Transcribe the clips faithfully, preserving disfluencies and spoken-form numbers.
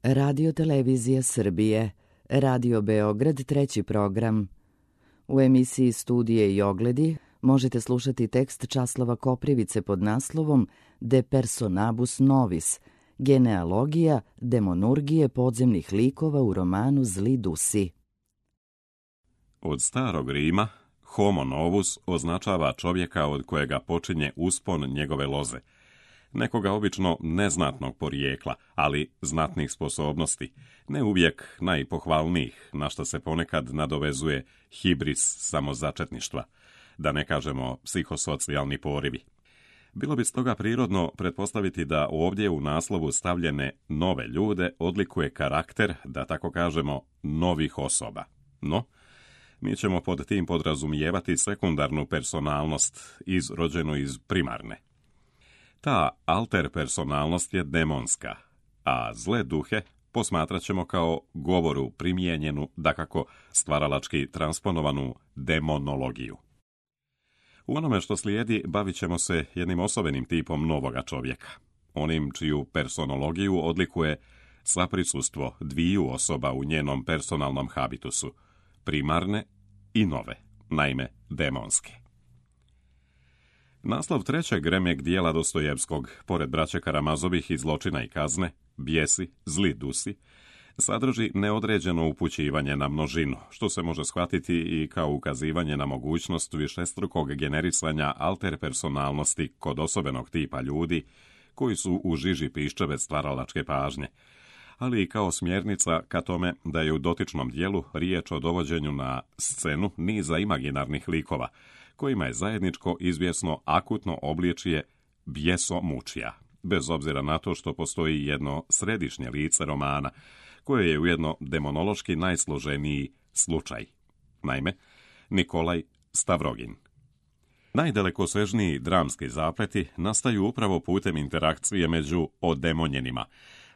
Radio Televizija Srbije, Radio Beograd, treći program. U emisiji Studije i ogledi možete slušati tekst Časlava Koprivice pod naslovom De personabus novis, genealogija demonurgije podzemnih likova u romanu Zli dusi. Od starog Rima, homo novus označava čovjeka od kojega počinje uspon njegove loze, nekoga obično neznatnog porijekla, ali znatnih sposobnosti, ne uvijek najpohvalnijih, na što se ponekad nadovezuje hibris samozačetništva, da ne kažemo psihosocijalni porivi. Bilo bi stoga prirodno pretpostaviti da ovdje u naslovu stavljene nove ljude odlikuje karakter, da tako kažemo, novih osoba. No, mi ćemo pod tim podrazumijevati sekundarnu personalnost izrođenu iz primarne. Ta alter personalnost je demonska, a zle duhe posmatrat ćemo kao govoru primijenjenu, dakako stvaralački transponovanu demonologiju. U onome što slijedi bavit ćemo se jednim osobenim tipom novoga čovjeka, onim čiju personologiju odlikuje saprisustvo dviju osoba u njenom personalnom habitusu, primarne i nove, naime demonske. Naslov trećeg remek dijela Dostojevskog, pored braće Karamazovih i Zločina i kazne, Bijesi, zli dusi, sadrži neodređeno upućivanje na množinu, što se može shvatiti i kao ukazivanje na mogućnost višestrukog generisanja alter personalnosti kod osobenog tipa ljudi koji su u žiži piščeve stvaralačke pažnje, ali i kao smjernica ka tome da je u dotičnom dijelu riječ o dovođenju na scenu niza imaginarnih likova, kojima je zajedničko izvjesno akutno obličje bjesomučija, bez obzira na to što postoji jedno središnje lice romana, koje je ujedno demonološki najsloženiji slučaj. Naime, Nikolaj Stavrogin. Najdalekosežniji dramski zapleti nastaju upravo putem interakcije među odemonjenima,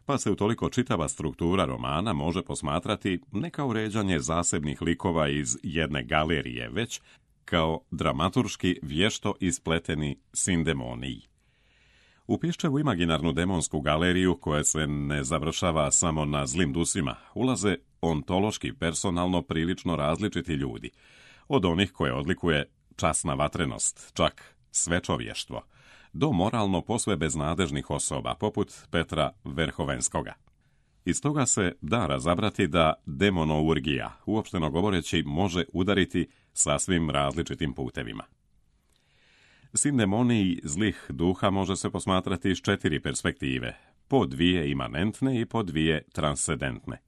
pa se utoliko čitava struktura romana može posmatrati ne kao uređanje zasebnih likova iz jedne galerije, već kao dramaturški vješto ispleteni sindemoniji. U Piščevu imaginarnu demonsku galeriju, koja se ne završava samo na zlim dusima, ulaze ontološki personalno prilično različiti ljudi, od onih koje odlikuje časna vatrenost, čak svečovještvo, do moralno posve beznadežnih osoba, poput Petra Verhovenskoga. Iz toga se da razabrati da demonourgija, uopšteno govoreći, može udariti sasvim različitim putevima. Sindemoniji zlih duha može se posmatrati iz četiri perspektive, po dvije imanentne i po dvije transcendentne.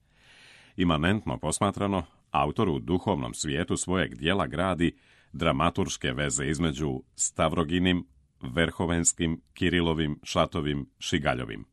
Imanentno posmatrano, autor u duhovnom svijetu svojeg dijela gradi dramaturške veze između Stavroginim, Verhovenskim, Kirilovim, Šatovim, Šigaljovim.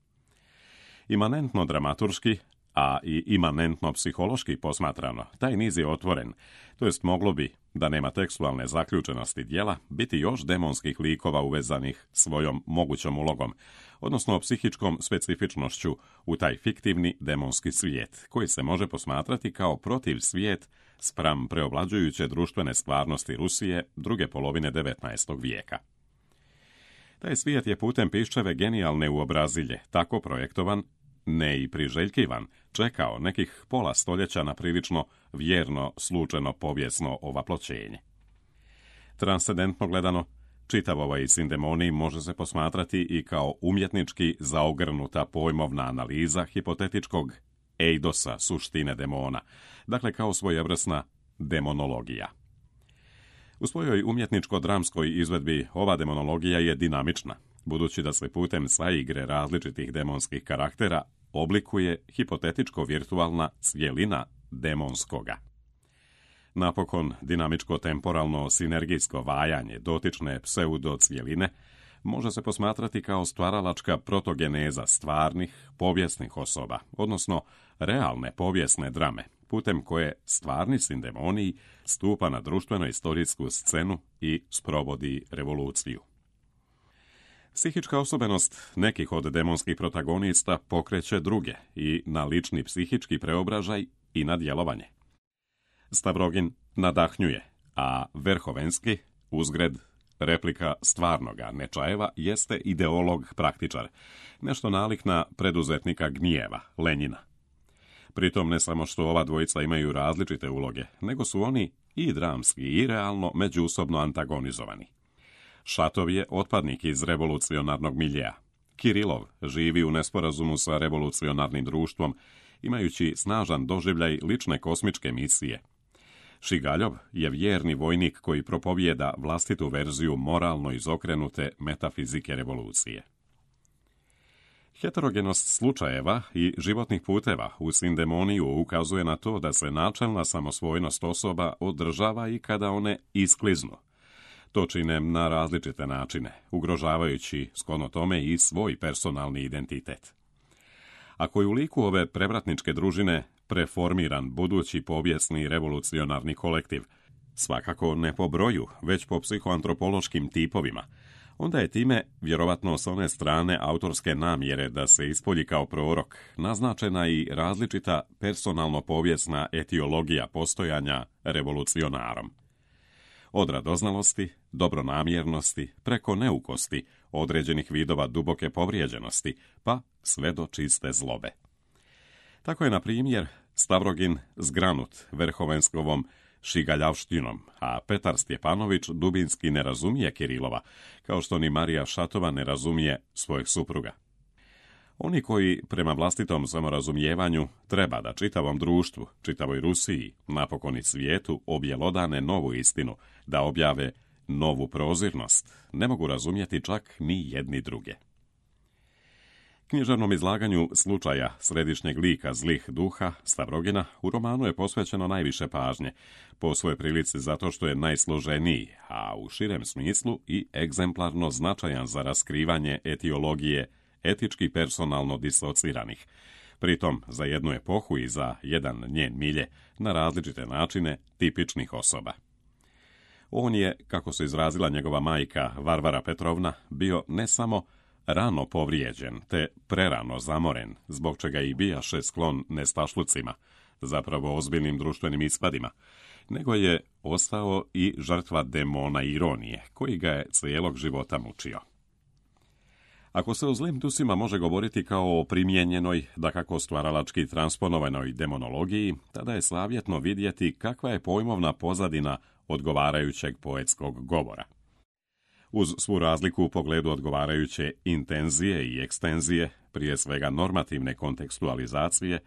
Imanentno dramaturški, a i imanentno psihološki posmatrano, taj niz je otvoren, to jest moglo bi, da nema tekstualne zaključenosti dijela, biti još demonskih likova uvezanih svojom mogućom ulogom, odnosno psihičkom specifičnošću u taj fiktivni demonski svijet, koji se može posmatrati kao protiv svijet spram preovlađujuće društvene stvarnosti Rusije druge polovine devetnaestog vijeka. Taj svijet je putem Piščeve genijalne uobrazilje tako projektovan, ne i priželjkivan, čekao nekih pola stoljeća na prilično vjerno slučeno povijesno ovaploćenje. Transcendentno gledano, čitav ovaj sindemonij može se posmatrati i kao umjetnički zaogrnuta pojmovna analiza hipotetičkog eidosa suštine demona, dakle kao svojevrsna demonologija. U svojoj umjetničko-dramskoj izvedbi ova demonologija je dinamična, budući da se putem saigre različitih demonskih karaktera oblikuje hipotetičko-virtualna cjelina demonskoga. Napokon, dinamičko-temporalno sinergijsko vajanje dotične pseudo-cjeline može se posmatrati kao stvaralačka protogeneza stvarnih, povijesnih osoba, odnosno realne povijesne drame, putem koje stvarni sindemonij stupa na društveno-istorijsku scenu i sprovodi revoluciju. Psihička osobenost nekih od demonskih protagonista pokreće druge i na lični psihički preobražaj i na djelovanje. Stavrogin nadahnjuje, a Verhovenski, uzgred replika stvarnoga Nečajeva, jeste ideolog praktičar, nešto nalik na preduzetnika gnjeva, Lenjina, Pritom ne samo što ova dvojica imaju različite uloge, nego su oni i dramski i realno međusobno antagonizovani. Šatov je otpadnik iz revolucionarnog miljea. Kirilov živi u nesporazumu sa revolucionarnim društvom, imajući snažan doživljaj lične kosmičke misije. Šigaljov je vjerni vojnik koji propovijeda vlastitu verziju moralno izokrenute metafizike revolucije. Heterogenost slučajeva i životnih puteva u sindemoniju ukazuje na to da se načelna samosvojnost osoba održava i kada one iskliznu. To čine na različite načine, ugrožavajući sklono tome i svoj personalni identitet. Ako je u liku ove prevratničke družine preformiran budući povijesni revolucionarni kolektiv, svakako ne po broju, već po psihoantropološkim tipovima, onda je time, vjerovatno s one strane autorske namjere da se ispolji kao prorok, naznačena i različita personalno-povijesna etiologija postojanja revolucionarom. Od radoznalosti, dobronamjernosti, preko neukosti, određenih vidova duboke povrijeđenosti, pa sve do čiste zlobe. Tako je, na primjer, Stavrogin zgranut Verhovenskovom šigaljavštinom, a Petar Stjepanović dubinski ne razumije Kirilova, kao što ni Marija Šatova ne razumije svojeg supruga. Oni koji, prema vlastitom samorazumijevanju, treba da čitavom društvu, čitavoj Rusiji, napokon i svijetu, objelodane novu istinu, da objave novu prozirnost, ne mogu razumjeti čak ni jedni druge. Književnom izlaganju slučaja središnjeg lika zlih duha Stavrogina u romanu je posvećeno najviše pažnje, po svojoj prilici zato što je najsloženiji, a u širem smislu i egzemplarno značajan za raskrivanje etiologije etički personalno disociranih, pritom za jednu epohu i za jedan njen milje, na različite načine tipičnih osoba. On je, kako se izrazila njegova majka Varvara Petrovna, bio ne samo rano povrijeđen, te prerano zamoren, zbog čega i bijaše sklon nestašlucima, zapravo ozbiljnim društvenim ispadima, nego je ostao i žrtva demona ironije, koji ga je cijelog života mučio. Ako se o zlim dusima može govoriti kao o primijenjenoj, dakako stvaralački transponovanoj demonologiji, tada je savjetno vidjeti kakva je pojmovna pozadina odgovarajućeg poetskog govora. Uz svu razliku u pogledu odgovarajuće intenzije i ekstenzije, prije svega normativne kontekstualizacije,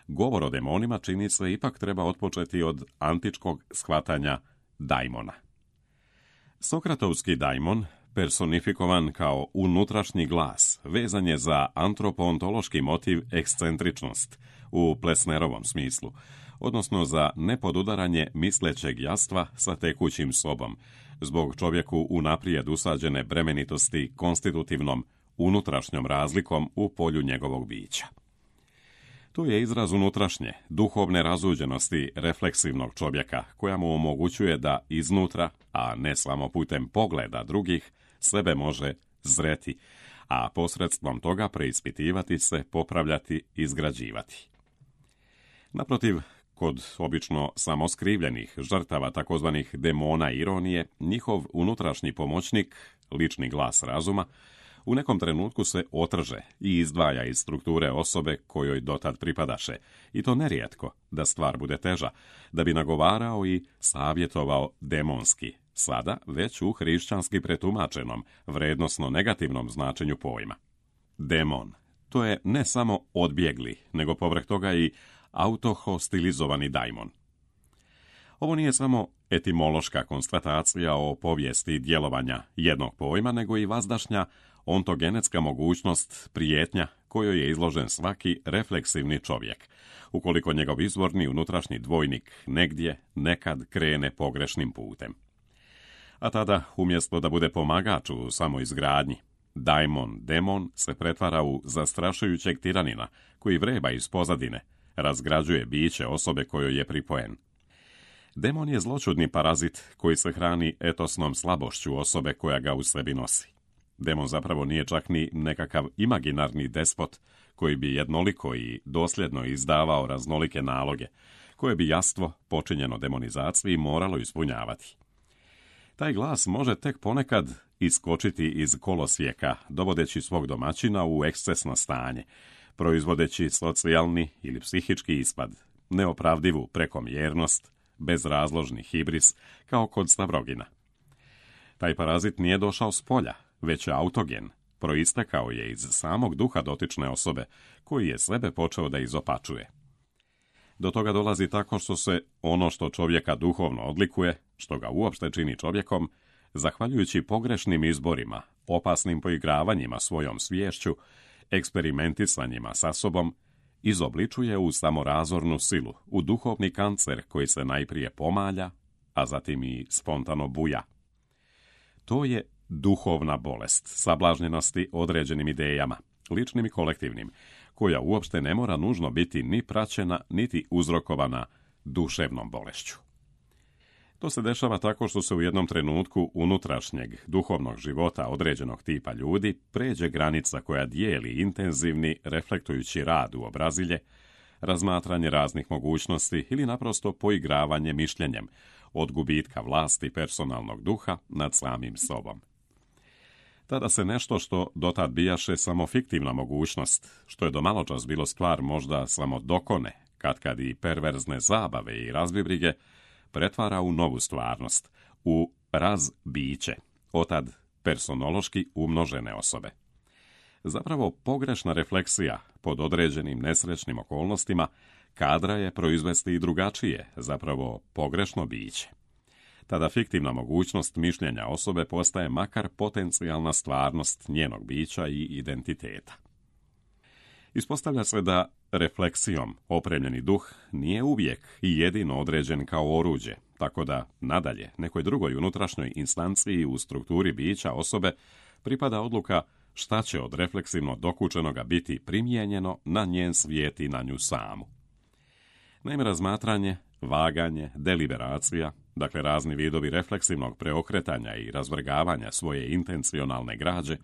govor o demonima čini se ipak treba otpočeti od antičkog shvatanja daimona. Sokratovski daimon, personifikovan kao unutrašnji glas, vezan je za antropoontološki motiv ekscentričnost u Plesnerovom smislu, odnosno za nepodudaranje mislećeg jastva sa tekućim sobom, zbog čovjeku unaprijed usađene bremenitosti konstitutivnom unutrašnjom razlikom u polju njegovog bića. Tu je izraz unutrašnje, duhovne razuđenosti refleksivnog čovjeka, koja mu omogućuje da iznutra, a ne samo putem pogleda drugih, sebe može zreti, a posredstvom toga preispitivati se, popravljati, izgrađivati. Naprotiv, kod obično samoskrivljenih žrtava takozvanih demona ironije, njihov unutrašnji pomoćnik, lični glas razuma, u nekom trenutku se otrže i izdvaja iz strukture osobe kojoj dotad pripadaše, i to nerijetko, da stvar bude teža, da bi nagovarao i savjetovao demonski, sada već u hrišćanski pretumačenom, vrednosno negativnom značenju pojma. Demon, to je ne samo odbjegli, nego povrh toga i autohostilizovani daimon. Ovo nije samo etimološka konstatacija o povijesti djelovanja jednog pojma, nego i vazdašnja ontogenetska mogućnost prijetnja kojoj je izložen svaki refleksivni čovjek, ukoliko njegov izvorni unutrašnji dvojnik negdje nekad krene pogrešnim putem. A tada, umjesto da bude pomagač u samoizgradnji, daimon, demon se pretvara u zastrašujućeg tiranina koji vreba iz pozadine, razgrađuje biće osobe kojoj je pripojen. Demon je zločudni parazit koji se hrani etosnom slabošću osobe koja ga u sebi nosi. Demon zapravo nije čak ni nekakav imaginarni despot koji bi jednoliko i dosljedno izdavao raznolike naloge, koje bi jastvo, počinjeno demonizaciji, moralo ispunjavati. Taj glas može tek ponekad iskočiti iz kolosijeka, dovodeći svog domaćina u ekscesno stanje, proizvodeći socijalni ili psihički ispad, neopravdivu prekomjernost, bezrazložni hibris, kao kod Stavrogina. Taj parazit nije došao s polja, već je autogen, proistekao je iz samog duha dotične osobe, koji je sebe počeo da izopačuje. Do toga dolazi tako što se ono što čovjeka duhovno odlikuje, što ga uopšte čini čovjekom, zahvaljujući pogrešnim izborima, opasnim poigravanjima svojom sviješću, eksperimentisanjima sa sobom, izobličuje u samorazornu silu, u duhovni kancer koji se najprije pomalja, a zatim i spontano buja. To je duhovna bolest, sablažnjenosti određenim idejama, ličnim i kolektivnim, koja uopšte ne mora nužno biti ni praćena, niti uzrokovana duševnom bolešću. To se dešava tako što se u jednom trenutku unutrašnjeg duhovnog života određenog tipa ljudi pređe granica koja dijeli intenzivni, reflektujući rad u obrazilje, razmatranje raznih mogućnosti ili naprosto poigravanje mišljenjem od gubitka vlasti personalnog duha nad samim sobom. Tada se nešto što dotad bijaše samo fiktivna mogućnost, što je do maločas bilo stvar možda samo dokone, katkad i perverzne zabave i razbibrige, pretvara u novu stvarnost, u razbiće, otad personološki umnožene osobe. Zapravo pogrešna refleksija pod određenim nesrećnim okolnostima kadra je proizvesti i drugačije, zapravo pogrešno biće. Tada fiktivna mogućnost mišljenja osobe postaje makar potencijalna stvarnost njenog bića i identiteta. Ispostavlja se da refleksijom opremljeni duh nije uvijek i jedino određen kao oruđe, tako da nadalje nekoj drugoj unutrašnjoj instanciji u strukturi bića osobe pripada odluka šta će od refleksivno dokučenoga biti primijenjeno na njen svijet i na nju samu. Naime, razmatranje, vaganje, deliberacija, dakle razni vidovi refleksivnog preokretanja i razvrgavanja svoje intencionalne građe,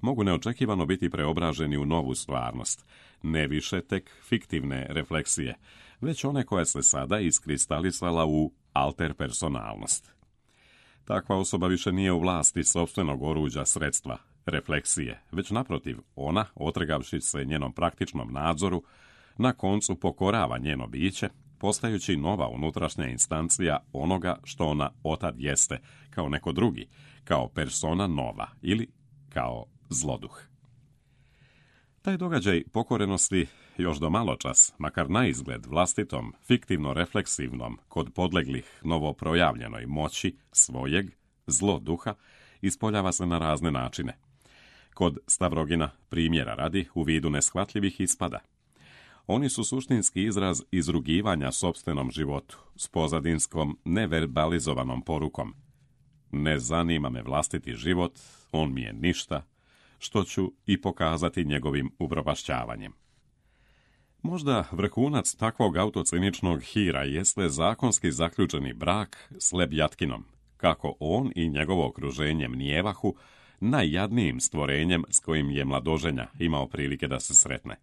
mogu neočekivano biti preobraženi u novu stvarnost, ne više tek fiktivne refleksije, već one koja se sada iskristalisala u alterpersonalnost. Takva osoba više nije u vlasti sopstvenog oruđa sredstva, refleksije, već naprotiv, ona, otrgavši se njenom praktičnom nadzoru, na koncu pokorava njeno biće, postajući nova unutrašnja instancija onoga što ona otad jeste, kao neko drugi, kao persona nova ili kao zloduh. Taj događaj pokorenosti još do maločas, makar na izgled vlastitom, fiktivno-refleksivnom, kod podleglih novoprojavljenoj moći svojeg zloduha, ispoljava se na razne načine. Kod Stavrogina primjera radi u vidu neshvatljivih ispada. Oni su suštinski izraz izrugivanja sopstvenom životu, s pozadinskom neverbalizovanom porukom. Ne zanima me vlastiti život, on mi je ništa, što ću i pokazati njegovim upropašćavanjem. Možda vrhunac takvog autociničnog hira jeste zakonski zaključeni brak s Lebjatkinom, kako on i njegovo okruženje mnijevahu najjadnijim stvorenjem s kojim je mladoženja imao prilike da se sretne.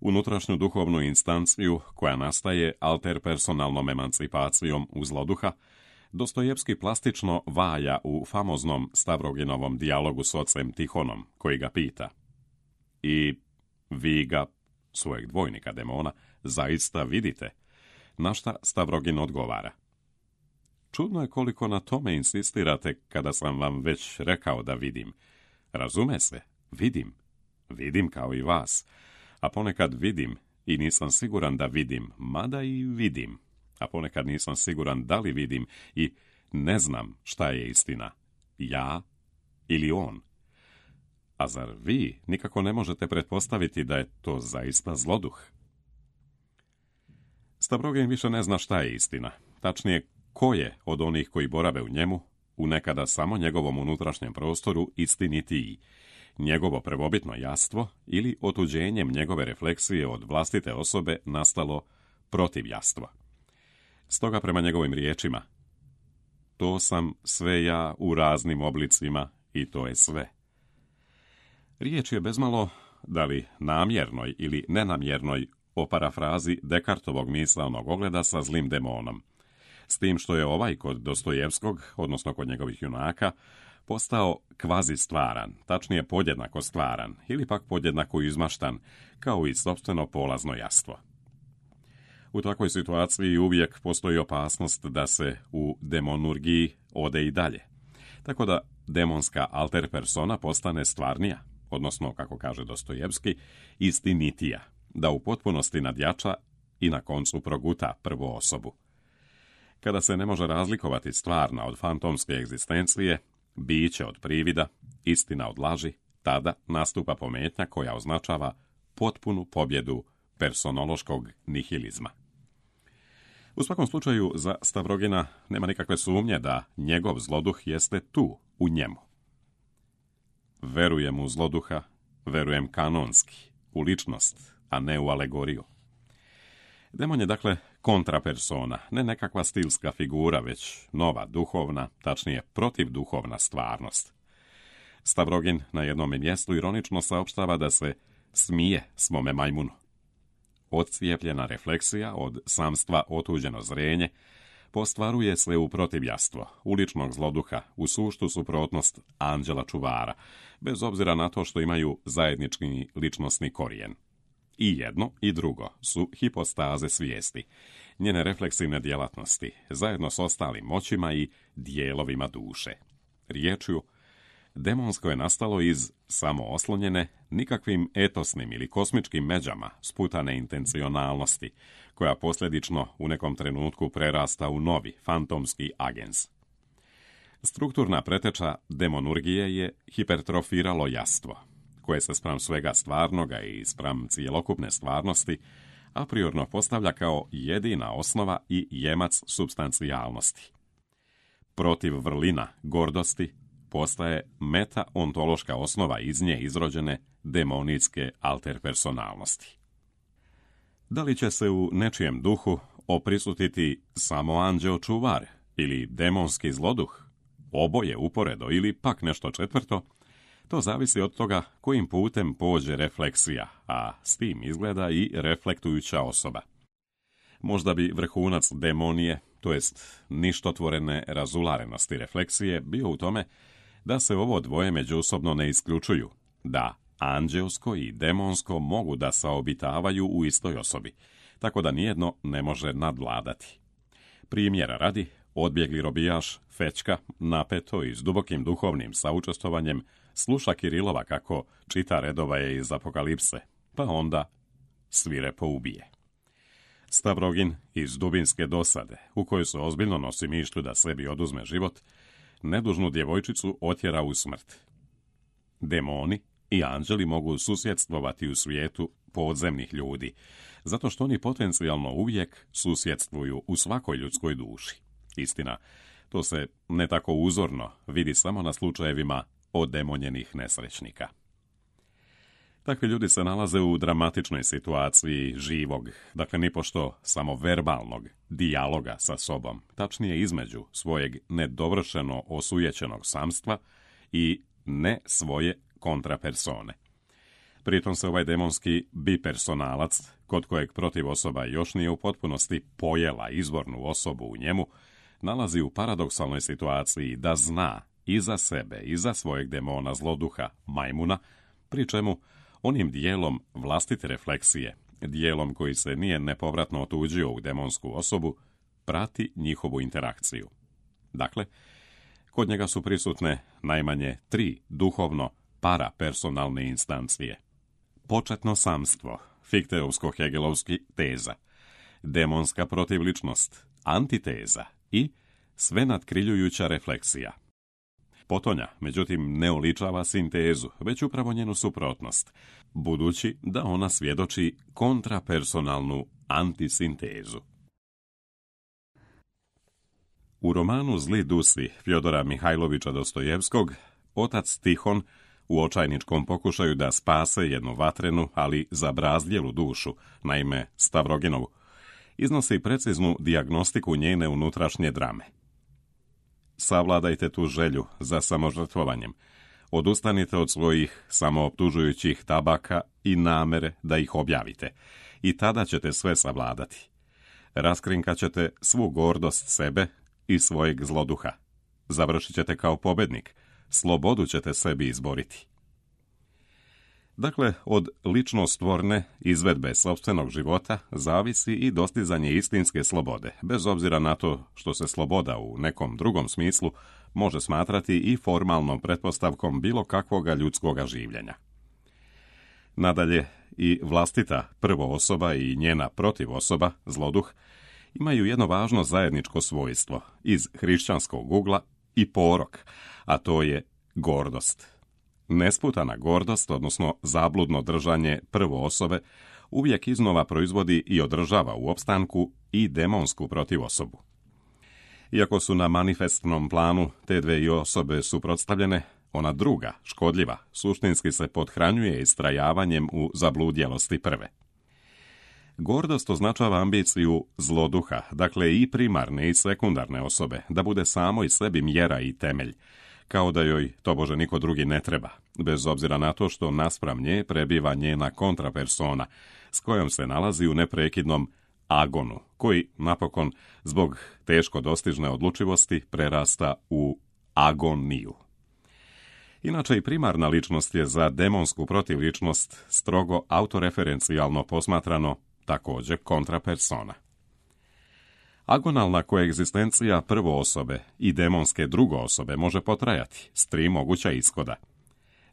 Unutrašnju duhovnu instanciju, koja nastaje alterpersonalnom emancipacijom u zloduha, Dostojevski plastično vaja u famoznom Stavroginovom dijalogu s ocem Tihonom, koji ga pita: I vi ga, svojeg dvojnika demona, zaista vidite? Na šta Stavrogin odgovara: Čudno je koliko na tome insistirate kada sam vam već rekao da vidim. Razume se, vidim. Vidim kao i vas. A ponekad vidim i nisam siguran da vidim, mada i vidim. A ponekad nisam siguran da li vidim i ne znam šta je istina, ja ili on. A zar vi nikako ne možete pretpostaviti da je to zaista zloduh? Stavrogin više ne zna šta je istina, tačnije ko je od onih koji borave u njemu, u nekada samo njegovom unutrašnjem prostoru, istinitiji, njegovo prvobitno jastvo ili otuđenjem njegove refleksije od vlastite osobe nastalo protivjastvo. Stoga prema njegovim riječima: to sam sve ja u raznim oblicima i to je sve. Riječ je bezmalo, da li namjernoj ili nenamjernoj, o parafrazi Descartovog misaonog ogleda sa zlim demonom, s tim što je ovaj kod Dostojevskog, odnosno kod njegovih junaka, postao kvazi stvaran, tačnije podjednako stvaran ili pak podjednako izmaštan, kao i sopstveno polazno jastvo. U takvoj situaciji uvijek postoji opasnost da se u demonurgiji ode i dalje, tako da demonska alter persona postane stvarnija, odnosno, kako kaže Dostojevski, istinitija, da u potpunosti nadjača i na koncu proguta prvu osobu. Kada se ne može razlikovati stvarna od fantomske egzistencije, biće od privida, istina od laži, tada nastupa pometnja koja označava potpunu pobjedu personološkog nihilizma. U svakom slučaju, za Stavrogina nema nikakve sumnje da njegov zloduh jeste tu, u njemu. Verujem u zloduha, verujem kanonski, u ličnost, a ne u alegoriju. Demon je dakle kontrapersona, ne nekakva stilska figura, već nova duhovna, tačnije protivduhovna stvarnost. Stavrogin na jednom mjestu ironično saopštava da se smije svome majmunu. Odcijepljena refleksija od samstva otuđeno zrenje postvaruje se u protivjastvo, uličnog zloduha, u suštu suprotnost anđela čuvara, bez obzira na to što imaju zajednički ličnosni korijen. I jedno i drugo su hipostaze svijesti, njene refleksivne djelatnosti, zajedno s ostalim moćima i dijelovima duše. Riječju, demonsko je nastalo iz samooslonjene, nikakvim etosnim ili kosmičkim međama sputane intencionalnosti, koja posljedično u nekom trenutku prerasta u novi, fantomski agens. Strukturna preteča demonurgije je hipertrofiralo jastvo, koje se spram svega stvarnoga i spram cijelokupne stvarnosti a priorno postavlja kao jedina osnova i jemac supstancijalnosti. Protiv vrlina, gordosti, postaje meta-ontološka osnova iz nje izrođene demonijske alterpersonalnosti. Da li će se u nečijem duhu oprisutiti samo anđeo čuvar ili demonski zloduh, oboje uporedo ili pak nešto četvrto, to zavisi od toga kojim putem pođe refleksija, a s tim izgleda i reflektujuća osoba. Možda bi vrhunac demonije, to jest ništotvorene razularenosti refleksije, bio u tome da se ovo dvoje međusobno ne isključuju, da anđelsko i demonsko mogu da saobitavaju u istoj osobi, tako da nijedno ne može nadvladati. Primjera radi, odbjegli robijaš Fečka napeto i s dubokim duhovnim saučestvovanjem sluša Kirilova kako čita redovaje iz Apokalipse, pa onda svirepo ubije. Stavrogin iz dubinske dosade, u kojoj se ozbiljno nosi mišlju da sebi oduzme život, nedužnu djevojčicu otjera u smrt. Demoni i anđeli mogu susjedstvovati u svijetu podzemnih ljudi, zato što oni potencijalno uvijek susjedstvuju u svakoj ljudskoj duši. Istina, to se ne tako uzorno vidi samo na slučajevima odemonjenih nesrećnika. Takvi ljudi se nalaze u dramatičnoj situaciji živog, dakle nipošto samo verbalnog dijaloga sa sobom, tačnije između svojeg nedovršeno osujećenog samstva i ne svoje kontrapersone. Pritom se ovaj demonski bipersonalac, kod kojeg protiv osoba još nije u potpunosti pojela izvornu osobu u njemu, nalazi u paradoksalnoj situaciji da zna i za sebe i za svojeg demona zloduha majmuna, pri čemu onim dijelom vlastite refleksije, dijelom koji se nije nepovratno otuđio u demonsku osobu, prati njihovu interakciju. Dakle, kod njega su prisutne najmanje tri duhovno parapersonalne instancije. Početno samstvo, fikteovsko-hegelovski teza, demonska protivličnost, antiteza i sve nadkriljujuća refleksija. Potonja, međutim, ne oličava sintezu, već upravo njenu suprotnost, budući da ona svjedoči kontrapersonalnu antisintezu. U romanu Zli dusi Fjodora Mihajlovića Dostojevskog, otac Tihon u očajničkom pokušaju da spase jednu vatrenu, ali zabrazdjelu dušu, naime Stavroginovu, iznosi preciznu dijagnostiku njene unutrašnje drame. Savladajte tu želju za samožrtvovanjem. Odustanite od svojih samooptužujućih tabaka i namere da ih objavite. I tada ćete sve savladati. Raskrinkat ćete svu gordost sebe i svojeg zloduha. Završit ćete kao pobednik, slobodu ćete sebi izboriti. Dakle, od ličnostvorne izvedbe sopstvenog života zavisi i dostizanje istinske slobode, bez obzira na to što se sloboda u nekom drugom smislu može smatrati i formalnom pretpostavkom bilo kakvoga ljudskoga življenja. Nadalje, i vlastita prvoosoba i njena protivosoba, zloduh, imaju jedno važno zajedničko svojstvo iz hrišćanskog ugla i porok, a to je gordost. Nesputana gordost, odnosno zabludno držanje prvoosobe, uvijek iznova proizvodi i održava u opstanku i demonsku protivosobu. Iako su na manifestnom planu te dve osobe suprotstavljene, ona druga, škodljiva, suštinski se pothranjuje istrajavanjem u zabludjelosti prve. Gordost označava ambiciju zloduha, dakle i primarne i sekundarne osobe, da bude samo i sebi mjera i temelj, kao da joj tobože niko drugi ne treba, bez obzira na to što naspram nje prebiva njena kontrapersona, s kojom se nalazi u neprekidnom agonu, koji napokon, zbog teško dostižne odlučivosti, prerasta u agoniju. Inače, i primarna ličnost je za demonsku protivličnost strogo autoreferencijalno posmatrano također kontrapersona. Agonalna koegzistencija prvoosobe i demonske drugoosobe može potrajati s tri moguća ishoda.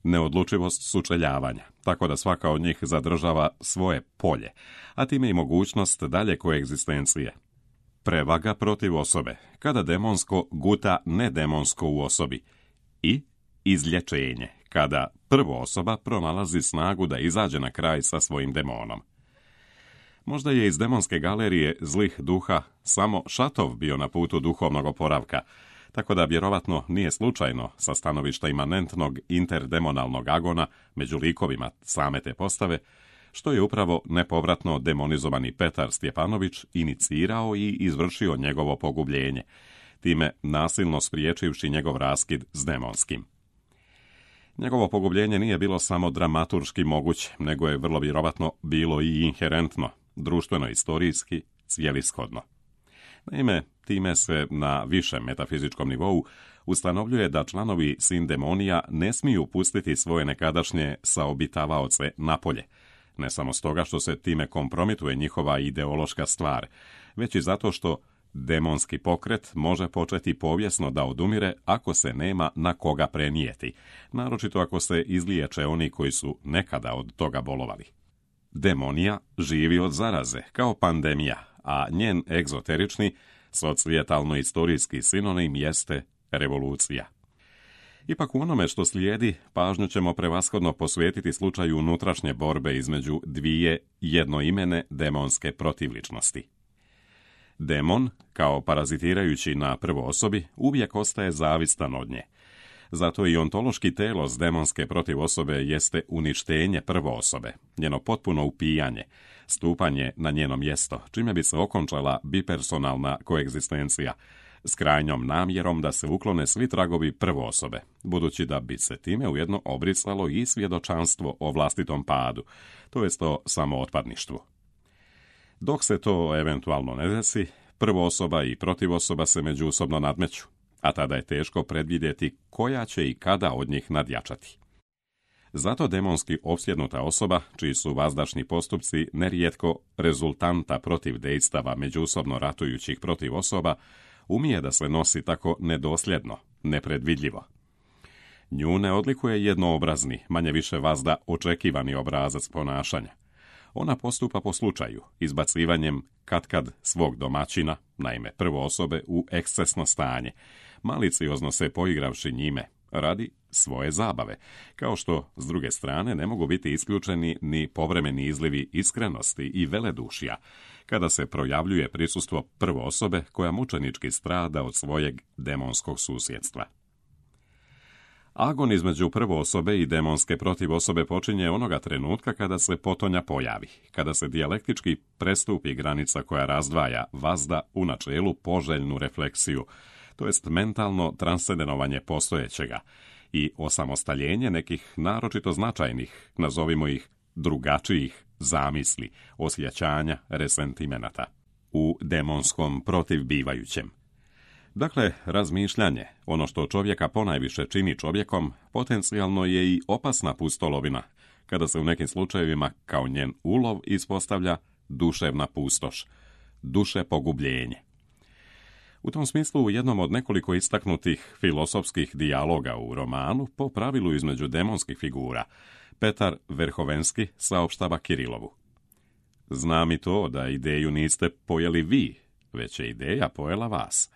Neodlučivost sučeljavanja, tako da svaka od njih zadržava svoje polje, a time i mogućnost dalje koegzistencije. Prevaga protiv osobe, kada demonsko guta nedemonsko u osobi. I izlječenje, kada prvoosoba pronalazi snagu da izađe na kraj sa svojim demonom. Možda je iz demonske galerije zlih duha samo Šatov bio na putu duhovnog oporavka, tako da vjerovatno nije slučajno sa stanovišta imanentnog interdemonalnog agona među likovima same te postave, što je upravo nepovratno demonizovani Petar Stjepanović inicirao i izvršio njegovo pogubljenje, time nasilno spriječivši njegov raskid s demonskim. Njegovo pogubljenje nije bilo samo dramaturški moguće, nego je vrlo vjerovatno bilo i inherentno, društveno-istorijski, cijelishodno. Naime, time se na višem metafizičkom nivou ustanovljuje da članovi sindemonija ne smiju pustiti svoje nekadašnje saobitavaoce napolje, ne samo stoga što se time kompromituje njihova ideološka stvar, već i zato što demonski pokret može početi povijesno da odumire ako se nema na koga prenijeti, naročito ako se izliječe oni koji su nekada od toga bolovali. Demonija živi od zaraze, kao pandemija, a njen egzoterični, societalno-istorijski sinonim jeste revolucija. Ipak u onome što slijedi, pažnju ćemo prevashodno posvetiti slučaju unutrašnje borbe između dvije jednoimene demonske protivličnosti. Demon, kao parazitirajući na prvoosobi, uvijek ostaje zavistan od nje. Zato i ontološki telos demonske protivosobe jeste uništenje prvoosobe, njeno potpuno upijanje, stupanje na njeno mjesto, čime bi se okončala bipersonalna koegzistencija, s krajnjom namjerom da se uklone svi tragovi prvoosobe, budući da bi se time ujedno obrisalo i svjedočanstvo o vlastitom padu, to jest o samootpadništvu. Dok se to eventualno ne desi, prvoosoba i protivosoba se međusobno nadmeću, a tada je teško predvidjeti koja će i kada od njih nadjačati. Zato demonski opsjednuta osoba, čiji su vazdašni postupci nerijetko rezultanta protiv dejstava međusobno ratujućih protiv osoba, umije da se nosi tako nedosljedno, nepredvidljivo. Nju ne odlikuje jednoobrazni, manje više vazda očekivani obrazac ponašanja. Ona postupa po slučaju, izbacivanjem katkad svog domaćina, naime prvoosobe, u ekscesno stanje, maliciozno se poigravši njime, radi svoje zabave, kao što, s druge strane, ne mogu biti isključeni ni povremeni izlivi iskrenosti i veledušja, kada se projavljuje prisustvo prvoosobe koja mučenički strada od svojeg demonskog susjedstva. Agon između prvoosobe i demonske protivosobe počinje onoga trenutka kada se potonja pojavi, kada se dijalektički prestupi granica koja razdvaja vazda u načelu poželjnu refleksiju, to jest mentalno transcendenovanje postojećega i osamostaljenje nekih naročito značajnih, nazovimo ih drugačijih, zamisli, osjećanja, resentimenata u demonskom protivbivajućem. Dakle, razmišljanje, ono što čovjeka ponajviše čini čovjekom, potencijalno je i opasna pustolovina, kada se u nekim slučajevima kao njen ulov ispostavlja duševna pustoš, duše pogubljenje. U tom smislu, u jednom od nekoliko istaknutih filosofskih dijaloga u romanu, po pravilu između demonskih figura, Petar Verhovenski saopštava Kirilovu: znam i to da ideju niste pojeli vi, već je ideja pojela vas.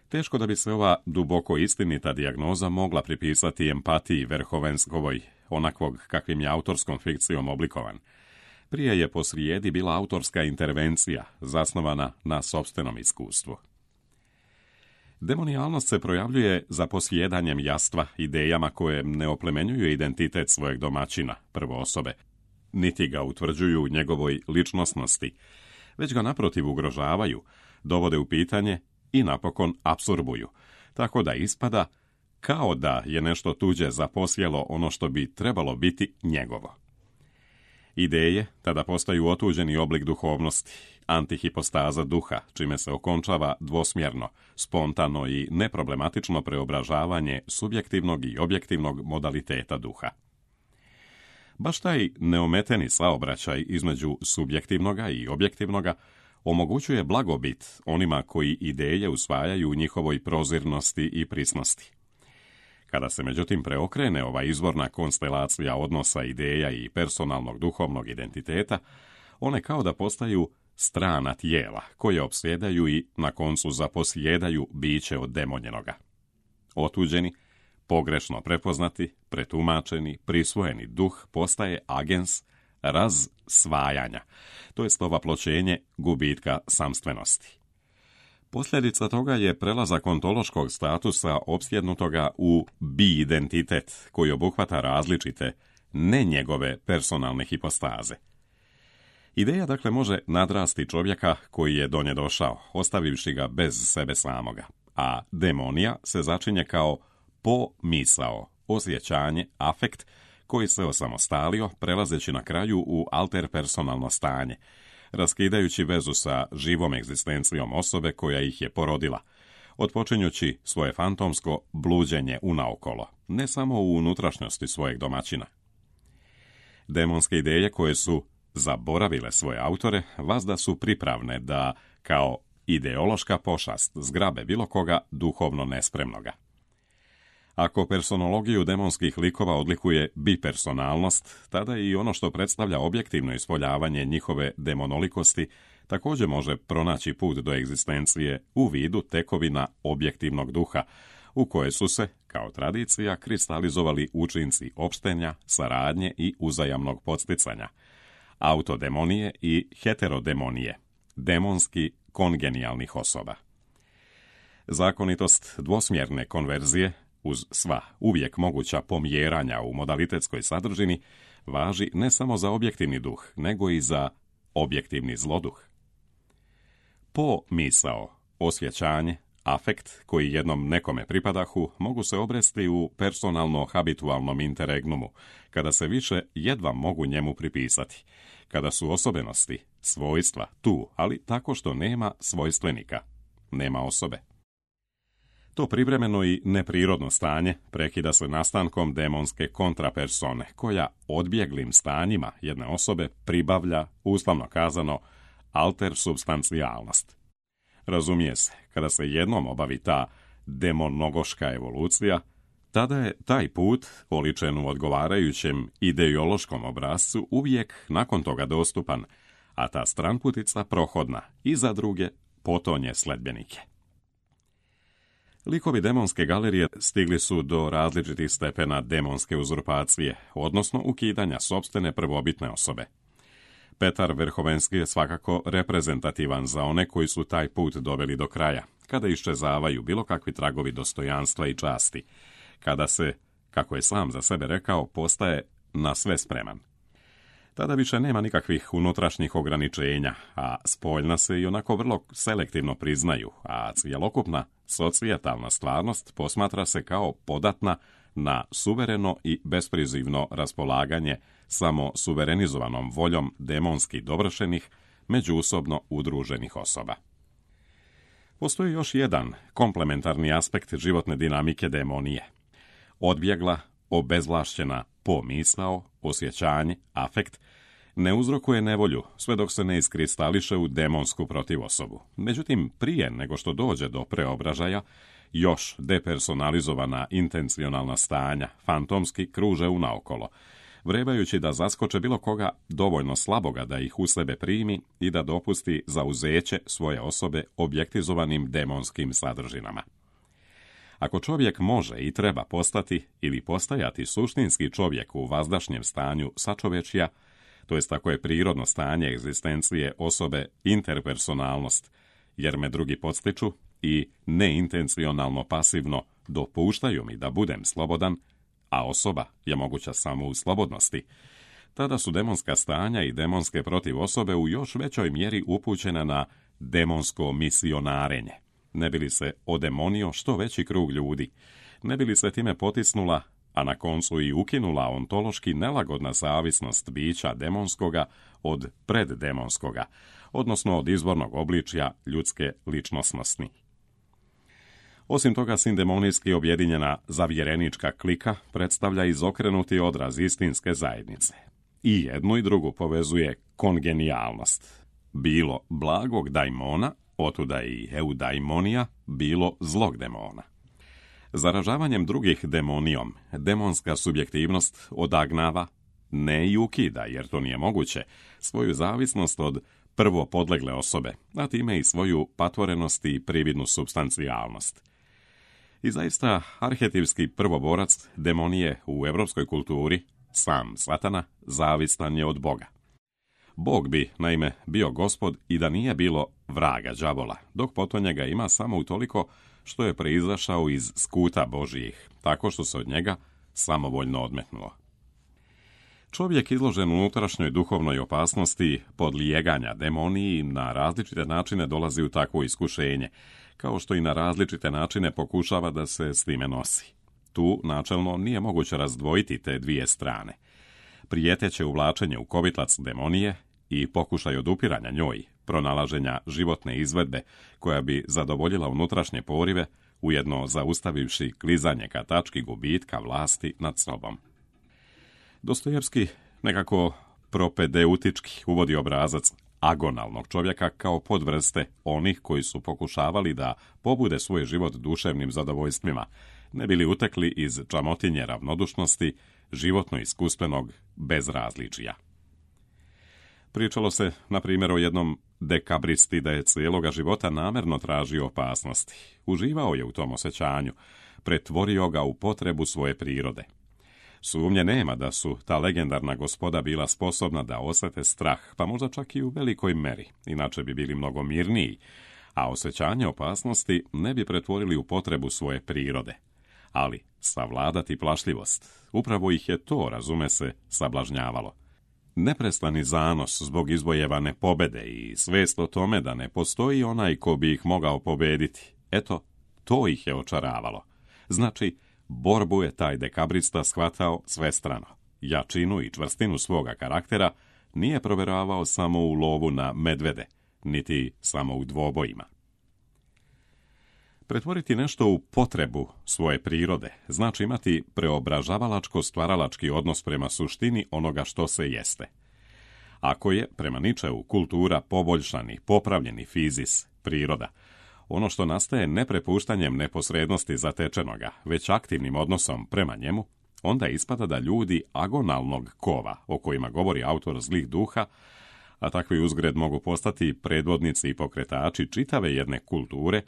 Teško da bi se ova duboko istinita dijagnoza mogla pripisati empatiji Verhovenskovoj, onakvog kakvim je autorskom fikcijom oblikovan. Prije je posrijedi bila autorska intervencija, zasnovana na sopstvenom iskustvu. Demonijalnost se projavljuje za posjedanjem jastva, idejama koje ne oplemenjuju identitet svojeg domaćina, prvo osobe, niti ga utvrđuju u njegovoj ličnosnosti, već ga naprotiv ugrožavaju, dovode u pitanje i napokon apsorbuju, tako da ispada kao da je nešto tuđe zaposjelo ono što bi trebalo biti njegovo. Ideje tada postaju otuđeni oblik duhovnosti, antihipostaza duha, čime se okončava dvosmjerno, spontano i neproblematično preobražavanje subjektivnog i objektivnog modaliteta duha. Baš taj neometeni saobraćaj između subjektivnoga i objektivnoga omogućuje blagobit onima koji ideje usvajaju u njihovoj prozirnosti i prisnosti. Kada se međutim preokrene ova izvorna konstelacija odnosa ideja i personalnog duhovnog identiteta, one kao da postaju strana tijela, koje opsjedaju i na koncu zaposjedaju biće od demonjenoga. Otuđeni, pogrešno prepoznati, pretumačeni, prisvojeni duh postaje agens razsvajanja, to jest ovaploćenje gubitka samstvenosti. Posljedica toga je prelazak ontološkog statusa opsjednutoga u bi-identitet, koji obuhvata različite, ne njegove personalne hipostaze. Ideja dakle može nadrasti čovjeka koji je do nje došao, ostavivši ga bez sebe samoga, a demonija se začinje kao pomisao, osjećanje, afekt, koji se osamostalio, prelazeći na kraju u alterpersonalno stanje, raskidajući vezu sa živom egzistencijom osobe koja ih je porodila, otpočinjući svoje fantomsko bluđenje unaokolo, ne samo u unutrašnjosti svojeg domaćina. Demonske ideje koje su zaboravile svoje autore, vazda su pripravne da, kao ideološka pošast, zgrabe bilo koga duhovno nespremnoga. Ako personologiju demonskih likova odlikuje bipersonalnost, tada i ono što predstavlja objektivno ispoljavanje njihove demonolikosti također može pronaći put do egzistencije u vidu tekovina objektivnog duha, u koje su se, kao tradicija, kristalizovali učinci opštenja, saradnje i uzajamnog podsticanja, autodemonije i heterodemonije, demonski kongenijalnih osoba. Zakonitost dvosmjerne konverzije, uz sva uvijek moguća pomjeranja u modalitetskoj sadržini, važi ne samo za objektivni duh, nego i za objektivni zloduh. Pomisao, osjećanje, afekt koji jednom nekome pripadahu mogu se obresti u personalno-habitualnom interregnumu, kada se više jedva mogu njemu pripisati, kada su osobenosti, svojstva tu, ali tako što nema svojstvenika, nema osobe. To privremeno i neprirodno stanje prekida se nastankom demonske kontrapersone, koja odbjeglim stanjima jedne osobe pribavlja, uslovno kazano, altersubstancijalnost. Razumije se, kada se jednom obavi ta demonogoška evolucija, tada je taj put, oličen u odgovarajućem ideološkom obrascu, uvijek nakon toga dostupan, a ta stranputica prohodna i za druge potonje sledbenike. Likovi demonske galerije stigli su do različitih stepena demonske uzurpacije, odnosno ukidanja sopstvene prvobitne osobe. Petar Verhovenski je svakako reprezentativan za one koji su taj put doveli do kraja, kada iščezavaju bilo kakvi tragovi dostojanstva i časti, kada se, kako je sam za sebe rekao, postaje na sve spreman. Tada više nema nikakvih unutrašnjih ograničenja, a spoljna se i onako vrlo selektivno priznaju, a cjelokupna societalna stvarnost posmatra se kao podatna na suvereno i besprizivno raspolaganje samo suverenizovanom voljom demonski dovršenih, međusobno udruženih osoba. Postoji još jedan komplementarni aspekt životne dinamike demonije. Odbjegla, obezvlašćena pomisao, osjećanje, afekt, ne uzrokuje nevolju sve dok se ne iskristališe u demonsku protivosobu. Međutim, prije nego što dođe do preobražaja, još depersonalizovana intencionalna stanja fantomski kruže unaokolo, vrebajući da zaskoče bilo koga dovoljno slaboga da ih u sebe primi i da dopusti zauzeće svoje osobe objektizovanim demonskim sadržinama. Ako čovjek može i treba postati ili postajati suštinski čovjek u vazdašnjem stanju sačovečja, to jest ako je prirodno stanje egzistencije osobe interpersonalnost, jer me drugi podstiču i neintencionalno pasivno dopuštaju mi da budem slobodan, a osoba je moguća samo u slobodnosti, tada su demonska stanja i demonske protiv osobe u još većoj mjeri upućena na demonsko misionarenje. Ne bi li se odemonio što veći krug ljudi, ne bi li se time potisnula, a na koncu i ukinula ontološki nelagodna zavisnost bića demonskoga od preddemonskoga, odnosno od izvornog obličja ljudske ličnosnosti. Osim toga, sindemonijski objedinjena zavjerenička klika predstavlja izokrenuti odraz istinske zajednice. I jednu i drugu povezuje kongenijalnost. Bilo blagog daimona, otuda i eudaimonija, bilo zlog demona. Zaražavanjem drugih demonijom, demonska subjektivnost odagnava, ne i ukida, jer to nije moguće, svoju zavisnost od prvo podlegle osobe, a time i svoju patvorenost i prividnu supstancijalnost. I zaista, arhetipski prvoborac demonije u evropskoj kulturi, sam Satana, zavistan je od Boga. Bog bi, naime, bio gospod i da nije bilo vraga đavola, dok potonje ga ima samo utoliko što je proizašao iz skuta Božijih, tako što se od njega samovoljno odmetnuo. Čovjek izložen unutrašnjoj duhovnoj opasnosti podlijeganja demoniji na različite načine dolazi u takvo iskušenje, kao što i na različite načine pokušava da se s time nosi. Tu, načelno, nije moguće razdvojiti te dvije strane. Prijeteće uvlačenje u kovitlac demonije i pokušaj odupiranja njoj, pronalaženja životne izvedbe koja bi zadovoljila unutrašnje porive, ujedno zaustavivši klizanje ka tački gubitka vlasti nad sobom. Dostojevski nekako propedeutički uvodi obrazac agonalnog čovjeka kao podvrste onih koji su pokušavali da pobude svoj život duševnim zadovoljstvima, ne bili utekli iz čamotinje ravnodušnosti, životno iskustvenog bezrazličija. Pričalo se, na primjer, o jednom dekabristi da je cijeloga života namerno tražio opasnosti. Uživao je u tom osjećanju, pretvorio ga u potrebu svoje prirode. Sumnje nema da su ta legendarna gospoda bila sposobna da osjete strah, pa možda čak i u velikoj meri, inače bi bili mnogo mirniji, a osjećanje opasnosti ne bi pretvorili u potrebu svoje prirode. Ali savladati plašljivost, upravo ih je to, razume se, sablažnjavalo. Neprestani zanos zbog izvojevane pobede i svijest o tome da ne postoji onaj ko bi ih mogao pobediti, eto, to ih je očaravalo. Znači, borbu je taj dekabrista shvatao svestrano. Jačinu i čvrstinu svoga karaktera nije provjeravao samo u lovu na medvede, niti samo u dvobojima. Pretvoriti nešto u potrebu svoje prirode znači imati preobražavalačko-stvaralački odnos prema suštini onoga što se jeste. Ako je, prema Ničeu, kultura poboljšani, popravljeni fizis, priroda, ono što nastaje ne prepuštanjem neposrednosti zatečenoga, već aktivnim odnosom prema njemu, onda ispada da ljudi agonalnog kova, o kojima govori autor Zlih duha, a takvi uzgred mogu postati predvodnici i pokretači čitave jedne kulture,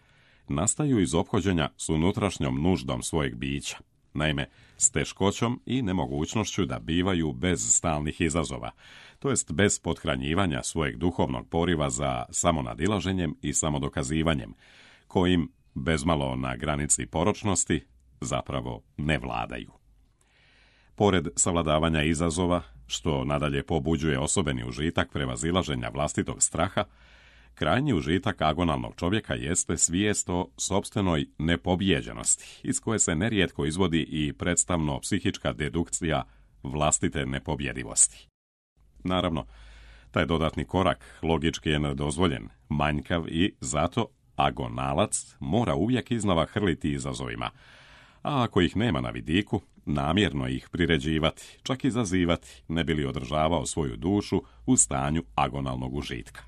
nastaju iz ophođenja s unutrašnjom nuždom svojeg bića, naime, s teškoćom i nemogućnošću da bivaju bez stalnih izazova, to jest bez pothranjivanja svojeg duhovnog poriva za samonadilaženjem i samodokazivanjem, kojim, bezmalo na granici poročnosti, zapravo ne vladaju. Pored savladavanja izazova, što nadalje pobuđuje osobeni užitak prevazilaženja vlastitog straha, krajnji užitak agonalnog čovjeka jeste svijest o sopstvenoj nepobjeđenosti, iz koje se nerijetko izvodi i predstavno psihička dedukcija vlastite nepobjedivosti. Naravno, taj dodatni korak logički je nedozvoljen, manjkav i zato agonalac mora uvijek iznova hrliti izazovima, a ako ih nema na vidiku, namjerno ih priređivati, čak i zazivati, ne bi li održavao svoju dušu u stanju agonalnog užitka.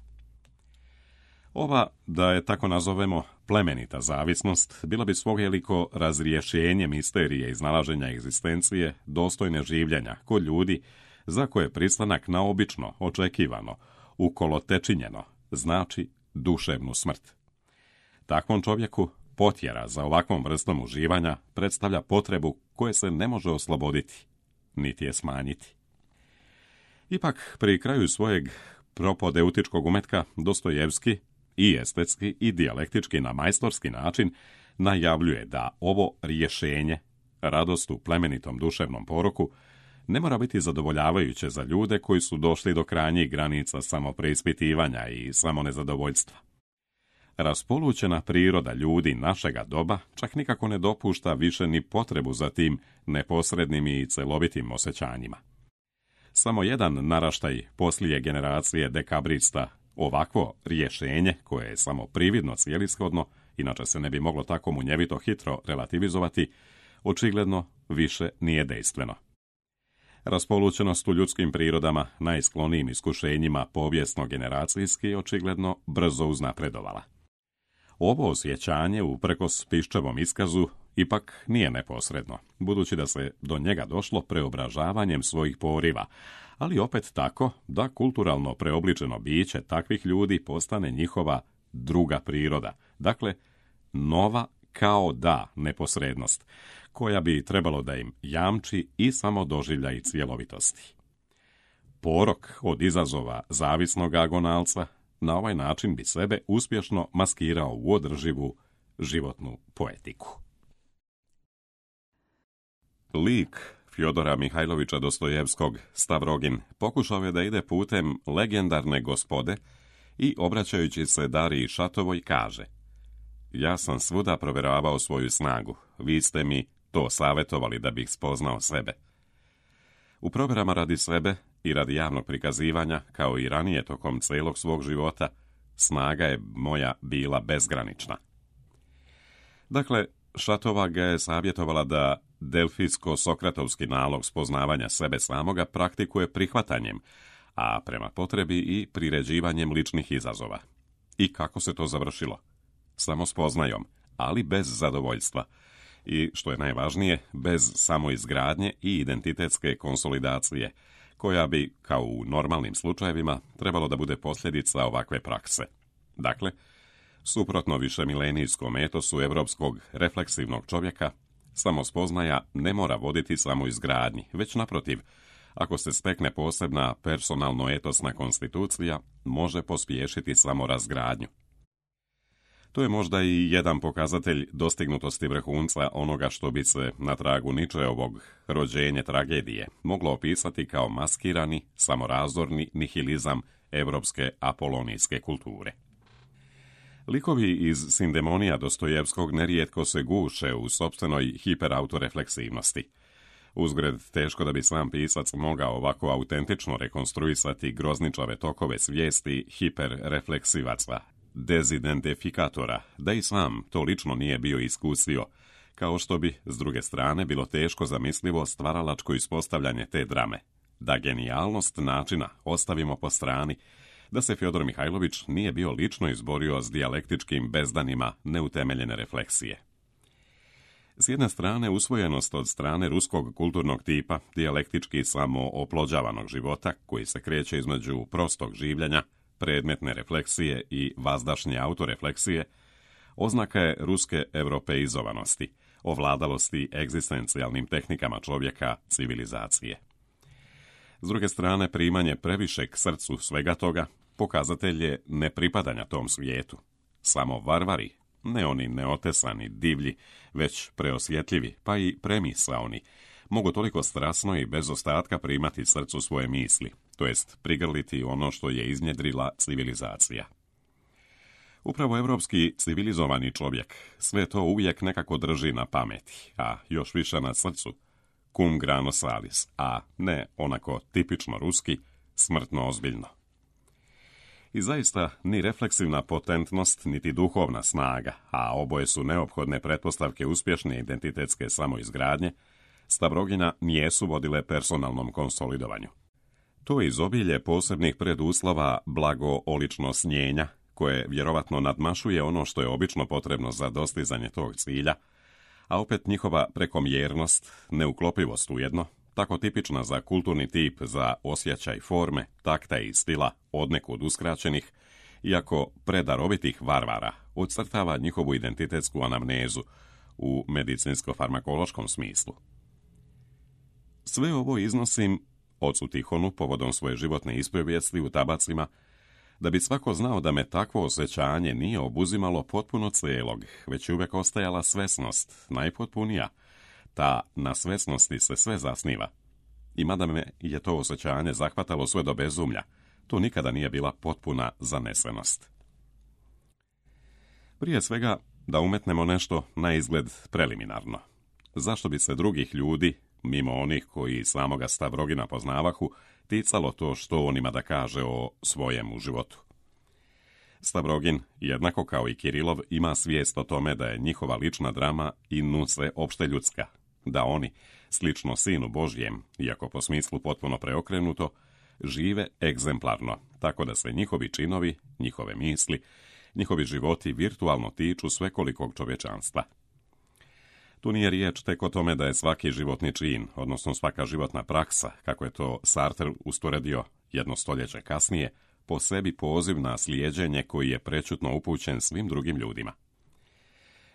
Ova, da je tako nazovemo, plemenita zavisnost bila bi svojeliko razrješenje misterije iznalaženja egzistencije dostojne življenja kod ljudi za koje pristanak na obično, očekivano, ukolotečinjeno, znači duševnu smrt. Takvom čovjeku potjera za ovakvom vrstom uživanja predstavlja potrebu koje se ne može osloboditi, niti je smanjiti. Ipak, pri kraju svojeg propodeutičkog umetka Dostojevski i estetski i dijalektički na majstorski način najavljuje da ovo rješenje, radost u plemenitom duševnom poroku, ne mora biti zadovoljavajuće za ljude koji su došli do krajnjih granica samopreispitivanja i samonezadovoljstva. Raspolućena priroda ljudi našega doba čak nikako ne dopušta više ni potrebu za tim neposrednim i celovitim osjećanjima. Samo jedan naraštaj poslije generacije dekabrista ovakvo rješenje, koje je samo prividno cijelishodno, inače se ne bi moglo tako munjevito hitro relativizovati, očigledno više nije dejstveno. Raspolućenost u ljudskim prirodama najsklonijim iskušenjima povijesno-generacijski očigledno brzo uznapredovala. Ovo osjećanje uprkos Piščevom iskazu ipak nije neposredno, budući da se do njega došlo preobražavanjem svojih poriva, ali opet tako da kulturalno preobličeno biće takvih ljudi postane njihova druga priroda, dakle nova kao da neposrednost, koja bi trebalo da im jamči i samodoživljaj cjelovitosti. Porok od izazova zavisnog agonalca na ovaj način bi sebe uspješno maskirao u održivu životnu poetiku. Lik Fjodora Mihajlovića Dostojevskog, Stavrogin, pokušao je da ide putem legendarne gospode i, obraćajući se Dariji Šatovoj, kaže: ja sam svuda provjeravao svoju snagu, vi ste mi to savjetovali da bih spoznao sebe. U provjerama radi sebe i radi javnog prikazivanja, kao i ranije tokom cijelog svog života, snaga je moja bila bezgranična. Dakle, Šatova ga je savjetovala da delfijsko-sokratovski nalog spoznavanja sebe samoga praktikuje prihvatanjem, a prema potrebi i priređivanjem ličnih izazova. I kako se to završilo? Samo spoznajom, ali bez zadovoljstva. I, što je najvažnije, bez samoizgradnje i identitetske konsolidacije, koja bi, kao u normalnim slučajevima, trebalo da bude posljedica ovakve prakse. Dakle, suprotno višemilenijskom etosu evropskog refleksivnog čovjeka, samospoznaja ne mora voditi samoizgradnji, već naprotiv, ako se stekne posebna personalno-etosna konstitucija, može pospješiti samorazgradnju. To je možda i jedan pokazatelj dostignutosti vrhunca onoga što bi se na tragu Ničeovog rođenje tragedije moglo opisati kao maskirani, samorazorni nihilizam evropske apolonijske kulture. Likovi iz Sindemonija Dostojevskog nerijetko se guše u sopstvenoj hiperautorefleksivnosti. Uzgred, teško da bi sam pisac mogao ovako autentično rekonstruisati grozničave tokove svijesti hiperrefleksivaca, dezidentifikatora, da i sam to lično nije bio iskusio, kao što bi, s druge strane, bilo teško zamislivo stvaralačko ispostavljanje te drame, da genijalnost načina ostavimo po strani, da se Fjodor Mihajlović nije bio lično izborio s dijalektičkim bezdanima neutemeljene refleksije. S jedne strane, usvojenost od strane ruskog kulturnog tipa, dijalektički samo oplođavanog života, koji se kreće između prostog življenja, predmetne refleksije i vazdašnje autorefleksije, oznaka je ruske europeizovanosti, ovladalosti egzistencijalnim tehnikama čovjeka, civilizacije. S druge strane, primanje previše k srcu svega toga pokazatelj je nepripadanja tom svijetu. Samo varvari, ne oni neotesani, divlji, već preosjetljivi, pa i premisaoni, mogu toliko strasno i bez ostatka primati srcu svoje misli, to jest prigrliti ono što je iznjedrila civilizacija. Upravo evropski civilizovani čovjek sve to uvijek nekako drži na pameti, a još više na srcu, cum grano salis, a ne onako tipično ruski, smrtno ozbiljno. I zaista ni refleksivna potentnost, niti duhovna snaga, a oboje su neophodne pretpostavke uspješne identitetske samoizgradnje, Stavrogina nijesu vodile personalnom konsolidovanju. To izobilje posebnih preduslova blago-olično snjenja, koje vjerovatno nadmašuje ono što je obično potrebno za dostizanje tog cilja, a opet njihova prekomjernost, neuklopivost ujedno, tako tipična za kulturni tip, za osjećaj forme, takta i stila odnekud uskraćenih, iako predarovitih varvara, odcrtava njihovu identitetsku anamnezu u medicinsko-farmakološkom smislu. Sve ovo iznosim ocu Tihonu povodom svoje životne ispovijesti u tabacima, da bi svako znao da me takvo osjećanje nije obuzimalo potpuno cijelog, već je uvijek ostajala svesnost, najpotpunija. Ta na svesnosti se sve zasniva. I mada me je to osjećanje zahvatalo sve do bezumlja, to nikada nije bila potpuna zanesenost. Prije svega, da umetnemo nešto na izgled preliminarno. Zašto bi se drugih ljudi, mimo onih koji samoga Stavrogina poznavahu, ticalo to što on ima da kaže o svojemu životu? Stavrogin, jednako kao i Kirilov, ima svijest o tome da je njihova lična drama i nuce opšte ljudska, da oni, slično Sinu Božjem, iako po smislu potpuno preokrenuto, žive egzemplarno, tako da se njihovi činovi, njihove misli, njihovi životi virtualno tiču svekolikog čovječanstva. Tu nije riječ tek o tome da je svaki životni čin, odnosno svaka životna praksa, kako je to Sartre usporedio jedno stoljeće kasnije, po sebi poziv na slijeđenje koji je prečutno upućen svim drugim ljudima.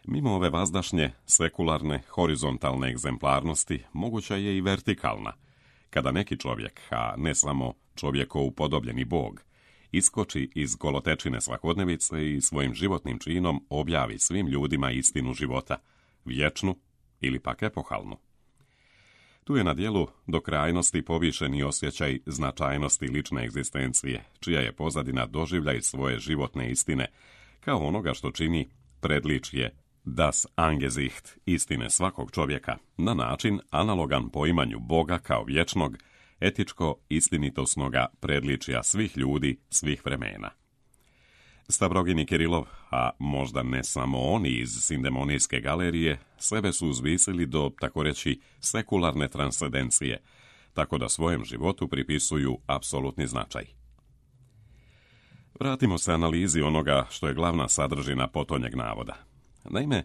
Mimo ove vazdašnje, sekularne, horizontalne egzemplarnosti, moguća je i vertikalna, kada neki čovjek, a ne samo čovjekov upodobljeni Bog, iskoči iz golotečine svakodnevice i svojim životnim činom objavi svim ljudima istinu života, vječnu ili pak epohalnu. Tu je na djelu do krajnosti povišeni osjećaj značajnosti lične egzistencije, čija je pozadina doživljaj svoje životne istine, kao onoga što čini predličje das Angesicht istine svakog čovjeka, na način analogan poimanju Boga kao vječnog, etičko istinitosnoga predličja svih ljudi, svih vremena. Stavrogin i Kirilov, a možda ne samo oni iz Sindemonijske galerije, sebe su uzvisili do, tako reći, sekularne transcendencije, tako da svojem životu pripisuju apsolutni značaj. Vratimo se analizi onoga što je glavna sadržina potonjeg navoda. Naime,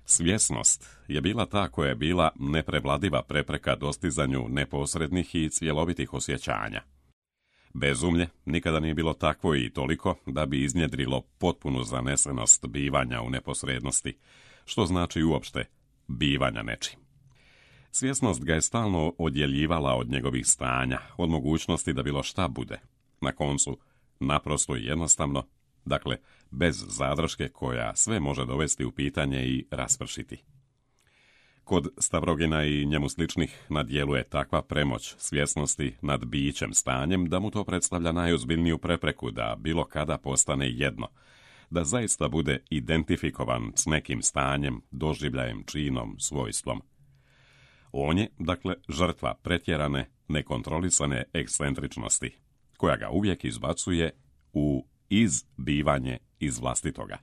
svjesnost je bila ta koja je bila neprevladiva prepreka dostizanju neposrednih i cjelovitih osjećanja. Bezumlje nikada nije bilo takvo i toliko da bi iznjedrilo potpunu zanesenost bivanja u neposrednosti, što znači uopšte bivanja nečim. Svjesnost ga je stalno odjeljivala od njegovih stanja, od mogućnosti da bilo šta bude. Na koncu, naprosto i jednostavno, dakle, bez zadrške koja sve može dovesti u pitanje i raspršiti. Kod Stavrogina i njemu sličnih na djelu je takva premoć svjesnosti nad bićem stanjem da mu to predstavlja najozbiljniju prepreku da bilo kada postane jedno, da zaista bude identifikovan s nekim stanjem, doživljajem, činom, svojstvom. On je, dakle, žrtva pretjerane, nekontrolisane ekscentričnosti, koja ga uvijek izbacuje u izbivanje iz vlastitoga.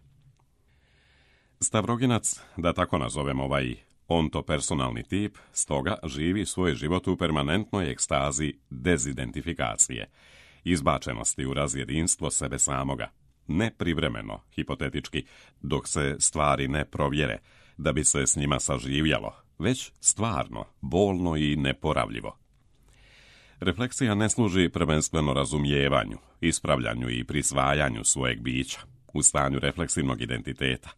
Stavroginac, da tako nazovem ovaj ontopersonalni tip, stoga živi svoj život u permanentnoj ekstazi dezidentifikacije, izbačenosti u razjedinstvo sebe samoga, ne privremeno, hipotetički, dok se stvari ne provjere, da bi se s njima saživjalo, već stvarno, bolno i neporavljivo. Refleksija ne služi prvenstveno razumijevanju, ispravljanju i prisvajanju svojeg bića, u stanju refleksivnog identiteta,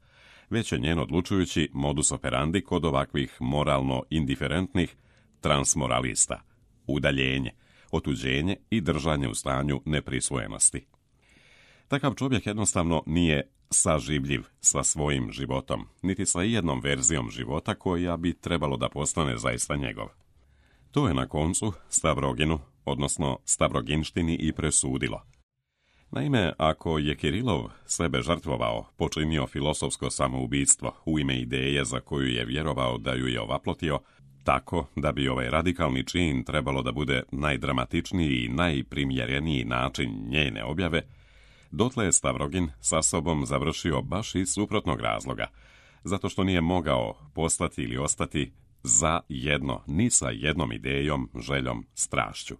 već je njen odlučujući modus operandi kod ovakvih moralno indiferentnih transmoralista, udaljenje, otuđenje i držanje u stanju neprisvojenosti. Takav čovjek jednostavno nije saživljiv sa svojim životom, niti sa jednom verzijom života koja bi trebalo da postane zaista njegov. To je na koncu Stavroginu, odnosno Stavroginštini, i presudilo. Naime, ako je Kirilov sebe žrtvovao, počinio filosofsko samoubistvo u ime ideje za koju je vjerovao da ju je ovaplotio, tako da bi ovaj radikalni čin trebalo da bude najdramatičniji i najprimjereniji način njene objave, Dotle je Stavrogin sa sobom završio baš iz suprotnog razloga, zato što nije mogao postati ili ostati za jedno, ni sa jednom idejom, željom, strašću.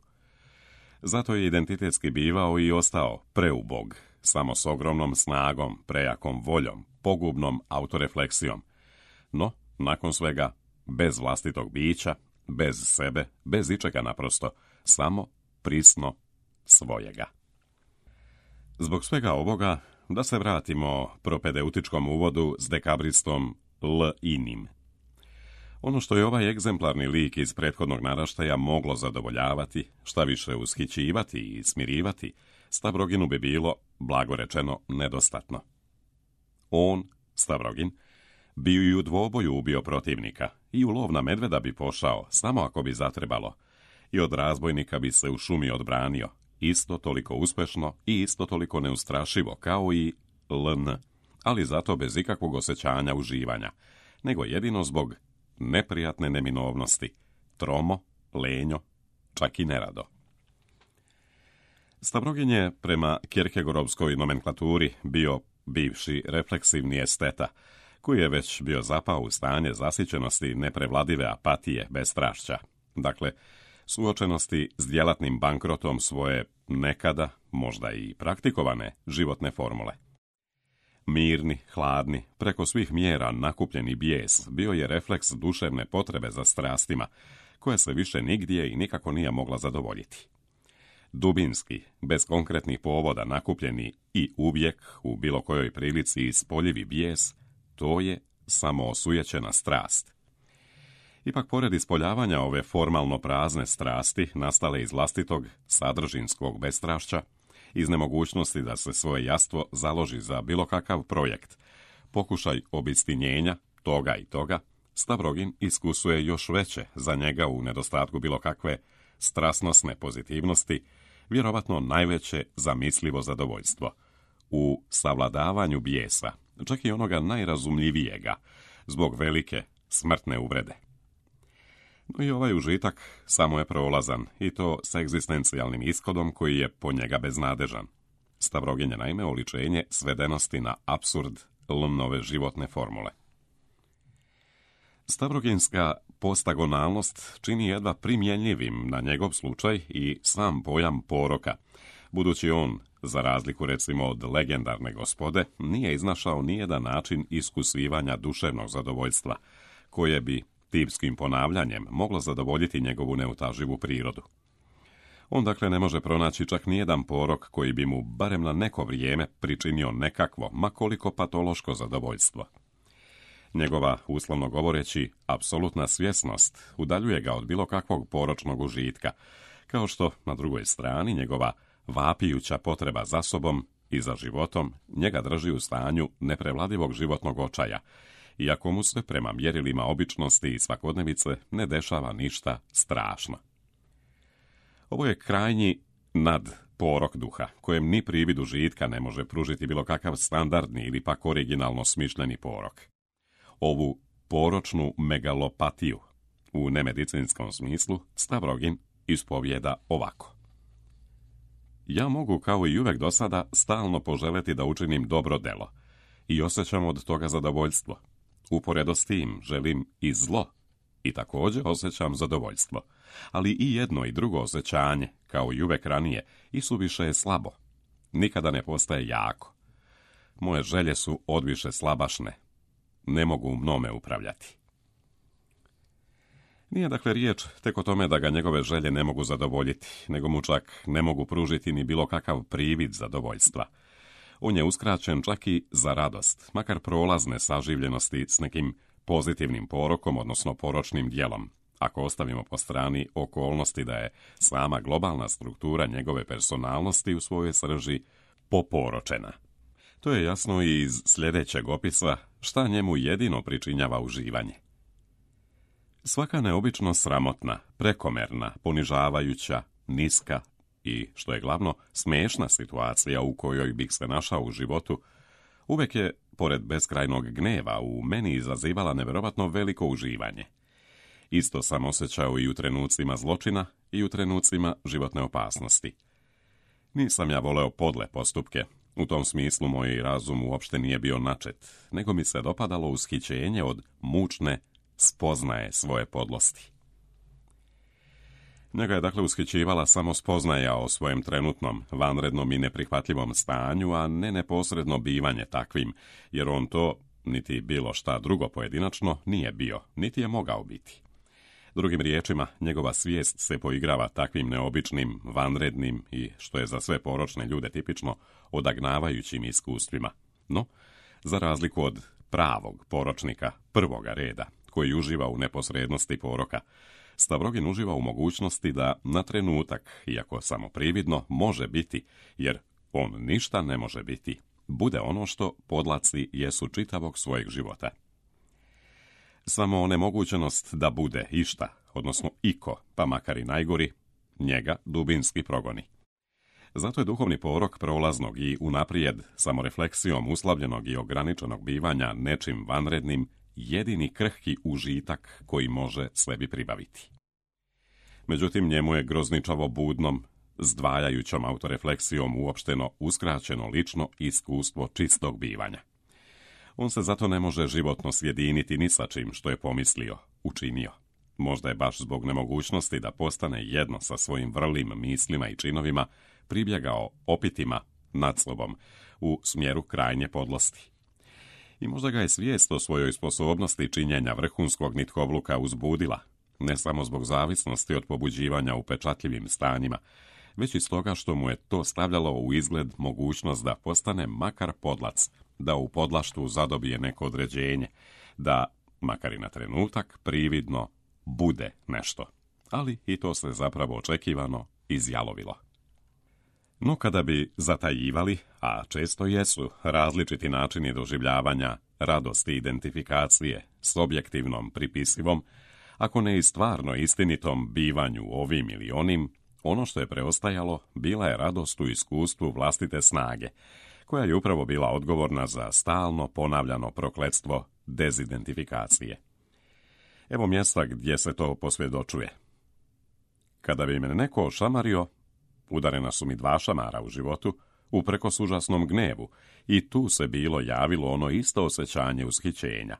Zato je identitetski bivao i ostao preubog, samo s ogromnom snagom, prejakom voljom, pogubnom autorefleksijom. No, nakon svega, bez vlastitog bića, bez sebe, bez ičega naprosto, samo prisno svojega. Zbog svega ovoga, da se vratimo propedeutičkom uvodu s dekabristom L. Inim. Ono što je ovaj egzemplarni lik iz prethodnog naraštaja moglo zadovoljavati, šta više ushićivati i smirivati, Stavroginu bi bilo, blago rečeno, nedostatno. On, Stavrogin, bi i u dvoboju ubio protivnika i u lov na medveda bi pošao, samo ako bi zatrebalo, i od razbojnika bi se u šumi odbranio, isto toliko uspešno i isto toliko neustrašivo kao i L N, ali zato bez ikakvog osjećanja uživanja, nego jedino zbog neprijatne neminovnosti, tromo, lenjo, čak i nerado. Stavrogin je prema Kierkegaardovskoj nomenklaturi bio bivši refleksivni esteta, koji je već bio zapao u stanje zasićenosti neprevladive apatije bez strašća, dakle, suočenosti s djelatnim bankrotom svoje nekada, možda i praktikovane, životne formule. Mirni, hladni, preko svih mjera nakupljeni bijes bio je refleks duševne potrebe za strastima, koja se više nigdje i nikako nije mogla zadovoljiti. Dubinski, bez konkretnih povoda nakupljeni i uvijek u bilo kojoj prilici ispoljivi bijes, to je samo osujećena strast. Ipak, pored ispoljavanja ove formalno prazne strasti, nastale iz vlastitog sadržinskog bestrašća, iz nemogućnosti da se svoje jastvo založi za bilo kakav projekt, pokušaj obistinjenja toga i toga, Stavrogin iskusuje još veće za njega u nedostatku bilo kakve strasnosne pozitivnosti, vjerovatno najveće zamislivo zadovoljstvo, u savladavanju bijesa, čak i onoga najrazumljivijega, zbog velike smrtne uvrede. No i ovaj užitak samo je prolazan, i to sa egzistencijalnim ishodom koji je po njega beznadežan. Stavrogin je naime oličenje svedenosti na apsurd L-nove životne formule. Stavroginska postagonalnost čini jedva primjenjivim na njegov slučaj i sam pojam poroka, budući on, za razliku recimo od legendarne gospode, nije iznašao nijedan način iskusivanja duševnog zadovoljstva, koje bi tipskim ponavljanjem moglo zadovoljiti njegovu neutaživu prirodu. On dakle ne može pronaći čak nijedan porok koji bi mu barem na neko vrijeme pričinio nekakvo, makoliko patološko zadovoljstvo. Njegova, uslovno govoreći, apsolutna svjesnost udaljuje ga od bilo kakvog poročnog užitka, kao što, na drugoj strani, njegova vapijuća potreba za sobom i za životom njega drži u stanju neprevladivog životnog očaja, iako mu se prema mjerilima običnosti i svakodnevice ne dešava ništa strašno. Ovo je krajnji nad porok duha, kojem ni privid užitka ne može pružiti bilo kakav standardni ili pak originalno smišljeni porok. Ovu poročnu megalopatiju, u nemedicinskom smislu, Stavrogin ispovijeda ovako. Ja mogu, kao i uvek do sada, stalno poželjeti da učinim dobro delo i osjećam od toga zadovoljstvo. Uporedo s tim želim i zlo i također osjećam zadovoljstvo, ali i jedno i drugo osjećanje, kao i uvek ranije, isuviše je slabo. Nikada ne postaje jako. Moje želje su odviše slabašne. Ne mogu mnome upravljati. Nije dakle riječ tek o tome da ga njegove želje ne mogu zadovoljiti, nego mu čak ne mogu pružiti ni bilo kakav privid zadovoljstva. On je uskraćen čak i za radost, makar prolazne saživljenosti s nekim pozitivnim porokom, odnosno poročnim djelom, ako ostavimo po strani okolnosti da je sama globalna struktura njegove personalnosti u svojoj srži poporočena. To je jasno i iz sljedećeg opisa šta njemu jedino pričinjava uživanje. Svaka neobično sramotna, prekomerna, ponižavajuća, niska i, što je glavno, smiješna situacija u kojoj bih se našao u životu, uvijek je, pored beskrajnog gneva, u meni izazivala nevjerovatno veliko uživanje. Isto sam osjećao i u trenucima zločina i u trenucima životne opasnosti. Nisam ja voleo podle postupke, U tom smislu moj razum uopšte nije bio načet, nego mi se dopadalo ushićenje od mučne spoznaje svoje podlosti. Njega je dakle ushićivala samo spoznaja o svojem trenutnom, vanrednom i neprihvatljivom stanju, a ne neposredno bivanje takvim, jer on to, niti bilo šta drugo pojedinačno, nije bio, niti je mogao biti. Drugim riječima, njegova svijest se poigrava takvim neobičnim, vanrednim i, što je za sve poročne ljude tipično, odagnavajućim iskustvima. No, za razliku od pravog poročnika prvoga reda, koji uživa u neposrednosti poroka, Stavrogin uživa u mogućnosti da na trenutak, iako samo prividno, može biti, jer on ništa ne može biti, bude ono što podlaci jesu čitavog svojeg života. Samo onemogućenost da bude išta, odnosno iko, pa makar i najgori, njega dubinski progoni. Zato je duhovni porok prolaznog i unaprijed samorefleksijom uslavljenog i ograničenog bivanja nečim vanrednim jedini krhki užitak koji može sebi pribaviti. Međutim, njemu je grozničavo budnom, zdvajajućom autorefleksijom uopšteno uskraćeno lično iskustvo čistog bivanja. On se zato ne može životno sjediniti ni sa čim što je pomislio, učinio. Možda je baš zbog nemogućnosti da postane jedno sa svojim vrlim mislima i činovima pribjegao opitima nad sobom u smjeru krajnje podlosti. I možda ga je svijest o svojoj sposobnosti činjenja vrhunskog nitkovluka uzbudila, ne samo zbog zavisnosti od pobuđivanja upečatljivim stanjima, već i stoga što mu je to stavljalo u izgled mogućnost da postane makar podlac, da u podlaštvu zadobije neko određenje, da, makar i na trenutak, prividno bude nešto. Ali i to se zapravo očekivano izjalovilo. No kada bi zatajivali, a često jesu, različiti načini doživljavanja, radosti identifikacije s objektivnom pripisivom, ako ne i stvarno istinitom bivanju ovim ili onim, ono što je preostajalo bila je radost u iskustvu vlastite snage, koja je upravo bila odgovorna za stalno ponavljano prokletstvo dezidentifikacije. Evo mjesta gdje se to posvjedočuje. Kada bi me neko ošamario, udarena su mi dva šamara u životu, uprkos užasnom gnevu, i tu se bilo javilo ono isto osjećanje ushićenja.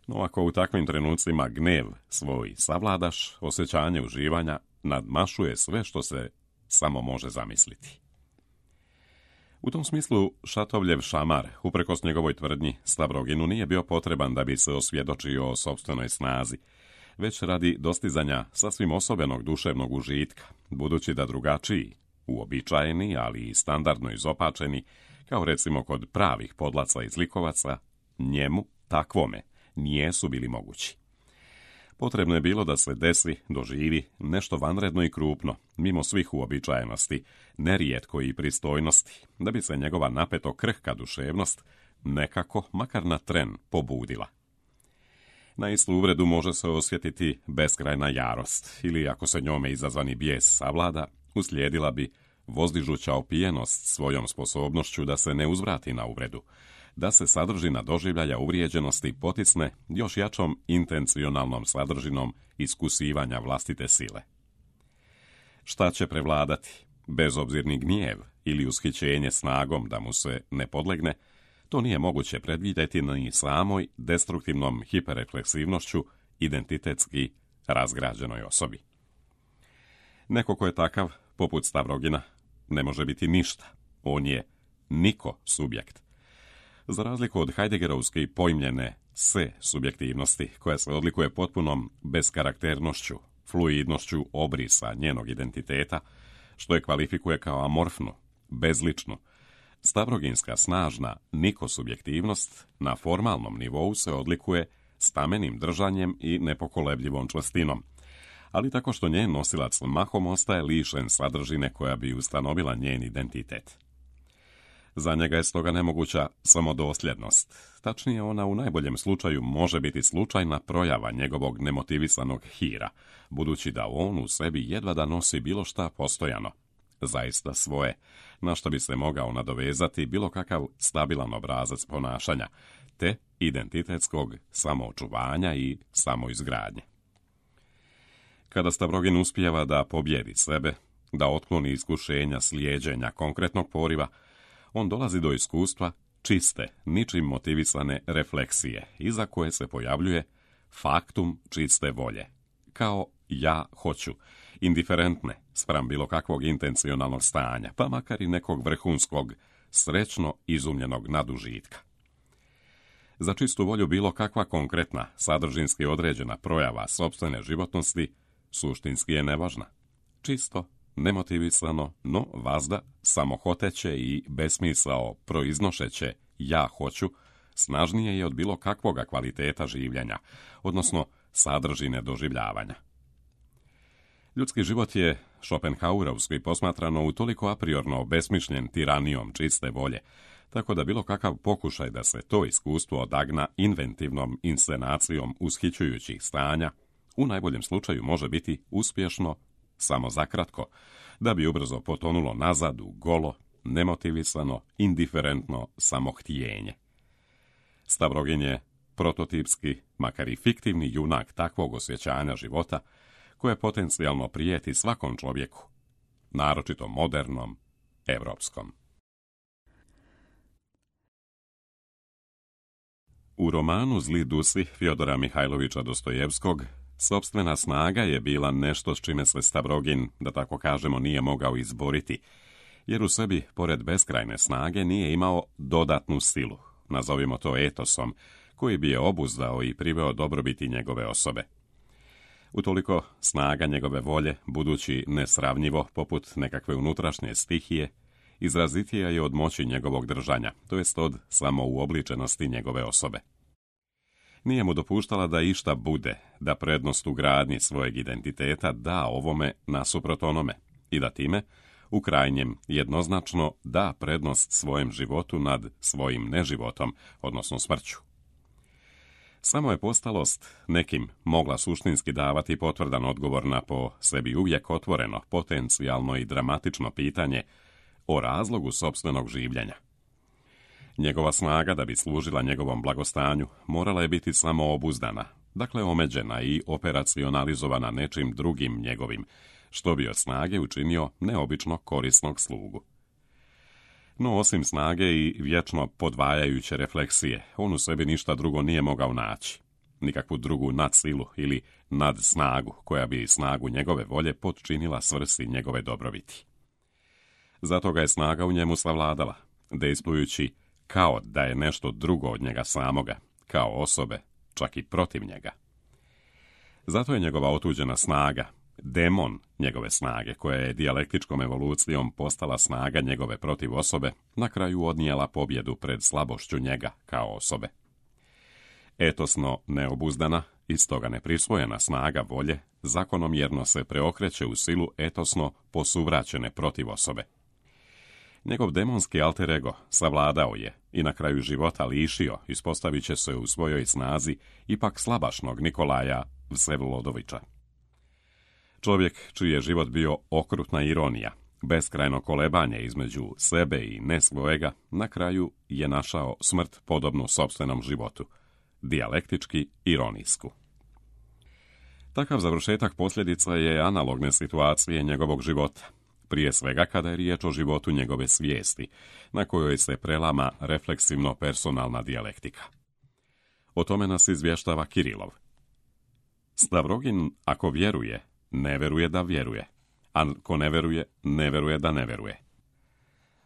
No ako u takvim trenucima gnev svoj savladaš, osjećanje uživanja nadmašuje sve što se samo može zamisliti. U tom smislu Šatovljev šamar, uprkos njegovoj tvrdnji, Stavroginu nije bio potreban da bi se osvjedočio o sopstvenoj snazi, već radi dostizanja sasvim osobenog duševnog užitka, budući da drugačiji, uobičajeni, ali i standardno izopačeni, kao recimo kod pravih podlaca i zlikovaca, njemu, takvome, nijesu bili mogući. Potrebno je bilo da se desi, doživi, nešto vanredno i krupno, mimo svih uobičajenosti, nerijetko i pristojnosti, da bi se njegova napeto krhka duševnost nekako, makar na tren, pobudila. Na istu uvredu može se osjetiti beskrajna jarost, ili ako se njome izazvani bijes savlada, uslijedila bi vozdižuća opijenost svojom sposobnošću da se ne uzvrati na uvredu, da se sadržina doživljaja uvrijeđenosti potisne još jačom intencionalnom sadržinom iskusivanja vlastite sile. Šta će prevladati? Bezobzirni gnjev ili ushićenje snagom da mu se ne podlegne, to nije moguće predvidjeti ni samoj destruktivnom hiperrefleksivnošću identitetski razgrađenoj osobi. Neko ko je takav, poput Stavrogina, ne može biti ništa. On je niko subjekt. Za razliku od Heideggerovske pojmljene se subjektivnosti, koja se odlikuje potpunom beskarakternošću, fluidnošću obrisa njenog identiteta, što je kvalifikuje kao amorfnu, bezličnu, Stavroginska snažna nikosubjektivnost na formalnom nivou se odlikuje stamenim držanjem i nepokolebljivom čvrstinom, ali tako što njen nosilac mahom ostaje lišen sadržine koja bi ustanovila njen identitet. Za njega je stoga nemoguća samodosljednost. Tačnije, ona u najboljem slučaju može biti slučajna projava njegovog nemotivisanog hira, budući da on u sebi jedva da nosi bilo šta postojano, zaista svoje, na što bi se mogao nadovezati bilo kakav stabilan obrazac ponašanja, te identitetskog samoočuvanja i samoizgradnje. Kada Stavrogin uspijeva da pobjedi sebe, da otkloni iskušenja slijeđenja konkretnog poriva, On dolazi do iskustva čiste, ničim motivisane refleksije, iza koje se pojavljuje faktum čiste volje, kao ja hoću, indiferentne spram bilo kakvog intencionalnog stanja, pa makar i nekog vrhunskog, srećno izumljenog nadužitka. Za čistu volju bilo kakva konkretna, sadržinski određena projava sopstvene životnosti suštinski je nevažna. Čisto, nemotivisano, no vazda, samohoteće i besmisao proiznošeće ja hoću, snažnije je od bilo kakvoga kvaliteta življenja, odnosno sadržine doživljavanja. Ljudski život je, Schopenhauerovski posmatrano, utoliko apriorno obesmišljen tiranijom čiste volje, tako da bilo kakav pokušaj da se to iskustvo odagna inventivnom inscenacijom ushićujućih stanja, u najboljem slučaju može biti uspješno samo zakratko, da bi ubrzo potonulo nazad u golo, nemotivisano, indiferentno samohtijenje. Stavrogin je prototipski, makar i fiktivni junak takvog osjećanja života, koje potencijalno prijeti svakom čovjeku, naročito modernom, evropskom. U romanu Zli dusi Fjodora Mihajlovića Dostojevskog, sopstvena snaga je bila nešto s čime se Stavrogin, da tako kažemo, nije mogao izboriti, jer u sebi, pored beskrajne snage, nije imao dodatnu silu, nazovimo to etosom, koji bi je obuzdao i priveo dobrobiti njegove osobe. Utoliko snaga njegove volje, budući nesravnjivo poput nekakve unutrašnje stihije, izrazitija je od moći njegovog držanja, to jest od samouobličenosti njegove osobe. Nije mu dopuštala da išta bude, da prednost u gradnji svojeg identiteta da ovome nasuprot onome i da time, u krajnjem, jednoznačno da prednost svojem životu nad svojim neživotom, odnosno smrću. Samo je postalost nekim mogla suštinski davati potvrdan odgovor na po sebi uvijek otvoreno, potencijalno i dramatično pitanje o razlogu sopstvenog življenja. Njegova snaga, da bi služila njegovom blagostanju, morala je biti samo obuzdana, dakle omeđena i operacionalizovana nečim drugim njegovim, što bi od snage učinio neobično korisnog slugu. No, osim snage i vječno podvajajuće refleksije, on u sebi ništa drugo nije mogao naći. Nikakvu drugu nadsilu ili nadsnagu, koja bi snagu njegove volje potčinila svrsi njegove dobrobiti. Zato ga je snaga u njemu savladala, dejstvujući kao da je nešto drugo od njega samoga, kao osobe, čak i protiv njega. Zato je njegova otuđena snaga, demon njegove snage, koja je dijalektičkom evolucijom postala snaga njegove protiv osobe, na kraju odnijela pobjedu pred slabošću njega kao osobe. Etosno neobuzdana, iz toga neprisvojena snaga volje, zakonomjerno se preokreće u silu etosno posuvraćene protiv osobe. Njegov demonski alter ego savladao je i na kraju života lišio, ispostavit će se u svojoj snazi ipak slabašnog Nikolaja Vsevolodovića. Čovjek čiji je život bio okrutna ironija, beskrajno kolebanje između sebe i ne svojega, na kraju je našao smrt podobnu sopstvenom životu, dijalektički ironijsku. Takav završetak posljedica je analogne situacije njegovog života, prije svega kada je riječ o životu njegove svijesti, na kojoj se prelama refleksivno personalna dijalektika. O tome nas izvještava Kirilov. Stavrogin, ako vjeruje, ne veruje da vjeruje, a ko ne veruje, ne veruje da ne veruje.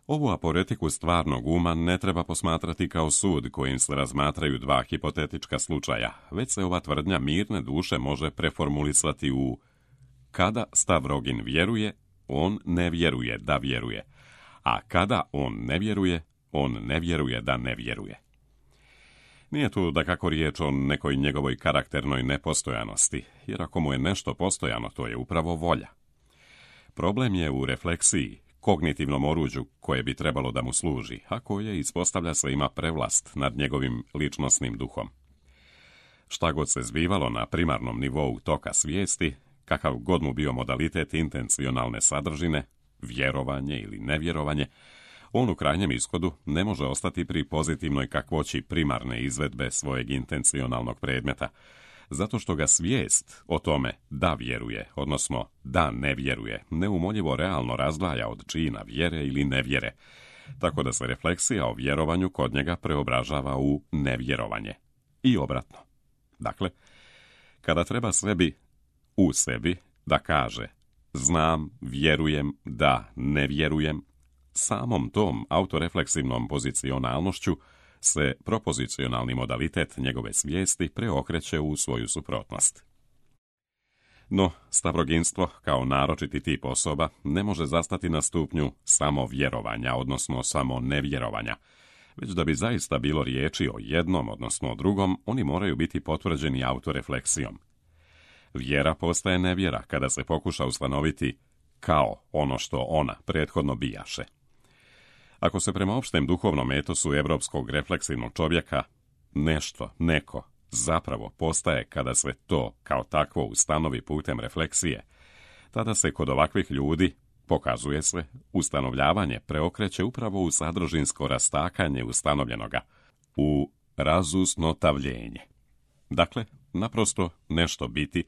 Ovu aporetiku stvarnog uma ne treba posmatrati kao sud kojim se razmatraju dva hipotetička slučaja, već se ova tvrdnja mirne duše može preformulisati u kada Stavrogin vjeruje, on ne vjeruje da vjeruje, a kada on ne vjeruje, on ne vjeruje da ne vjeruje. Nije tu da kako riječ o nekoj njegovoj karakternoj nepostojanosti, jer ako mu je nešto postojano, to je upravo volja. Problem je u refleksiji, kognitivnom oruđu koje bi trebalo da mu služi, a koje, ispostavlja se, ima prevlast nad njegovim ličnosnim duhom. Šta god se zbivalo na primarnom nivou toka svijesti, kakav god mu bio modalitet intencionalne sadržine, vjerovanje ili nevjerovanje, on u krajnjem ishodu ne može ostati pri pozitivnoj kakvoći primarne izvedbe svojeg intencionalnog predmeta, zato što ga svijest o tome da vjeruje, odnosno da ne vjeruje, neumoljivo realno razdvaja od čina vjere ili nevjere, tako da se refleksija o vjerovanju kod njega preobražava u nevjerovanje. I obratno. Dakle, kada treba sebi u sebi da kaže znam, vjerujem, da, ne vjerujem, samom tom autorefleksivnom pozicionalnošću se propozicionalni modalitet njegove svijesti preokreće u svoju suprotnost. No, stavroginstvo, kao naročiti tip osoba, ne može zastati na stupnju samo vjerovanja, odnosno samo nevjerovanja, već da bi zaista bilo riječi o jednom, odnosno o drugom, oni moraju biti potvrđeni autorefleksijom. Vjera postaje nevjera kada se pokuša ustanoviti kao ono što ona prethodno bijaše. Ako se prema opštem duhovnom etosu evropskog refleksivnog čovjeka nešto, neko, zapravo postaje kada se to kao takvo ustanovi putem refleksije, tada se kod ovakvih ljudi, pokazuje se, ustanovljavanje preokreće upravo u sadržinsko rastakanje ustanovljenoga, u razusnotavljenje. Dakle, naprosto nešto biti,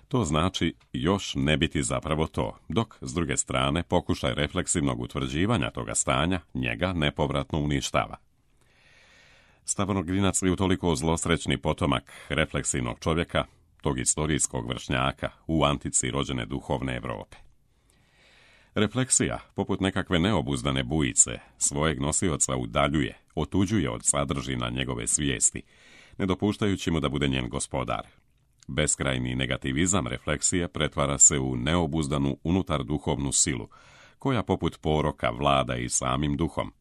to znači još ne biti zapravo to, dok, s druge strane, pokušaj refleksivnog utvrđivanja toga stanja njega nepovratno uništava. Stavronoginac je utoliko zlosrećni potomak refleksivnog čovjeka, tog istorijskog vršnjaka u antici rođene duhovne Europe. Refleksija, poput nekakve neobuzdane bujice, svojeg nosioca udaljuje, otuđuje od sadržina njegove svijesti, ne dopuštajući mu da bude njen gospodar. Beskrajni negativizam refleksije pretvara se u neobuzdanu unutar duhovnu silu, koja poput poroka vlada i samim duhom.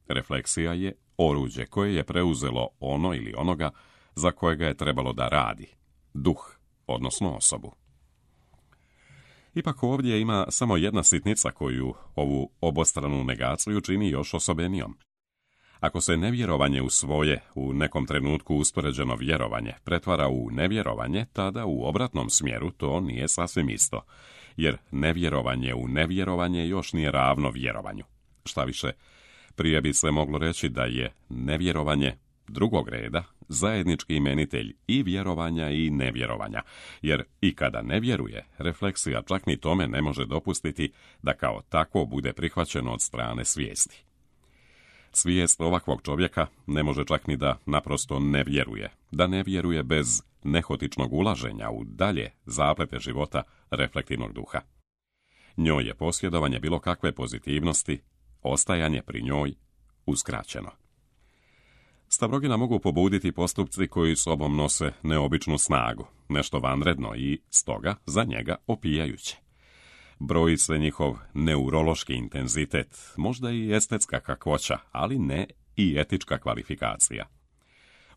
Refleksija je oruđe koje je preuzelo ono ili onoga za kojega je trebalo da radi, duh, odnosno osobu. Ipak ovdje ima samo jedna sitnica koju ovu obostranu negaciju čini još osobenijom. Ako se nevjerovanje u svoje, u nekom trenutku uspoređeno vjerovanje, pretvara u nevjerovanje, tada u obratnom smjeru to nije sasvim isto, jer nevjerovanje u nevjerovanje još nije ravno vjerovanju. Šta više, prije bi se moglo reći da je nevjerovanje drugog reda zajednički imenitelj i vjerovanja i nevjerovanja, jer i kada ne vjeruje, refleksija čak ni tome ne može dopustiti da kao takvo bude prihvaćeno od strane svijesti. Svijest ovakvog čovjeka ne može čak ni da naprosto ne vjeruje, da ne vjeruje bez nehotičnog ulaženja u dalje zaplete života reflektivnog duha. Njoj je posjedovanje bilo kakve pozitivnosti, ostajanje pri njoj uskraćeno. Stavrogina mogu pobuditi postupci koji sobom nose neobičnu snagu, nešto vanredno i, stoga, za njega opijajuće. Broji se njihov neurološki intenzitet, možda i estetska kakvoća, ali ne i etička kvalifikacija.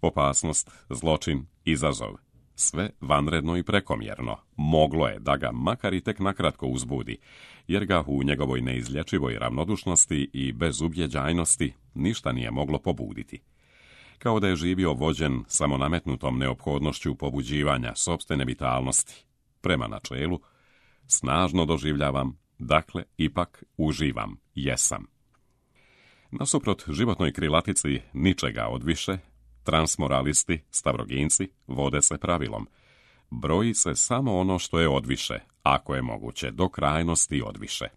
Opasnost, zločin, izazov, sve vanredno i prekomjerno, moglo je da ga makar i tek nakratko uzbudi, jer ga u njegovoj neizlječivoj ravnodušnosti i bezubjeđajnosti ništa nije moglo pobuditi. Kao da je živio vođen samonametnutom neophodnošću pobuđivanja sopstvene vitalnosti, prema načelu, snažno doživljavam, dakle, ipak uživam, jesam. Nasuprot životnoj krilatici ničega odviše, transmoralisti, stavroginci, vode se pravilom. Broji se samo ono što je odviše, ako je moguće, do krajnosti odviše.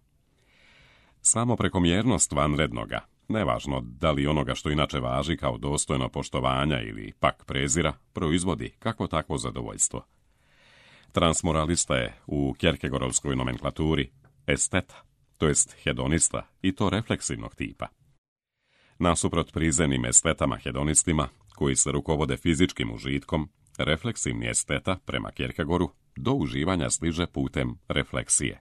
Samo prekomjernost vanrednoga, nevažno da li onoga što inače važi kao dostojno poštovanja ili pak prezira, proizvodi kako takvo zadovoljstvo. Transmoralista je u Kierkegaardovskoj nomenklaturi esteta, to jest hedonista, i to refleksivnog tipa. Nasuprot prizemnim estetama hedonistima, koji se rukovode fizičkim užitkom, refleksivni esteta, prema Kierkegaardu, do uživanja stiže putem refleksije.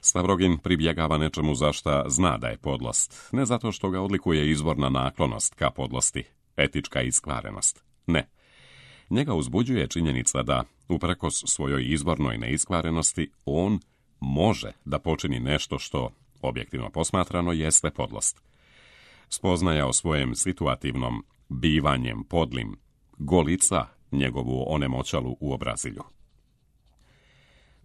Stavrogin pribjegava nečemu za šta zna da je podlost, ne zato što ga odlikuje izvorna naklonost ka podlosti, etička iskvarenost, ne. Njega uzbuđuje činjenica da, uprkos svojoj izvornoj neiskvarenosti, on može da počini nešto što, objektivno posmatrano, jeste podlost. Spoznaja o svojem situativnom bivanjem podlim golica njegovu onemoćalu u obrazilju.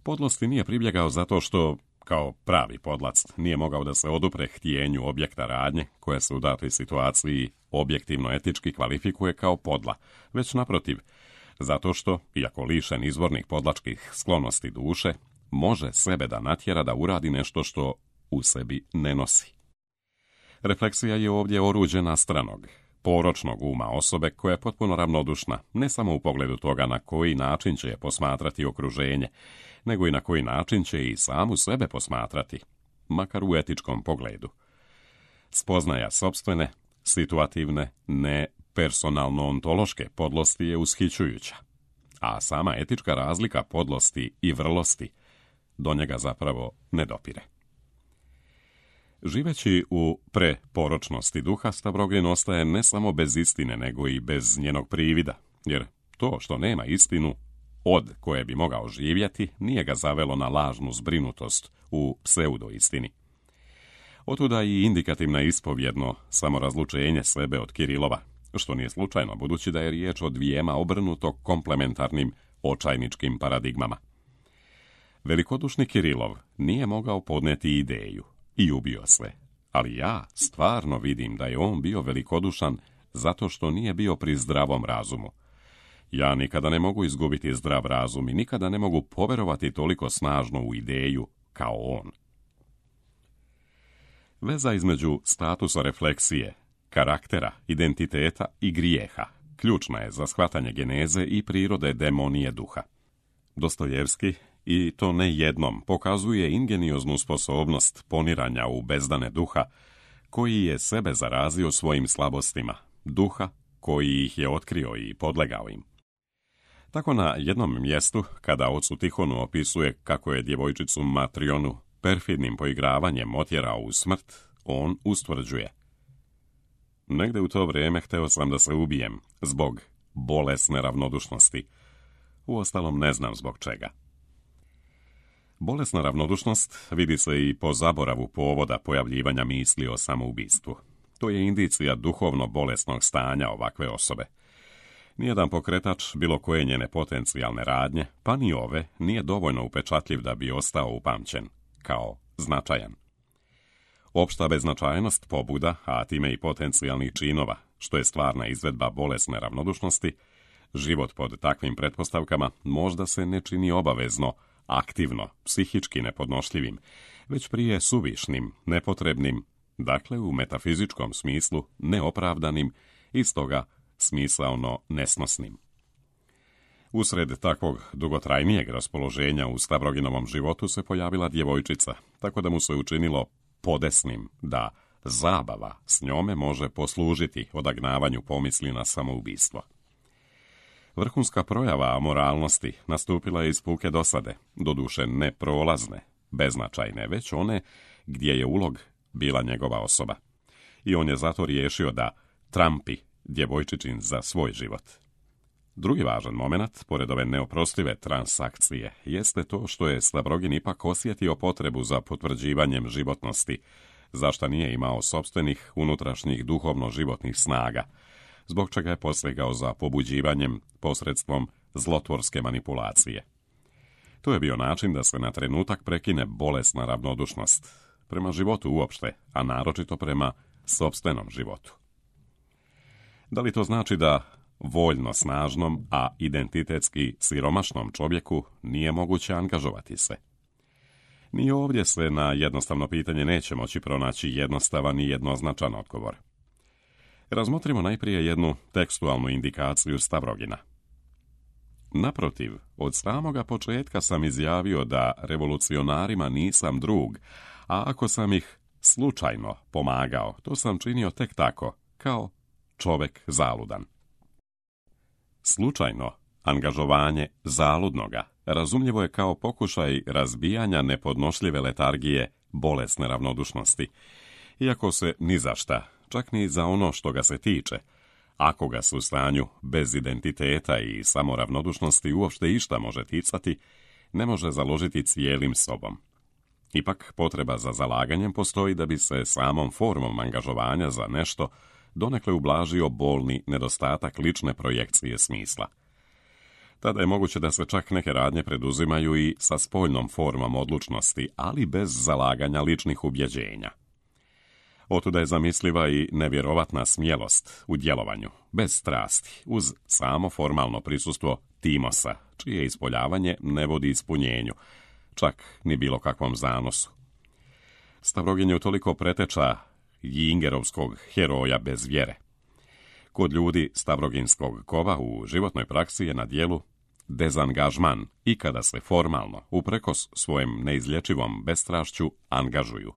Podlosti nije pribjegao zato što, kao pravi podlac, nije mogao da se odupre htjenju objekta radnje, koja se u datoj situaciji objektivno etički kvalifikuje kao podla, već naprotiv, zato što, iako lišen izvornih podlačkih sklonosti duše, može sebe da natjera da uradi nešto što u sebi ne nosi. Refleksija je ovdje oruđe nastranog, poročnog uma osobe koja je potpuno ravnodušna, ne samo u pogledu toga na koji način će je posmatrati okruženje, nego i na koji način će i samu sebe posmatrati, makar u etičkom pogledu. Spoznaja sopstvene, situativne, ne personalno-ontološke podlosti je ushićujuća, a sama etička razlika podlosti i vrlosti do njega zapravo ne dopire. Živeći u preporočnosti duha, Stavrogin ostaje ne samo bez istine, nego i bez njenog privida, jer to što nema istinu, od koje bi mogao živjeti, nije ga zavelo na lažnu zbrinutost u pseudoistini. Otuda i indikativna ispovjedno samorazlučenje sebe od Kirilova, što nije slučajno, budući da je riječ o dvijema obrnuto komplementarnim očajničkim paradigmama. Velikodušni Kirilov nije mogao podnijeti ideju i ubio se, ali ja stvarno vidim da je on bio velikodušan zato što nije bio pri zdravom razumu. Ja nikada ne mogu izgubiti zdrav razum i nikada ne mogu poverovati toliko snažno u ideju kao on. Veza između statusa refleksije, karaktera, identiteta i grijeha ključna je za shvatanje geneze i prirode demonije duha. Dostojevski, i to ne jednom, pokazuje ingenioznu sposobnost poniranja u bezdane duha, koji je sebe zarazio svojim slabostima, duha koji ih je otkrio i podlegao im. Tako na jednom mjestu, kada ocu Tihonu opisuje kako je djevojčicu Matrionu perfidnim poigravanjem otjerao u smrt, on ustvrđuje: negde u to vrijeme hteo sam da se ubijem zbog bolesne ravnodušnosti. Uostalom ne znam zbog čega. Bolesna ravnodušnost vidi se i po zaboravu povoda pojavljivanja misli o samoubistvu. To je indicija duhovno bolesnog stanja ovakve osobe. Nijedan pokretač bilo koje njene potencijalne radnje, pa ni ove, nije dovoljno upečatljiv da bi ostao upamćen kao značajan. Opšta beznačajnost pobuda, a time i potencijalnih činova, što je stvarna izvedba bolesne ravnodušnosti, život pod takvim pretpostavkama možda se ne čini obavezno, aktivno, psihički nepodnošljivim, već prije suvišnim, nepotrebnim, dakle u metafizičkom smislu neopravdanim i stoga smisaono nesnosnim. Usred takvog dugotrajnijeg raspoloženja u Stavroginovom životu se pojavila djevojčica, tako da mu se učinilo podesnim da zabava s njome može poslužiti odagnavanju pomisli na samoubistvo. Vrhunska projava amoralnosti nastupila je iz puke dosade, doduše ne prolazne, beznačajne, već one gdje je ulog bila njegova osoba. I on je zato riješio da trampi djevojčičin za svoj život. Drugi važan moment, pored ove neoprostive transakcije, jeste to što je Stavrogin ipak osjetio potrebu za potvrđivanjem životnosti, za šta nije imao sopstvenih unutrašnjih duhovno-životnih snaga, zbog čega je posegao za pobuđivanjem posredstvom zlotvorske manipulacije. To je bio način da se na trenutak prekine bolesna ravnodušnost prema životu uopšte, a naročito prema sopstvenom životu. Da li to znači da voljno snažnom, a identitetski siromašnom čovjeku nije moguće angažovati se? Ni ovdje se na jednostavno pitanje neće moći pronaći jednostavan i jednoznačan odgovor. Razmotrimo najprije jednu tekstualnu indikaciju Stavrogina. Naprotiv, od samoga početka sam izjavio da revolucionarima nisam drug, a ako sam ih slučajno pomagao, to sam činio tek tako, kao čovek zaludan. Slučajno angažovanje zaludnoga razumljivo je kao pokušaj razbijanja nepodnošljive letargije bolesne ravnodušnosti, iako se ni za šta, čak ni za ono što ga se tiče, ako ga se u stanju bez identiteta i samoravnodušnosti uopšte išta može ticati, ne može založiti cijelim sobom. Ipak potreba za zalaganjem postoji da bi se samom formom angažovanja za nešto donekle ublažio bolni nedostatak lične projekcije smisla. Tada je moguće da se čak neke radnje preduzimaju i sa spoljnom formom odlučnosti, ali bez zalaganja ličnih ubjeđenja. Otuda je zamisliva i nevjerovatna smjelost u djelovanju, bez strasti, uz samo formalno prisustvo timosa, čije ispoljavanje ne vodi ispunjenju, čak ni bilo kakvom zanosu. Stavrogin je utoliko preteča Jingerovskog heroja bez vjere. Kod ljudi stavroginskog kova u životnoj praksi je na dijelu dezangažman i kada se formalno, uprkos svojem neizlječivom bestrašću, angažuju.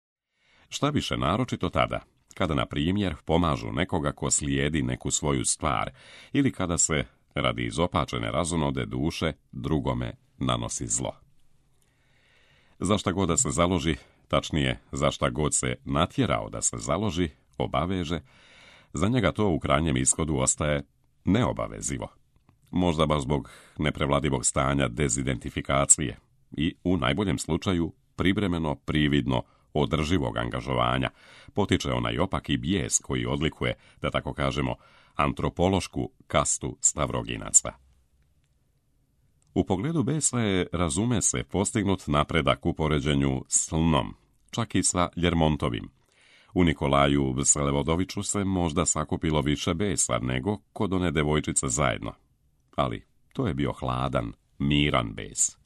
Šta više naročito tada, kada, na primjer, pomažu nekoga ko slijedi neku svoju stvar ili kada se, radi izopačene razonode duše, drugome nanosi zlo. Za šta god da se založi, tačnije, za šta god se natjerao da se založi, obaveže, za njega to u krajnjem ishodu ostaje neobavezivo. Možda baš zbog neprevladivog stanja dezidentifikacije i, u najboljem slučaju, privremeno, prividno, održivog angažovanja, potiče onaj opaki bijes koji odlikuje, da tako kažemo, antropološku kastu stavroginaca. U pogledu besa je, razume se, postignut napredak u poređenju s Lnom, čak i sa Ljermontovim. U Nikolaju Vselevodoviću se možda sakupilo više besa nego kod one devojčice zajedno. Ali to je bio hladan, miran bes.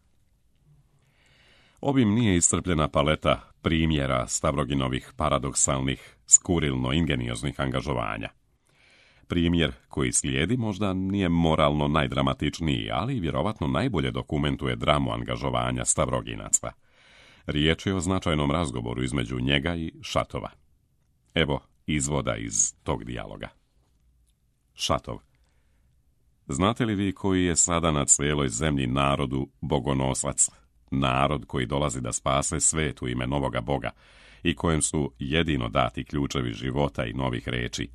Ovim nije iscrpljena paleta primjera Stavroginovih paradoksalnih, skurilno-ingenioznih angažovanja. Primjer koji slijedi možda nije moralno najdramatičniji, ali vjerovatno najbolje dokumentuje dramu angažovanja Stavroginaca. Riječ je o značajnom razgovoru između njega i Šatova. Evo izvoda iz tog dijaloga. Šatov. Znate li vi koji je sada na cijeloj zemlji narodu bogonosac? Narod koji dolazi da spase svet u ime novoga Boga i kojem su jedino dati ključevi života i novih reči.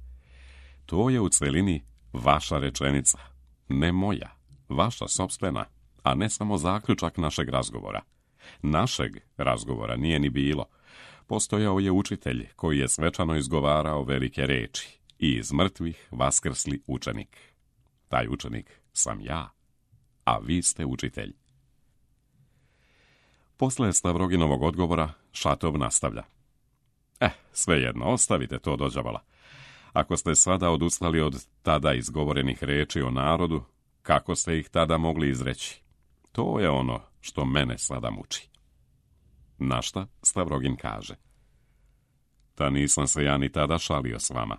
To je u celini vaša rečenica, ne moja, vaša sopstvena, a ne samo zaključak našeg razgovora. Našeg razgovora nije ni bilo. Postojao je učitelj koji je svečano izgovarao velike reči i iz mrtvih vaskrsli učenik. Taj učenik sam ja, a vi ste učitelj. Posle Stavroginovog odgovora Šatov nastavlja. Eh, svejedno, ostavite to dođavala. Ako ste sada odustali od tada izgovorenih reči o narodu, kako ste ih tada mogli izreći? To je ono što mene sada muči. Na šta Stavrogin kaže. Ta nisam se ja ni tada šalio s vama.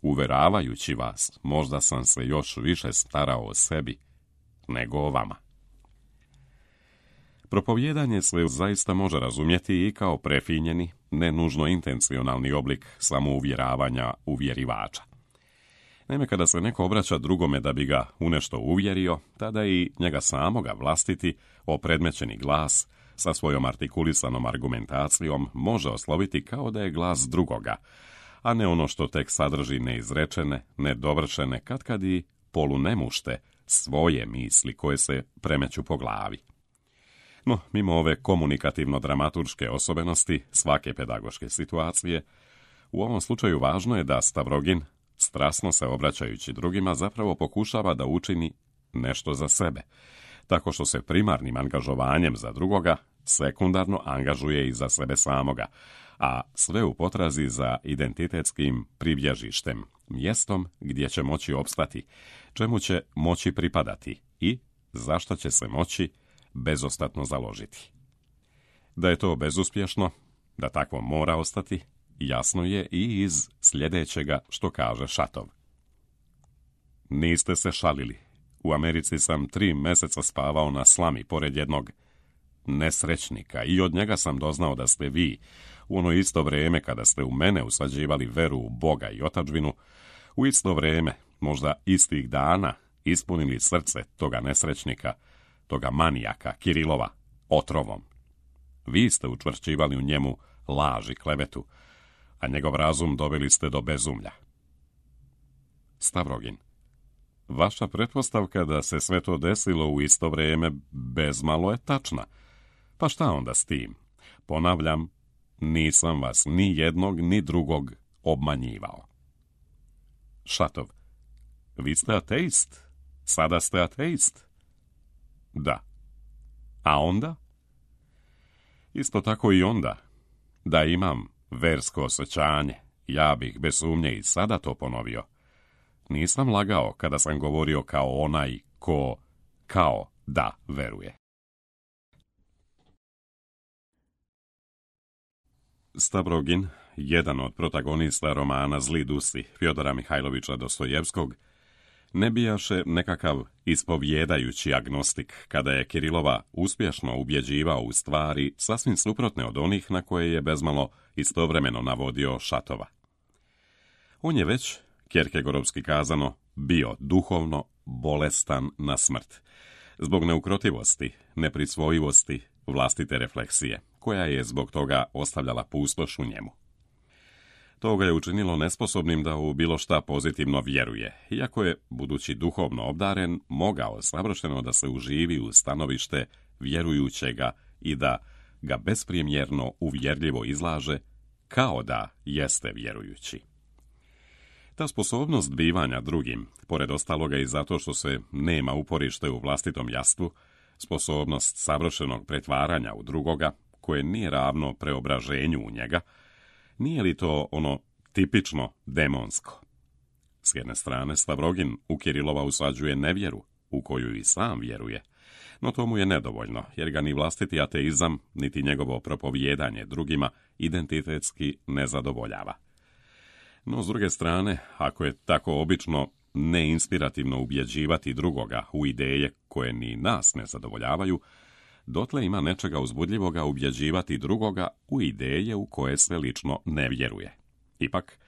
Uveravajući vas, možda sam se još više starao o sebi nego o vama. Propovijedanje se zaista može razumjeti i kao prefinjeni, ne nužno intencionalni oblik samouvjeravanja uvjerivača. Naime, kada se neko obraća drugome da bi ga u nešto uvjerio, tada i njega samoga vlastiti, opredmećeni glas, sa svojom artikulisanom argumentacijom, može osloviti kao da je glas drugoga, a ne ono što tek sadrži neizrečene, nedovršene, katkad i polunemušte svoje misli koje se premeću po glavi. No, mimo ove komunikativno-dramaturške osobenosti svake pedagoške situacije, u ovom slučaju važno je da Stavrogin, strasno se obraćajući drugima, zapravo pokušava da učini nešto za sebe, tako što se primarnim angažovanjem za drugoga sekundarno angažuje i za sebe samoga, a sve u potrazi za identitetskim pribježištem, mjestom gdje će moći opstati, čemu će moći pripadati i za šta će se moći bezostatno založiti. Da je to bezuspješno, da takvo mora ostati, jasno je i iz sljedećega što kaže Šatov. Niste se šalili. U Americi sam tri mjeseca spavao na slami pored jednog nesrećnika i od njega sam doznao da ste vi, u ono isto vrijeme kada ste u mene usađivali veru u Boga i otadžbinu, u isto vrijeme, možda istih dana, ispunili srce toga nesrećnika, toga manijaka, Kirilova, otrovom. Vi ste učvršćivali u njemu laž i klevetu, a njegov razum doveli ste do bezumlja. Stavrogin. Vaša pretpostavka da se sve to desilo u isto vrijeme bezmalo je tačna. Pa šta onda s tim? Ponavljam, nisam vas ni jednog ni drugog obmanjivao. Šatov. Vi ste ateist. Sada ste ateist. Da. A onda? Isto tako i onda. Da imam versko osjećanje, ja bih bez sumnje i sada to ponovio. Nisam lagao kada sam govorio kao onaj ko, kao da veruje. Stavrogin jedan od protagonista romana Zli dusi Fjodora Mihajlovića Dostojevskog, ne bijaše nekakav ispovjedajući agnostik kada je Kirilova uspješno ubjeđivao u stvari sasvim suprotne od onih na koje je bezmalo istovremeno navodio Šatova. On je već, kjerkegorovski kazano, bio duhovno bolestan na smrt, zbog neukrotivosti, neprisvojivosti, vlastite refleksije, koja je zbog toga ostavljala pustoš u njemu. To ga je učinilo nesposobnim da u bilo šta pozitivno vjeruje, iako je, budući duhovno obdaren, mogao savršeno da se uživi u stanovište vjerujućega i da ga bespremjerno uvjerljivo izlaže, kao da jeste vjerujući. Ta sposobnost bivanja drugim, pored ostaloga i zato što se nema uporište u vlastitom jastvu, sposobnost savršenog pretvaranja u drugoga, koje nije ravno preobraženju u njega, nije li to ono tipično demonsko? S jedne strane, Stavrogin u Kirilova usađuje nevjeru, u koju i sam vjeruje, no to mu je nedovoljno, jer ga ni vlastiti ateizam, niti njegovo propovijedanje drugima identitetski ne zadovoljava. No, s druge strane, ako je tako obično neinspirativno ubjeđivati drugoga u ideje koje ni nas ne zadovoljavaju, dotle ima nečega uzbudljivoga ubjeđivati drugoga u ideje u koje se lično ne vjeruje. Ipak,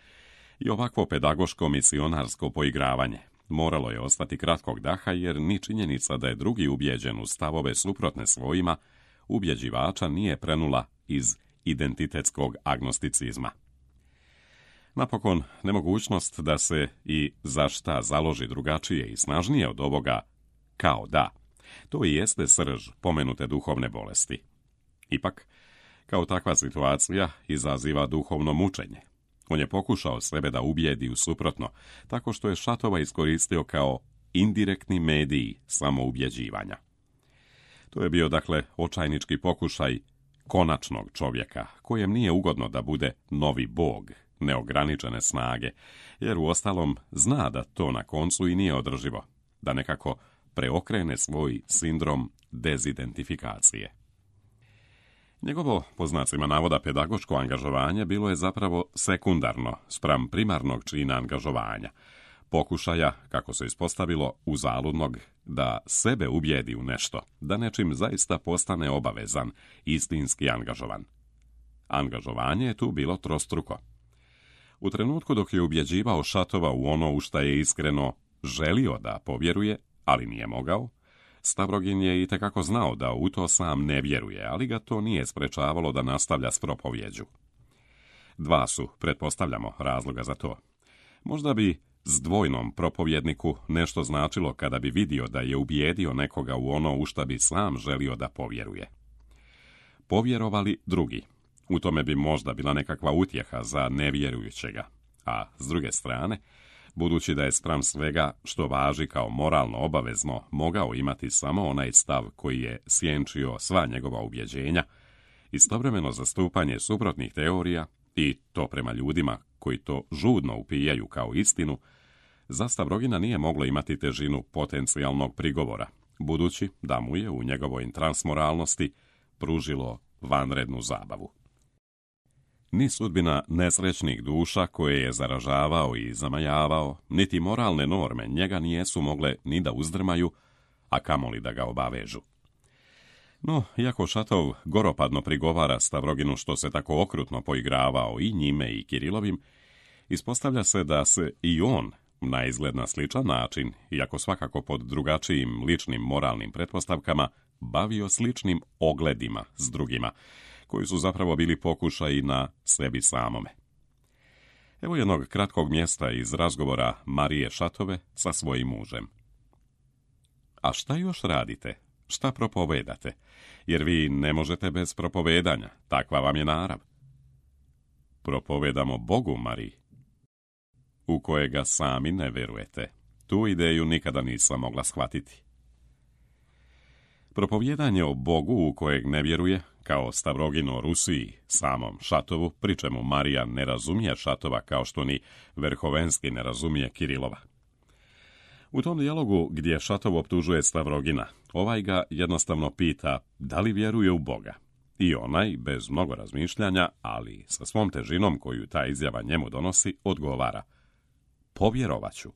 i ovakvo pedagoško misionarsko poigravanje moralo je ostati kratkog daha, jer ni činjenica da je drugi ubjeđen u stavove suprotne svojima ubjeđivača nije prenula iz identitetskog agnosticizma. Napokon, nemogućnost da se i za šta založi drugačije i snažnije od ovoga kao da, to i jeste srž pomenute duhovne bolesti. Ipak, kao takva situacija izaziva duhovno mučenje. On je pokušao sebe da ubijedi u suprotno, tako što je Šatova iskoristio kao indirektni medij samoubjeđivanja. To je bio, dakle, očajnički pokušaj konačnog čovjeka, kojem nije ugodno da bude novi bog, neograničene snage, jer uostalom zna da to na koncu i nije održivo, da nekako preokrene svoj sindrom dezidentifikacije. Njegovo, po znacima navoda, pedagoško angažovanje bilo je zapravo sekundarno spram primarnog čina angažovanja, pokušaja, kako se ispostavilo, uzaludnog da sebe ubijedi u nešto, da nečim zaista postane obavezan, istinski angažovan. Angažovanje je tu bilo trostruko. U trenutku dok je ubjeđivao Šatova u ono u šta je iskreno želio da povjeruje, ali nije mogao, Stavrogin je itekako znao da u to sam ne vjeruje, ali ga to nije sprečavalo da nastavlja s propovjeđu. Dva su, pretpostavljamo, razloga za to. Možda bi s dvojnom propovjedniku nešto značilo kada bi vidio da je ubijedio nekoga u ono u šta bi sam želio da povjeruje. Povjerovali drugi. U tome bi možda bila nekakva utjeha za nevjerujućega, a s druge strane, budući da je spram svega što važi kao moralno obavezno mogao imati samo onaj stav koji je sjenčio sva njegova ubjeđenja, istovremeno zastupanje suprotnih teorija i to prema ljudima koji to žudno upijaju kao istinu, za Stavrogina nije moglo imati težinu potencijalnog prigovora, budući da mu je u njegovoj transmoralnosti pružilo vanrednu zabavu. Ni sudbina nesrećnih duša koje je zaražavao i zamajavao, niti moralne norme njega nijesu mogle ni da uzdrmaju, a kamoli da ga obavežu. No, iako Šatov goropadno prigovara Stavroginu što se tako okrutno poigravao i njime i Kirilovim, ispostavlja se da se i on, na izgled na sličan način, iako svakako pod drugačijim ličnim moralnim pretpostavkama, bavio sličnim ogledima s drugima, koji su zapravo bili pokušaji na sebi samome. Evo jednog kratkog mjesta iz razgovora Marije Šatove sa svojim mužem. A šta još radite? Šta propovedate? Jer vi ne možete bez propovedanja, takva vam je narav. Propovedamo Bogu, Mariji, u kojega sami ne verujete. Tu ideju nikada nisam mogla shvatiti. Propovjedanje o Bogu u kojeg ne vjeruje, kao Stavrogin o Rusiji, samom Šatovu, pri čemu Marija ne razumije Šatova kao što ni Verhovenski ne razumije Kirilova. U tom dijalogu gdje Šatov optužuje Stavrogina, ovaj ga jednostavno pita da li vjeruje u Boga. I onaj, bez mnogo razmišljanja, ali sa svom težinom koju ta izjava njemu donosi, odgovara: povjerovaću.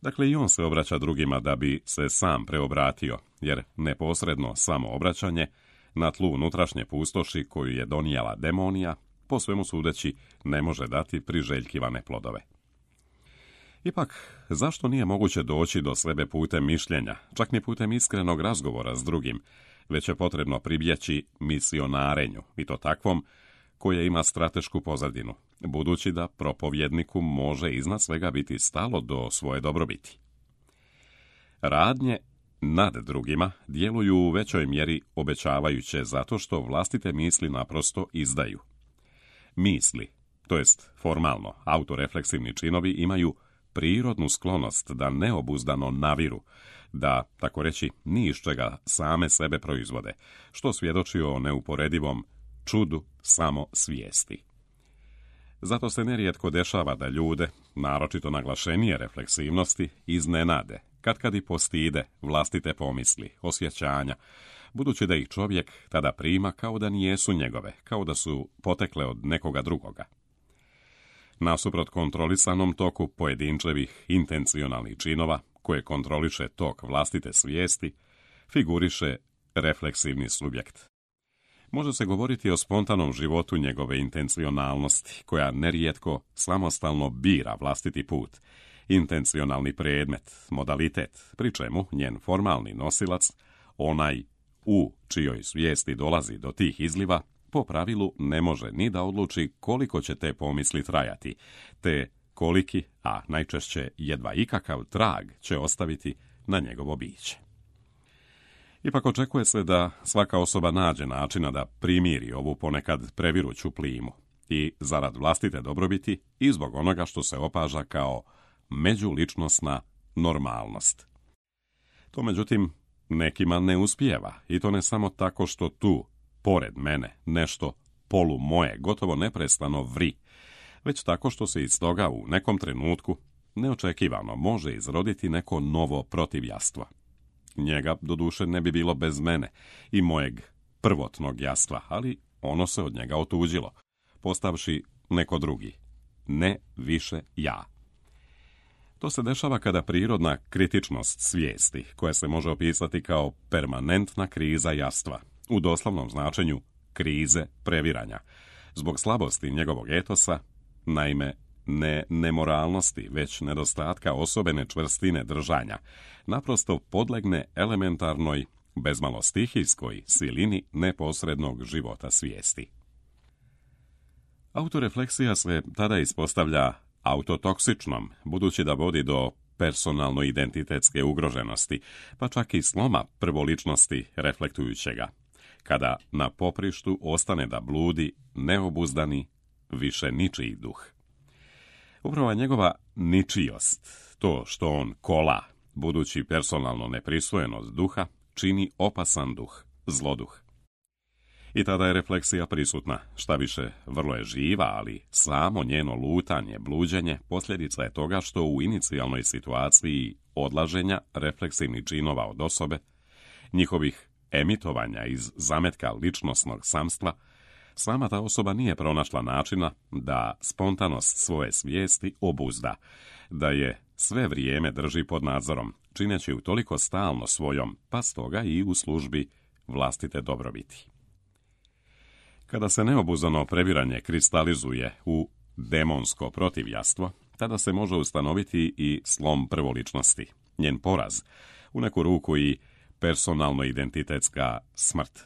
Dakle, i on se obraća drugima da bi se sam preobratio, jer neposredno samo obraćanje na tlu unutrašnje pustoši koju je donijela demonija, po svemu sudeći, ne može dati priželjkivane plodove. Ipak, zašto nije moguće doći do sebe putem mišljenja, čak ni putem iskrenog razgovora s drugim, već je potrebno pribjeći misionarenju, i to takvom koje ima stratešku pozadinu, budući da propovjedniku može iznad svega biti stalo do svoje dobrobiti. Radnje nad drugima djeluju u većoj mjeri obećavajuće zato što vlastite misli naprosto izdaju. Misli, to jest formalno autorefleksivni činovi, imaju prirodnu sklonost da neobuzdano naviru, da, tako reći, ni iz čega same sebe proizvode, što svjedoči o neuporedivom čudu samo svijesti. Zato se nerijetko dešava da ljude, naročito naglašenije refleksivnosti, iznenade, katkad i postide vlastite pomisli, osjećanja, budući da ih čovjek tada prima kao da nijesu njegove, kao da su potekle od nekoga drugoga. Nasuprot kontrolisanom toku pojedinčevih intencionalnih činova, koje kontroliše tok vlastite svijesti, figuriše refleksivni subjekt. Može se govoriti o spontanom životu njegove intencionalnosti, koja nerijetko samostalno bira vlastiti put, intencionalni predmet, modalitet, pri čemu njen formalni nosilac, onaj u čijoj svijesti dolazi do tih izliva, po pravilu ne može ni da odluči koliko će te pomisli trajati, te koliki, a najčešće jedva ikakav trag će ostaviti na njegovo biće. Ipak očekuje se da svaka osoba nađe načina da primiri ovu ponekad previruću plimu i zarad vlastite dobrobiti i zbog onoga što se opaža kao međuličnosna normalnost. To, međutim, nekima ne uspijeva, i to ne samo tako što tu, pored mene, nešto polu moje gotovo neprestano vri, već tako što se iz toga u nekom trenutku neočekivano može izroditi neko novo protivjastvo. Njega, doduše, ne bi bilo bez mene i mojeg prvotnog jastva, ali ono se od njega otuđilo, postavši neko drugi, ne više ja. To se dešava kada prirodna kritičnost svijesti, koja se može opisati kao permanentna kriza jastva, u doslovnom značenju krize previranja, zbog slabosti njegovog etosa, naime ne nemoralnosti, već nedostatka osobene čvrstine držanja, naprosto podlegne elementarnoj, bezmalo stihijskoj silini neposrednog života svijesti. Autorefleksija se tada ispostavlja autotoksičnom, budući da vodi do personalno-identitetske ugroženosti, pa čak i sloma prvoličnosti reflektujućega, kada na poprištu ostane da bludi neobuzdani, više ničiji duh. Upravo njegova ničijost, to što on kola, budući personalno neprisvojenost duha, čini opasan duh, zloduh. I tada je refleksija prisutna, šta više, vrlo je živa, ali samo njeno lutanje, bluđenje, posljedica je toga što u inicijalnoj situaciji odlaženja refleksivnih činova od osobe, njihovih emitovanja iz zametka ličnosnog samstva, sama ta osoba nije pronašla načina da spontanost svoje svijesti obuzda, da je sve vrijeme drži pod nadzorom, čineći ju toliko stalno svojom, pa stoga i u službi vlastite dobrobiti. Kada se neobuzdano previranje kristalizuje u demonsko protivjastvo, tada se može ustanoviti i slom prvoličnosti, njen poraz, u neku ruku i personalno-identitetska smrt.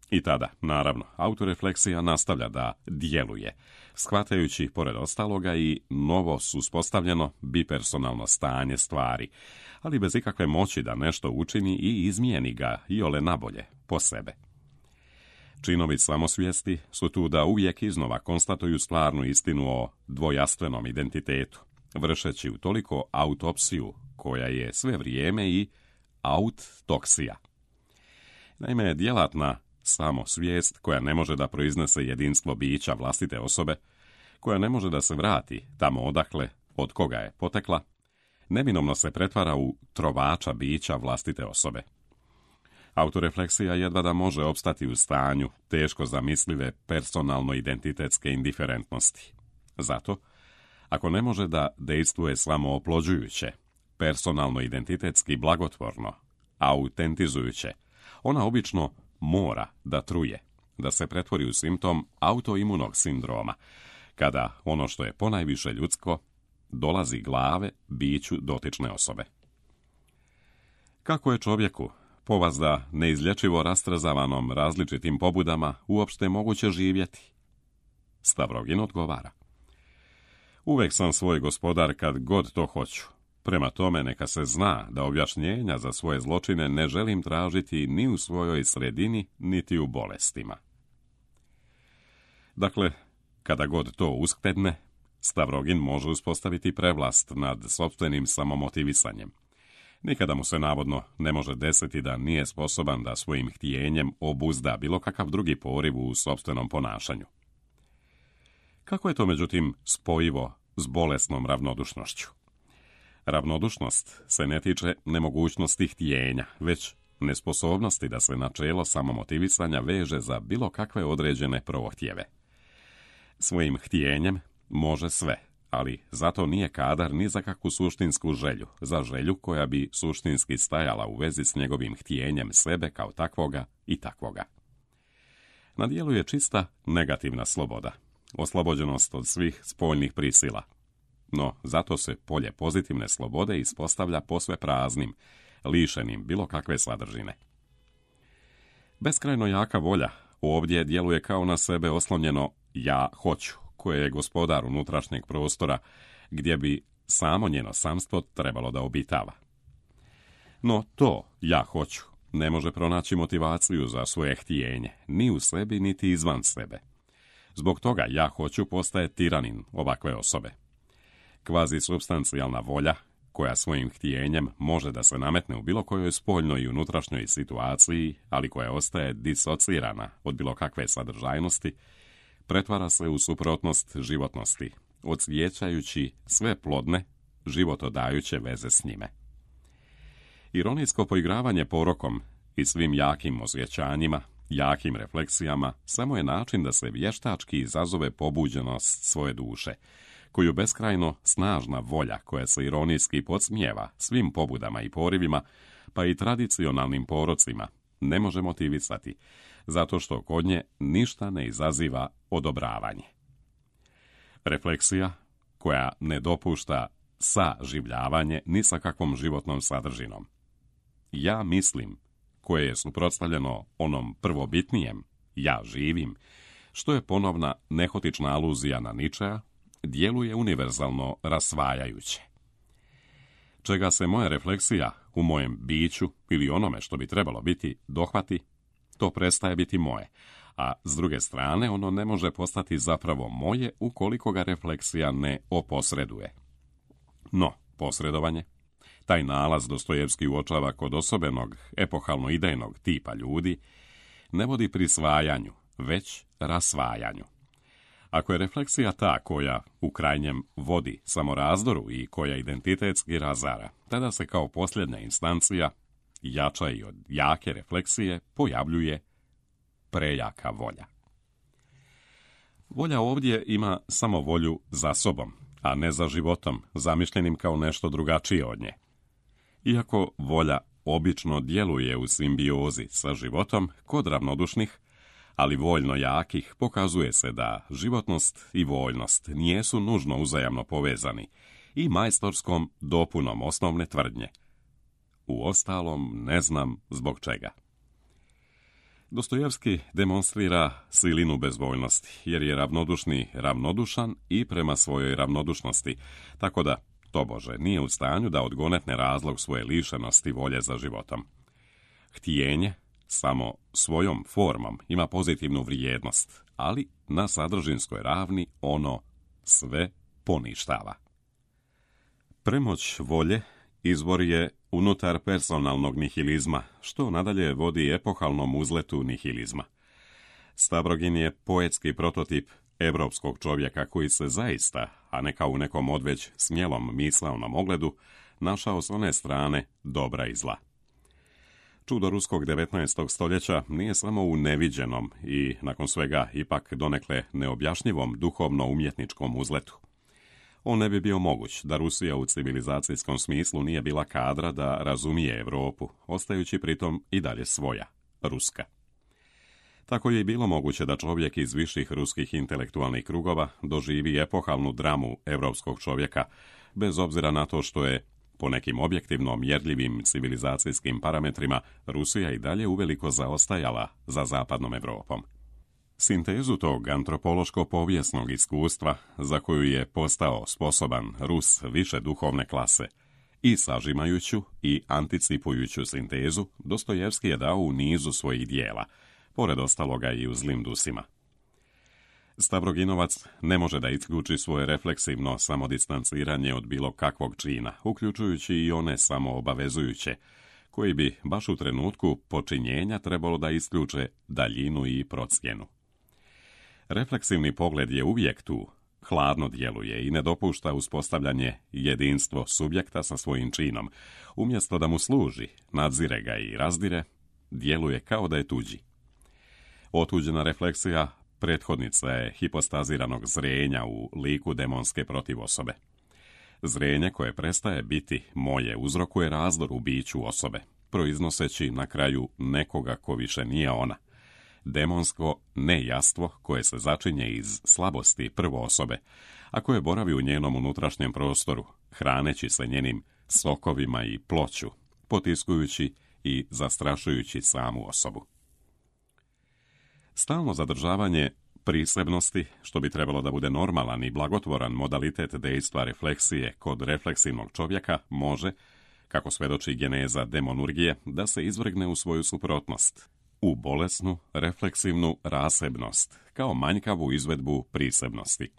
I tada, naravno, autorefleksija nastavlja da djeluje, shvatajući, pored ostaloga, i novo uspostavljeno bipersonalno stanje stvari, ali bez ikakve moći da nešto učini i izmijeni ga iole nabolje, po sebe. Činovi samosvijesti su tu da uvijek iznova konstatuju stvarnu istinu o dvojastvenom identitetu, vršeći u toliko autopsiju koja je sve vrijeme i auttoksija. Naime, djelatna samosvijest koja ne može da proiznese jedinstvo bića vlastite osobe, koja ne može da se vrati tamo odakle, od koga je potekla, neminovno se pretvara u trovača bića vlastite osobe. Autorefleksija jedva da može opstati u stanju teško zamislive personalno-identitetske indiferentnosti. Zato, ako ne može da dejstvuje samooplođujuće, personalno-identitetski blagotvorno, autentizujuće, ona obično mora da truje, da se pretvori u simptom autoimunog sindroma, kada ono što je ponajviše ljudsko dolazi glave biću dotične osobe. Kako je čovjeku, povazda neizlječivo rastrazavanom različitim pobudama, uopšte moguće živjeti? Stavrogin odgovara: uvek sam svoj gospodar kad god to hoću. Prema tome neka se zna da objašnjenja za svoje zločine ne želim tražiti ni u svojoj sredini, niti u bolestima. Dakle, kada god to uskledne, Stavrogin može uspostaviti prevlast nad sopstvenim samomotivisanjem. Nikada mu se navodno ne može desiti da nije sposoban da svojim htjenjem obuzda bilo kakav drugi poriv u sopstvenom ponašanju. Kako je to, međutim, spojivo s bolesnom ravnodušnošću? Ravnodušnost se ne tiče nemogućnosti htjenja, već nesposobnosti da se načelo samomotivisanja veže za bilo kakve određene prohtjeve. Svojim htjenjem može sve, ali zato nije kadar ni za kakvu suštinsku želju, za želju koja bi suštinski stajala u vezi s njegovim htjenjem sebe kao takvoga i takvoga. Na dijelu je čista negativna sloboda, oslobođenost od svih spoljnih prisila. No, zato se polje pozitivne slobode ispostavlja posve praznim, lišenim bilo kakve sadržine. Beskrajno jaka volja ovdje djeluje kao na sebe oslonjeno ja hoću, koje je gospodar unutrašnjeg prostora, gdje bi samo njeno samstvo trebalo da obitava. No to ja hoću ne može pronaći motivaciju za svoje htjenje, ni u sebi, niti izvan sebe. Zbog toga ja hoću postaje tiranin ovakve osobe. Kvazi supstancijalna volja, koja svojim htjenjem može da se nametne u bilo kojoj spoljnoj i unutrašnjoj situaciji, ali koja ostaje disocirana od bilo kakve sadržajnosti, pretvara se u suprotnost životnosti, odsvijećajući sve plodne, životodajuće veze s njime. Ironijsko poigravanje porokom i svim jakim osjećanjima, jakim refleksijama, samo je način da se vještački izazove pobuđenost svoje duše, koju beskrajno snažna volja koja se ironijski podsmijeva svim pobudama i porivima, pa i tradicionalnim porocima, ne može motivisati, zato što kod nje ništa ne izaziva odobravanje. Refleksija, koja ne dopušta saživljavanje ni sa kakvom životnom sadržinom. Ja mislim, koje je suprotstavljeno onom prvobitnijem, ja živim, što je ponovna nehotična aluzija na Ničea, djeluje univerzalno rasvajajuće. Čega se moja refleksija u mojem biću ili onome što bi trebalo biti dohvati, to prestaje biti moje, a s druge strane ono ne može postati zapravo moje ukoliko ga refleksija ne oposreduje. No, posredovanje, taj nalaz Dostojevski uočava kod osobenog, epohalno-idejnog tipa ljudi, ne vodi prisvajanju, već rasvajanju. Ako je refleksija ta koja u krajnjem vodi samorazdoru i koja identitetski razara, tada se kao posljednja instancija, jača i od jake refleksije, pojavljuje prejaka volja. Volja ovdje ima samo volju za sobom, a ne za životom, zamišljenim kao nešto drugačije od nje. Iako volja obično djeluje u simbiozi sa životom kod ravnodušnih, ali voljno jakih, pokazuje se da životnost i voljnost nijesu nužno uzajamno povezani i majstorskom dopunom osnovne tvrdnje. Uostalom ne znam zbog čega. Dostojevski demonstrira silinu bezvoljnosti, jer je ravnodušni ravnodušan i prema svojoj ravnodušnosti, tako da, tobože, nije u stanju da odgonetne razlog svoje lišenosti volje za životom. Htjenje samo svojom formom ima pozitivnu vrijednost, ali na sadržinskoj ravni ono sve poništava. Premoć volje izvor je unutar personalnog nihilizma, što nadalje vodi epohalnom uzletu nihilizma. Stavrogin je poetski prototip evropskog čovjeka koji se zaista, a ne kao u nekom odveć smjelom misaonom ogledu, našao s one strane dobra i zla. Čudo ruskog devetnaestog stoljeća nije samo u neviđenom i, nakon svega, ipak donekle neobjašnjivom duhovno-umjetničkom uzletu. On ne bi bio moguć da Rusija u civilizacijskom smislu nije bila kadra da razumije Europu, ostajući pritom i dalje svoja, ruska. Tako je i bilo moguće da čovjek iz viših ruskih intelektualnih krugova doživi epohalnu dramu europskog čovjeka, bez obzira na to što je, po nekim objektivno mjerljivim civilizacijskim parametrima, Rusija i dalje uveliko zaostajala za zapadnom Europom. Sintezu tog antropološko-povijesnog iskustva, za koju je postao sposoban Rus više duhovne klase, i sažimajuću i anticipujuću sintezu, Dostojevski je dao u nizu svojih dijela, pored ostaloga i u Zlim dusima. Stavroginovac ne može da isključi svoje refleksivno samodistanciranje od bilo kakvog čina, uključujući i one samoobavezujuće, koji bi baš u trenutku počinjenja trebalo da isključe daljinu i procjenu. Refleksivni pogled je uvijek tu, hladno djeluje i ne dopušta uspostavljanje jedinstvo subjekta sa svojim činom. Umjesto da mu služi, nadzire ga i razdire, djeluje kao da je tuđi. Otuđena refleksija prethodnica je hipostaziranog zrenja u liku demonske protivosobe. Zrenje koje prestaje biti moje uzrokuje razdor u biću osobe, proiznoseći na kraju nekoga ko više nije ona. Demonsko nejastvo koje se začinje iz slabosti prvo osobe, a koje boravi u njenom unutrašnjem prostoru, hraneći se njenim sokovima i ploću, potiskujući i zastrašujući samu osobu. Stalno zadržavanje prisebnosti, što bi trebalo da bude normalan i blagotvoran modalitet dejstva refleksije kod refleksivnog čovjeka, može, kako svedoči geneza demonurgije, da se izvrgne u svoju suprotnost, u bolesnu, refleksivnu rasebnost, kao manjkavu izvedbu prisebnosti.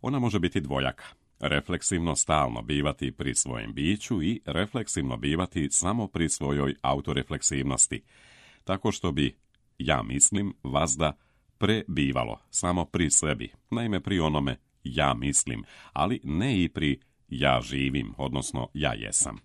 Ona može biti dvojaka, refleksivno stalno bivati pri svojem biću i refleksivno bivati samo pri svojoj autorefleksivnosti, tako što bi ja mislim vazda prebivalo samo pri sebi, naime pri onome ja mislim, ali ne i pri ja živim, odnosno ja jesam.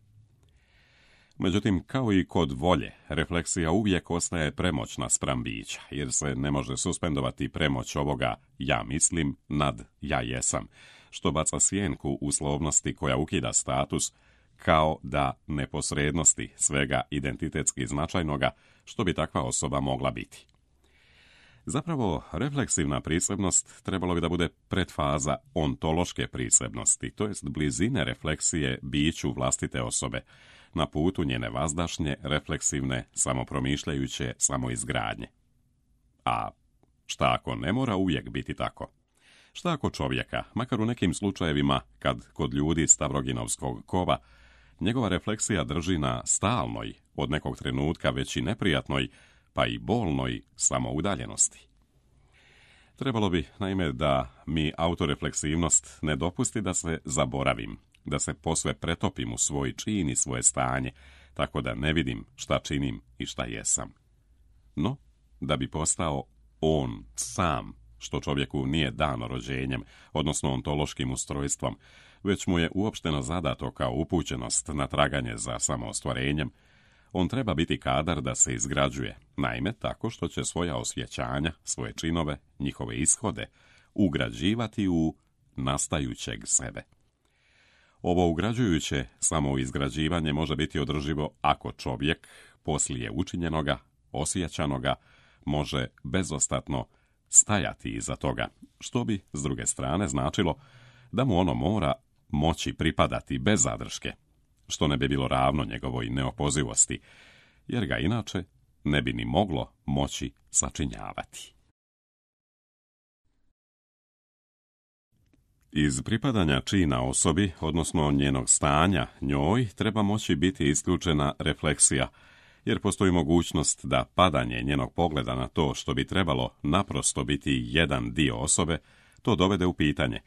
Međutim, kao i kod volje, refleksija uvijek ostaje premoćna spram bića, jer se ne može suspendovati premoć ovoga ja mislim nad ja jesam, što baca sjenku uslovnosti koja ukida status, kao da neposrednosti svega identitetski značajnoga, što bi takva osoba mogla biti. Zapravo, refleksivna prisebnost trebalo bi da bude pretfaza ontološke prisebnosti, to jest blizine refleksije biću vlastite osobe, na putu njene vazdašnje, refleksivne, samopromišljajuće samoizgradnje. A šta ako ne mora uvijek biti tako? Šta ako čovjeka, makar u nekim slučajevima, kad kod ljudi Stavroginovskog kova, njegova refleksija drži na stalnoj, od nekog trenutka već i neprijatnoj, pa i bolnoj samoudaljenosti? Trebalo bi, naime, da mi autorefleksivnost ne dopusti da se zaboravim, da se posve pretopim u svoj čin i svoje stanje, tako da ne vidim šta činim i šta jesam. No, da bi postao on sam, što čovjeku nije dano rođenjem, odnosno ontološkim ustrojstvom, već mu je uopšteno zadato kao upućenost na traganje za samoostvarenjem, on treba biti kadar da se izgrađuje, naime tako što će svoja osjećanja, svoje činove, njihove ishode, ugrađivati u nastajućeg sebe. Ovo ugrađujuće samoizgrađivanje može biti održivo ako čovjek, poslije učinjenoga, osjećanoga, može bezostatno stajati iza toga, što bi, s druge strane, značilo da mu ono mora moći pripadati bez zadrške, što ne bi bilo ravno njegovoj neopozivosti, jer ga inače ne bi ni moglo moći sačinjavati. Iz pripadanja čina osobi, odnosno njenog stanja njoj, treba moći biti isključena refleksija, jer postoji mogućnost da padanje njenog pogleda na to što bi trebalo naprosto biti jedan dio osobe, to dovede u pitanje,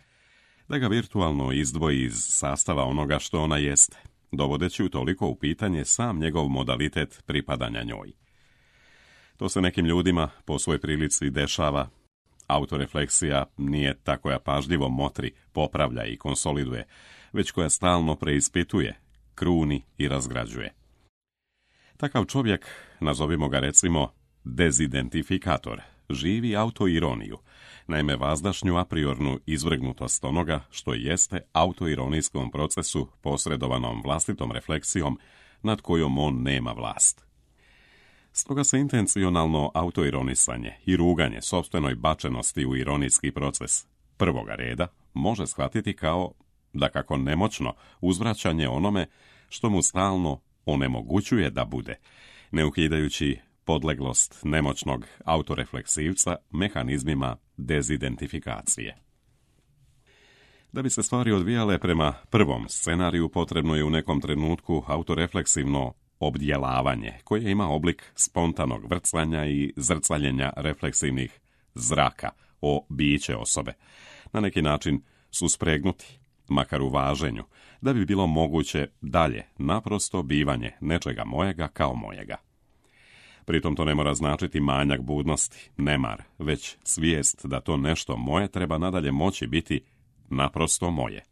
da ga virtualno izdvoji iz sastava onoga što ona jeste, dovodeći u toliko u pitanje sam njegov modalitet pripadanja njoj. To se nekim ljudima po svoj prilici dešava. Autorefleksija nije ta koja pažljivo motri, popravlja i konsoliduje, već koja stalno preispituje, kruni i razgrađuje. Takav čovjek, nazovimo ga recimo dezidentifikator, živi autoironiju, naime vazdašnju apriornu izvrgnutost onoga što jeste autoironijskom procesu posredovanom vlastitom refleksijom nad kojom on nema vlast. Stoga se intencionalno autoironisanje i ruganje sopstvenoj bačenosti u ironijski proces prvoga reda može shvatiti kao, dakako nemoćno, uzvraćanje onome što mu stalno onemogućuje da bude, ne ukidajući podleglost nemoćnog autorefleksivca mehanizmima dezidentifikacije. Da bi se stvari odvijale prema prvom scenariju, potrebno je u nekom trenutku autorefleksivno obdjelavanje, koje ima oblik spontanog vrcanja i zrcaljenja refleksivnih zraka o biće osobe, na neki način suspregnuti, makar u važenju, da bi bilo moguće dalje naprosto bivanje nečega mojega kao mojega. Pritom to ne mora značiti manjak budnosti, nemar, već svijest da to nešto moje treba nadalje moći biti naprosto moje.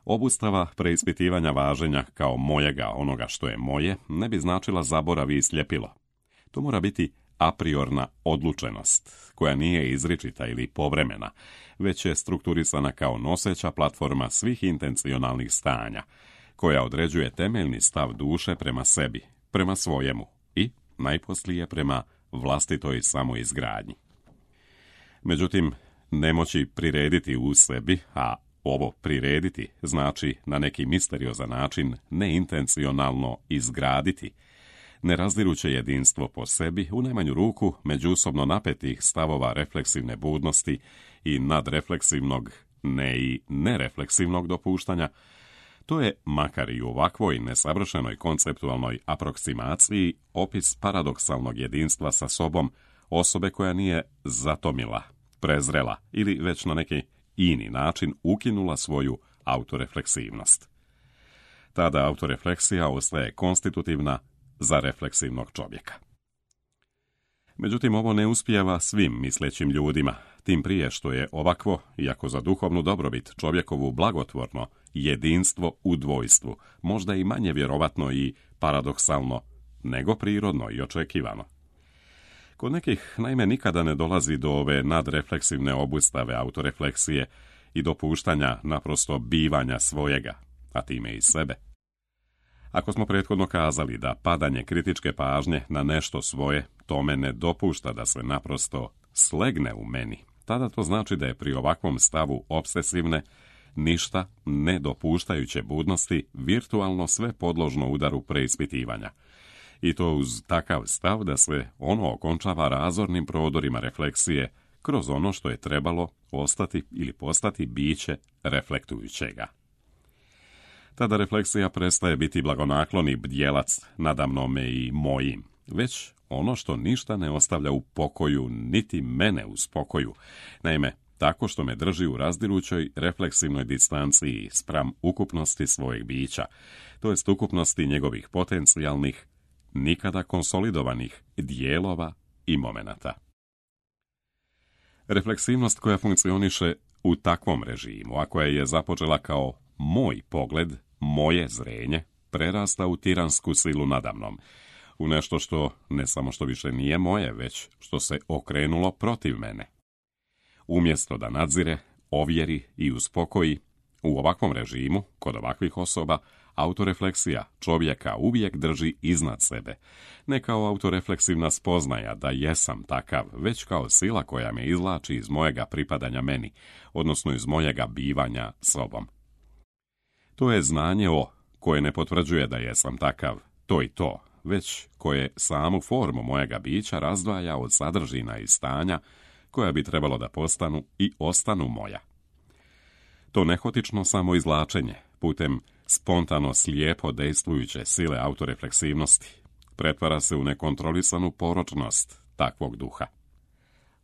Obustava preispitivanja važenja kao mojega, onoga što je moje, ne bi značila zaborav i sljepilo. To mora biti apriorna odlučenost, koja nije izričita ili povremena, već je strukturisana kao noseća platforma svih intencionalnih stanja, koja određuje temeljni stav duše prema sebi, prema svojemu i, najposlije, prema vlastitoj samoizgradnji. Međutim, nemoći prirediti u sebi, a ovo prirediti znači na neki misteriozan način neintencionalno izgraditi, ne razdiruće jedinstvo po sebi, u najmanju ruku međusobno napetih stavova refleksivne budnosti i nadrefleksivnog, ne i nerefleksivnog dopuštanja, to je, makar i u ovakvoj nesavršenoj konceptualnoj aproksimaciji, opis paradoksalnog jedinstva sa sobom osobe koja nije zatomila, prezrela ili već na neki ini način ukinula svoju autorefleksivnost. Tada autorefleksija ostaje konstitutivna za refleksivnog čovjeka. Međutim, ovo ne uspijeva svim mislećim ljudima, tim prije što je ovakvo, iako za duhovnu dobrobit čovjekovu blagotvorno, jedinstvo u dvojstvu, možda i manje vjerovatno i paradoksalno, nego prirodno i očekivano. Kod nekih, naime, nikada ne dolazi do ove nadrefleksivne obustave autorefleksije i dopuštanja naprosto bivanja svojega, a time i sebe. Ako smo prethodno kazali da padanje kritičke pažnje na nešto svoje tome ne dopušta da se naprosto slegne u meni, tada to znači da je pri ovakvom stavu obsesivne, ništa ne dopuštajuće budnosti virtualno sve podložno udaru preispitivanja. I to uz takav stav da se ono okončava razornim prodorima refleksije kroz ono što je trebalo ostati ili postati biće reflektujućega. Tada refleksija prestaje biti blagonakloni bdjelac nadamnome i mojim, već ono što ništa ne ostavlja u pokoju, niti mene u spokoju, naime, tako što me drži u razdirućoj refleksivnoj distanciji spram ukupnosti svojeg bića, to jest ukupnosti njegovih potencijalnih, nikada konsolidovanih dijelova i momenata. Refleksivnost koja funkcioniše u takvom režimu, a koja je započela kao moj pogled, moje zrenje, prerasta u tiransku silu nadamnom, u nešto što ne samo što više nije moje, već što se okrenulo protiv mene. Umjesto da nadzire, ovjeri i uspokoji, u ovakvom režimu, kod ovakvih osoba, autorefleksija čovjeka uvijek drži iznad sebe, ne kao autorefleksivna spoznaja da jesam takav, već kao sila koja me izvlači iz mojega pripadanja meni, odnosno iz mojega bivanja sobom. To je znanje o, koje ne potvrđuje da jesam takav, to i to, već koje samu formu mojega bića razdvaja od sadržina i stanja koja bi trebalo da postanu i ostanu moja. To nehotično samoizvlačenje, putem spontano slijepo dejstvujuće sile autorefleksivnosti, pretvara se u nekontrolisanu poročnost takvog duha.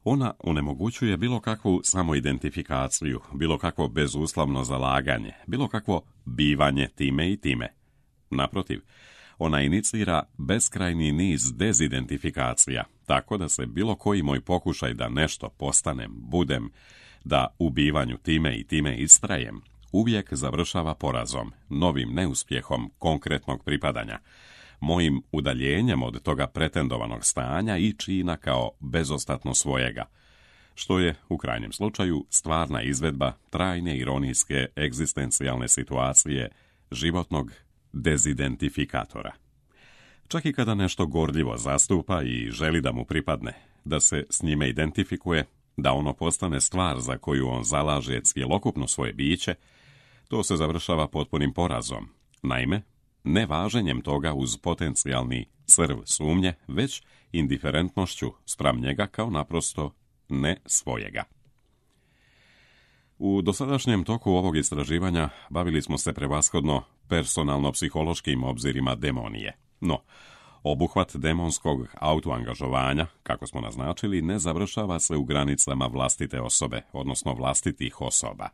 Ona onemogućuje bilo kakvu samoidentifikaciju, bilo kakvo bezuslovno zalaganje, bilo kakvo bivanje time i time. Naprotiv, ona inicira beskrajni niz dezidentifikacija, tako da se bilo koji moj pokušaj da nešto postanem, budem, da u bivanju time i time istrajem, uvijek završava porazom, novim neuspjehom konkretnog pripadanja, mojim udaljenjem od toga pretendovanog stanja i čina kao bezostatno svojega, što je, u krajnjem slučaju, stvarna izvedba trajne ironijske egzistencijalne situacije životnog dezidentifikatora. Čak i kada nešto gorljivo zastupa i želi da mu pripadne, da se s njime identifikuje, da ono postane stvar za koju on zalaže cjelokupno svoje biće, to se završava potpunim porazom. Naime, ne važenjem toga uz potencijalni crv sumnje, već indiferentnošću spram njega kao naprosto ne svojega. U dosadašnjem toku ovog istraživanja bavili smo se prevashodno personalno-psihološkim obzirima demonije. No, obuhvat demonskog autoangažovanja, kako smo naznačili, ne završava se u granicama vlastite osobe, odnosno vlastitih osoba.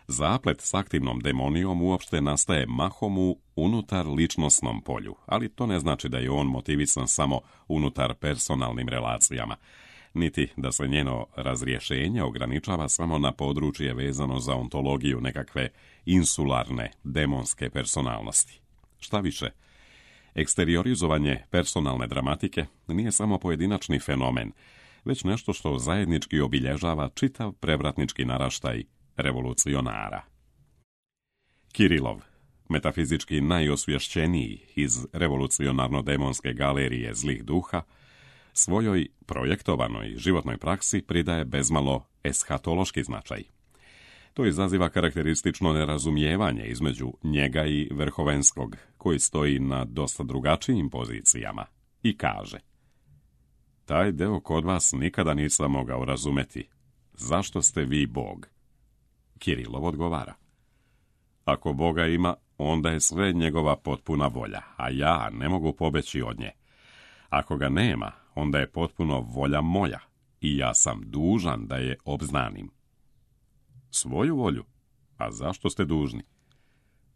Zaplet s aktivnom demonijom uopšte nastaje mahom u unutar ličnosnom polju, ali to ne znači da je on motivisan samo unutar personalnim relacijama, niti da se njeno razrješenje ograničava samo na područje vezano za ontologiju nekakve insularne demonske personalnosti. Šta više, eksteriorizovanje personalne dramatike nije samo pojedinačni fenomen, već nešto što zajednički obilježava čitav prevratnički naraštaj revolucionara. Kirilov, metafizički najosvješćeniji iz revolucionarno-demonske galerije zlih duha, svojoj projektovanoj životnoj praksi pridaje bezmalo eshatološki značaj. To izaziva karakteristično nerazumijevanje između njega i Verhovenskog, koji stoji na dosta drugačijim pozicijama, i kaže: taj deo kod vas nikada nisam mogao razumeti. Zašto ste vi Bog? Kirilov odgovara: ako Boga ima, onda je sve njegova potpuna volja, a ja ne mogu pobeći od nje. Ako ga nema, onda je potpuno volja moja i ja sam dužan da je obznanim. Svoju volju? A zašto ste dužni?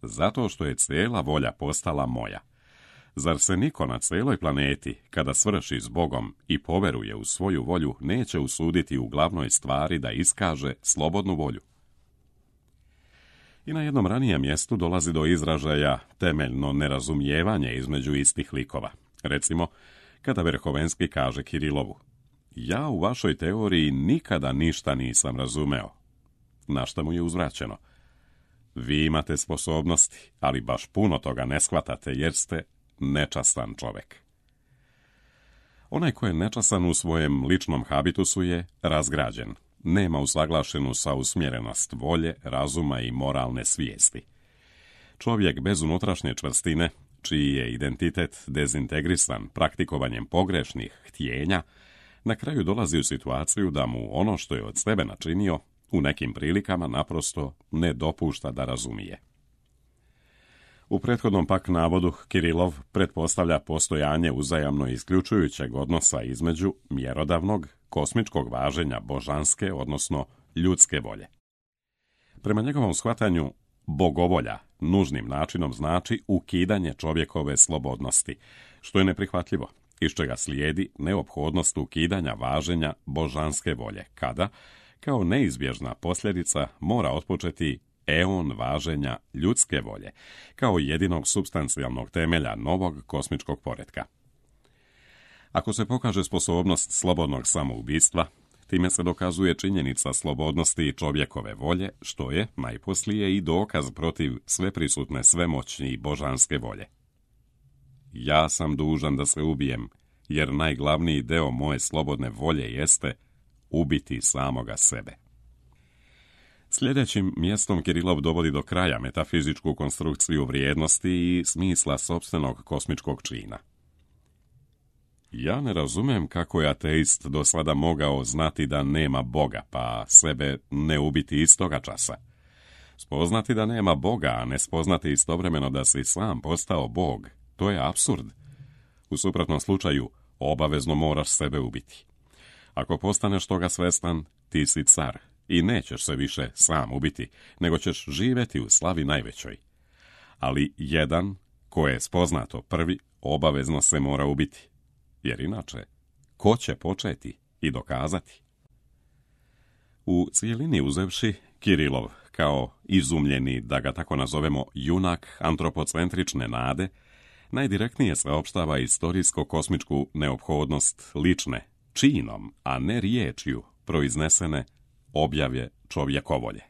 Zato što je cijela volja postala moja. Zar se niko na cijeloj planeti, kada svrši s Bogom i poveruje u svoju volju, neće usuditi u glavnoj stvari da iskaže slobodnu volju? I na jednom ranijem mjestu dolazi do izražaja temeljno nerazumijevanje između istih likova. Recimo, kada Verhovenski kaže Kirilovu: ja u vašoj teoriji nikada ništa nisam razumeo. Na što mu je uzvraćeno: vi imate sposobnosti, ali baš puno toga ne shvatate jer ste nečastan čovjek. Onaj ko je nečasan u svojem ličnom habitusu je razgrađen. Nema usaglašenu sa usmjerenost volje, razuma i moralne svijesti. Čovjek bez unutrašnje čvrstine, čiji je identitet dezintegrisan praktikovanjem pogrešnih htjenja, na kraju dolazi u situaciju da mu ono što je od sebe načinio u nekim prilikama naprosto ne dopušta da razumije. U prethodnom pak navodu Kirilov pretpostavlja postojanje uzajamno isključujućeg odnosa između mjerodavnog, kosmičkog važenja božanske, odnosno ljudske volje. Prema njegovom shvatanju, bogovolja nužnim načinom znači ukidanje čovjekove slobodnosti, što je neprihvatljivo, iz čega slijedi neophodnost ukidanja važenja božanske volje, kada, kao neizbježna posljedica, mora otpočeti eon važenja ljudske volje, kao jedinog supstancijalnog temelja novog kosmičkog poretka. Ako se pokaže sposobnost slobodnog samoubistva, time se dokazuje činjenica slobodnosti čovjekove volje, što je, najposlije, i dokaz protiv sveprisutne svemoćni i božanske volje. Ja sam dužan da se ubijem, jer najglavniji deo moje slobodne volje jeste ubiti samoga sebe. Sljedećim mjestom Kirilov dovodi do kraja metafizičku konstrukciju vrijednosti i smisla sopstvenog kosmičkog čina. Ja ne razumem kako je ateist do sada mogao znati da nema Boga, pa sebe ne ubiti istoga časa. Spoznati da nema Boga, a ne spoznati istovremeno da si sam postao Bog, to je apsurd. U suprotnom slučaju, obavezno moraš sebe ubiti. Ako postaneš toga svestan, ti si car i nećeš se više sam ubiti, nego ćeš živjeti u slavi najvećoj. Ali jedan, ko je spoznato prvi, obavezno se mora ubiti. Jer inače, ko će početi i dokazati? U cijelini uzevši, Kirilov, kao izumljeni, da ga tako nazovemo, junak antropocentrične nade, najdirektnije saopštava istorijsko-kosmičku neophodnost lične, činom, a ne riječju, proiznesene objave čovjekovolje.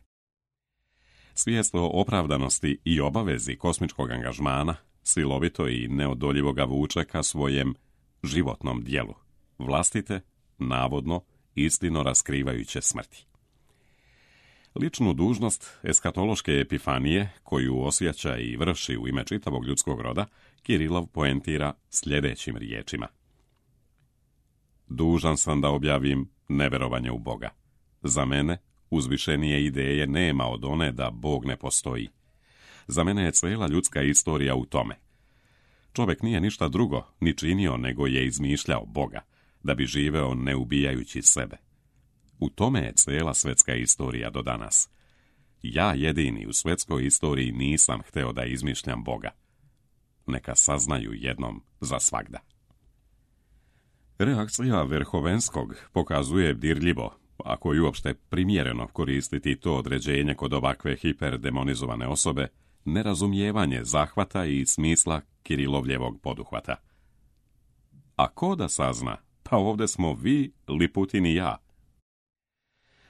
Svijest o opravdanosti i obavezi kosmičkog angažmana silovito i neodoljivo ga vuče ka svojem životnom dijelu, vlastite, navodno, istino raskrivajuće smrti. Ličnu dužnost eskatološke epifanije, koju osjeća i vrši u ime čitavog ljudskog roda, Kirilov poentira sljedećim riječima. Dužan sam da objavim neverovanje u Boga. Za mene uzvišenije ideje nema od one da Bog ne postoji. Za mene je cijela ljudska istorija u tome. Čovjek nije ništa drugo ni činio nego je izmišljao Boga, da bi živeo ne ubijajući sebe. U tome je cijela svjetska istorija do danas. Ja jedini u svjetskoj istoriji nisam hteo da izmišljam Boga. Neka saznaju jednom za svagda. Reakcija Verhovenskog pokazuje dirljivo, ako je uopšte primjereno koristiti to određenje kod ovakve hiperdemonizovane osobe, nerazumijevanje zahvata i smisla Kirilovljevog poduhvata. A ko da sazna? Pa ovdje smo vi, Liputin i ja.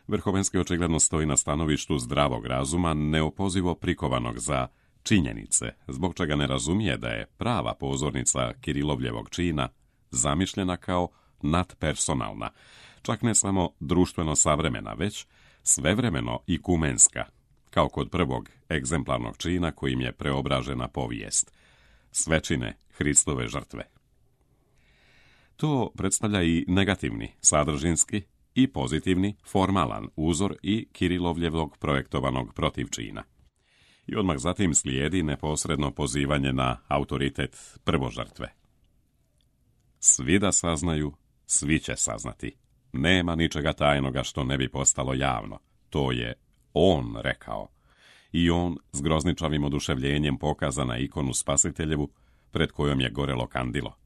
Verhovenski očigledno stoji na stanovištu zdravog razuma, neopozivo prikovanog za činjenice, zbog čega ne razumije da je prava pozornica Kirilovljevog čina zamišljena kao nadpersonalna, čak ne samo društveno savremena, već svevremeno i kumenska, kao kod prvog egzemplarnog čina kojim je preobražena povijest, svečine Hristove žrtve. To predstavlja i negativni, sadržinski i pozitivni, formalan uzor i Kirilovljevog projektovanog protivčina. I odmah zatim slijedi neposredno pozivanje na autoritet prvožrtve. Svi da saznaju, svi će saznati. Nema ničega tajnoga što ne bi postalo javno. To je on rekao. I on s grozničavim oduševljenjem pokaza na ikonu Spasiteljevu, pred kojom je gorelo kandilo.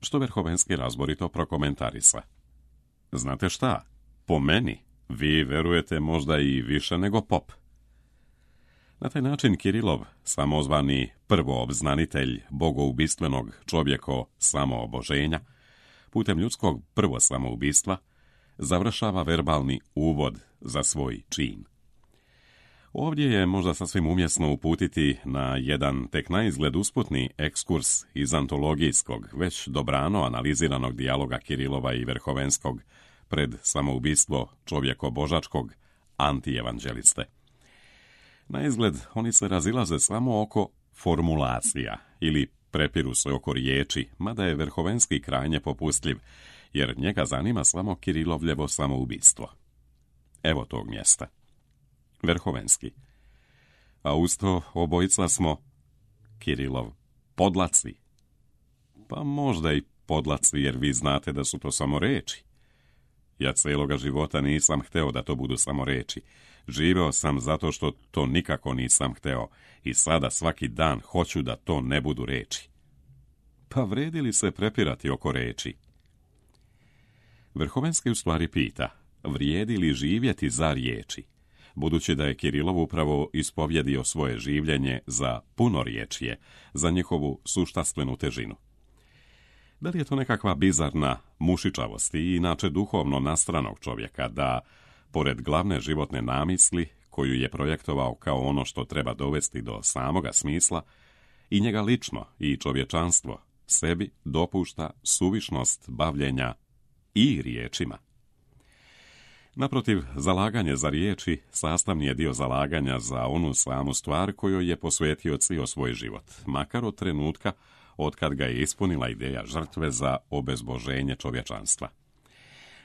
Što Verhovenski razborito prokomentarisa. Znate šta? Po meni, vi verujete možda i više nego pop. Na taj način Kirilov, samozvani prvoobznanitelj bogoubistvenog čovjeko samooboženja, putem ljudskog prvo samoubistva, završava verbalni uvod za svoj čin. Ovdje je možda sasvim umjesno uputiti na jedan tek naizgled usputni ekskurs iz antologijskog, već dobrano analiziranog dijaloga Kirilova i Verhovenskog pred samoubistvo čovjeko-božačkog antievanđeliste. Naizgled oni se razilaze samo oko formulacija ili prepiru se oko riječi, mada je Verhovenski krajnje popustljiv, jer njega zanima samo Kirilovljevo samoubistvo. Evo tog mjesta. Verhovenski. A usto obojica smo, Kirilov, podlaci. Pa možda i podlaci, jer vi znate da su to samo reči. Ja cijeloga života nisam hteo da to budu samo reči. Živeo sam zato što to nikako nisam hteo i sada svaki dan hoću da to ne budu reči. Pa vredi li se prepirati oko reči? Verhovenski u stvari pita, vrijedi li živjeti za riječi, budući da je Kirilov upravo ispovjedio svoje življenje za punoriječje, za njihovu suštastvenu težinu. Da li je to nekakva bizarna mušičavost i inače duhovno nastranog čovjeka da, pored glavne životne namisli, koju je projektovao kao ono što treba dovesti do samoga smisla, i njega lično i čovječanstvo sebi dopušta suvišnost bavljenja i riječima? Naprotiv, zalaganje za riječi sastavni je dio zalaganja za onu samu stvar kojoj je posvetio cijel svoj život, makar od trenutka otkad ga je ispunila ideja žrtve za obezboženje čovječanstva.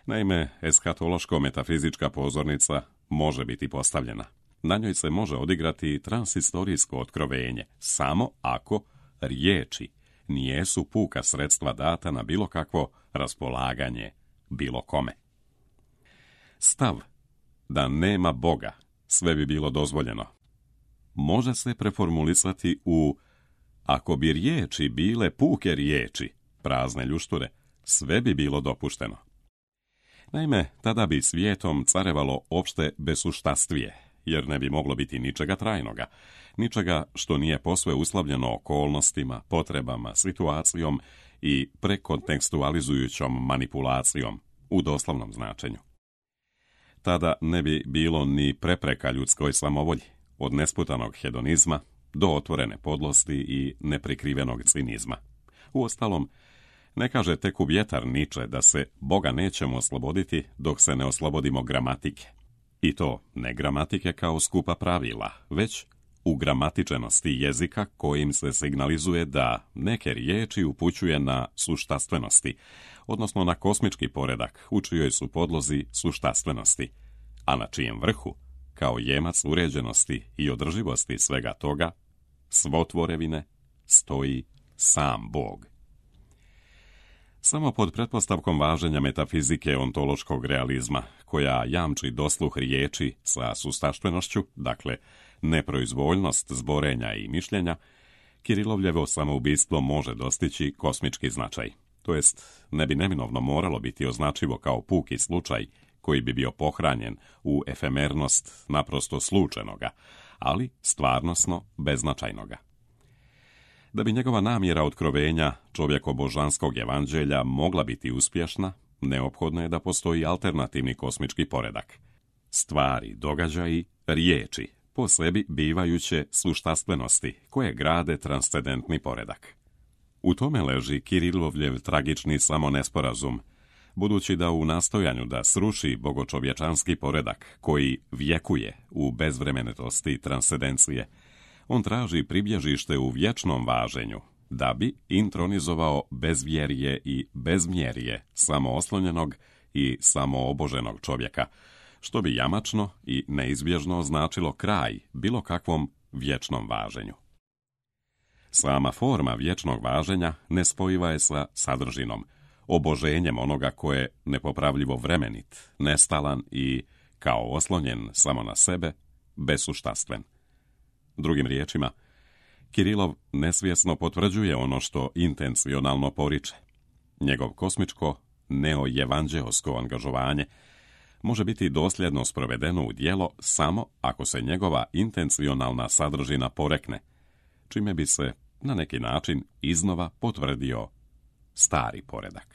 Naime, eskatološko-metafizička pozornica može biti postavljena. Na njoj se može odigrati transhistorijsko otkrovenje, samo ako riječi nijesu puka sredstva data na bilo kakvo raspolaganje bilo kome. Stav da nema Boga, sve bi bilo dozvoljeno, može se preformulisati u ako bi riječi bile puke riječi, prazne ljušture, sve bi bilo dopušteno. Naime, tada bi svijetom carevalo opšte besuštastvije, jer ne bi moglo biti ničega trajnoga, ničega što nije posve uslovljeno okolnostima, potrebama, situacijom i prekontekstualizujućom manipulacijom u doslovnom značenju. Tada ne bi bilo ni prepreka ljudskoj samovolji, od nesputanog hedonizma do otvorene podlosti i neprikrivenog cinizma. Uostalom, ne kaže tek u vjetar Niče da se Boga nećemo osloboditi dok se ne oslobodimo gramatike. I to ne gramatike kao skupa pravila, već u gramatičenosti jezika kojim se signalizuje da neke riječi upućuje na suštastvenosti, odnosno na kosmički poredak u čijoj su podlozi suštastvenosti, a na čijem vrhu, kao jemac uređenosti i održivosti svega toga, svotvorevine, stoji sam Bog. Samo pod pretpostavkom važenja metafizike ontološkog realizma, koja jamči dosluh riječi sa sustaštvenošću, dakle neproizvoljnost zborenja i mišljenja, Kirilovljevo samoubistvo može dostići kosmički značaj. To jest, ne bi neminovno moralo biti označivo kao puki slučaj koji bi bio pohranjen u efemernost naprosto slučajnoga, ali stvarnosno beznačajnoga. Da bi njegova namjera otkrovenja čovjeko-božanskog evanđelja mogla biti uspješna, neophodno je da postoji alternativni kosmički poredak. Stvari, događaji, riječi, po sebi bivajuće suštastvenosti koje grade transcendentni poredak. U tome leži Kirilovljev tragični samonesporazum, budući da u nastojanju da sruši bogočovječanski poredak koji vjekuje u bezvremenitosti transcendencije, on traži pribježište u vječnom važenju, da bi intronizovao bezvjerje i bezmjerje samooslonjenog i samooboženog čovjeka, što bi jamačno i neizbježno značilo kraj bilo kakvom vječnom važenju. Sama forma vječnog važenja nespojiva je sa sadržinom, oboženjem onoga ko je nepopravljivo vremenit, nestalan i, kao oslonjen samo na sebe, besuštastven. Drugim riječima, Kirilov nesvjesno potvrđuje ono što intencionalno poriče. Njegov kosmičko, neojevanđeosko angažovanje može biti dosljedno sprovedeno u djelo samo ako se njegova intencionalna sadržina porekne, čime bi se na neki način iznova potvrdio stari poredak.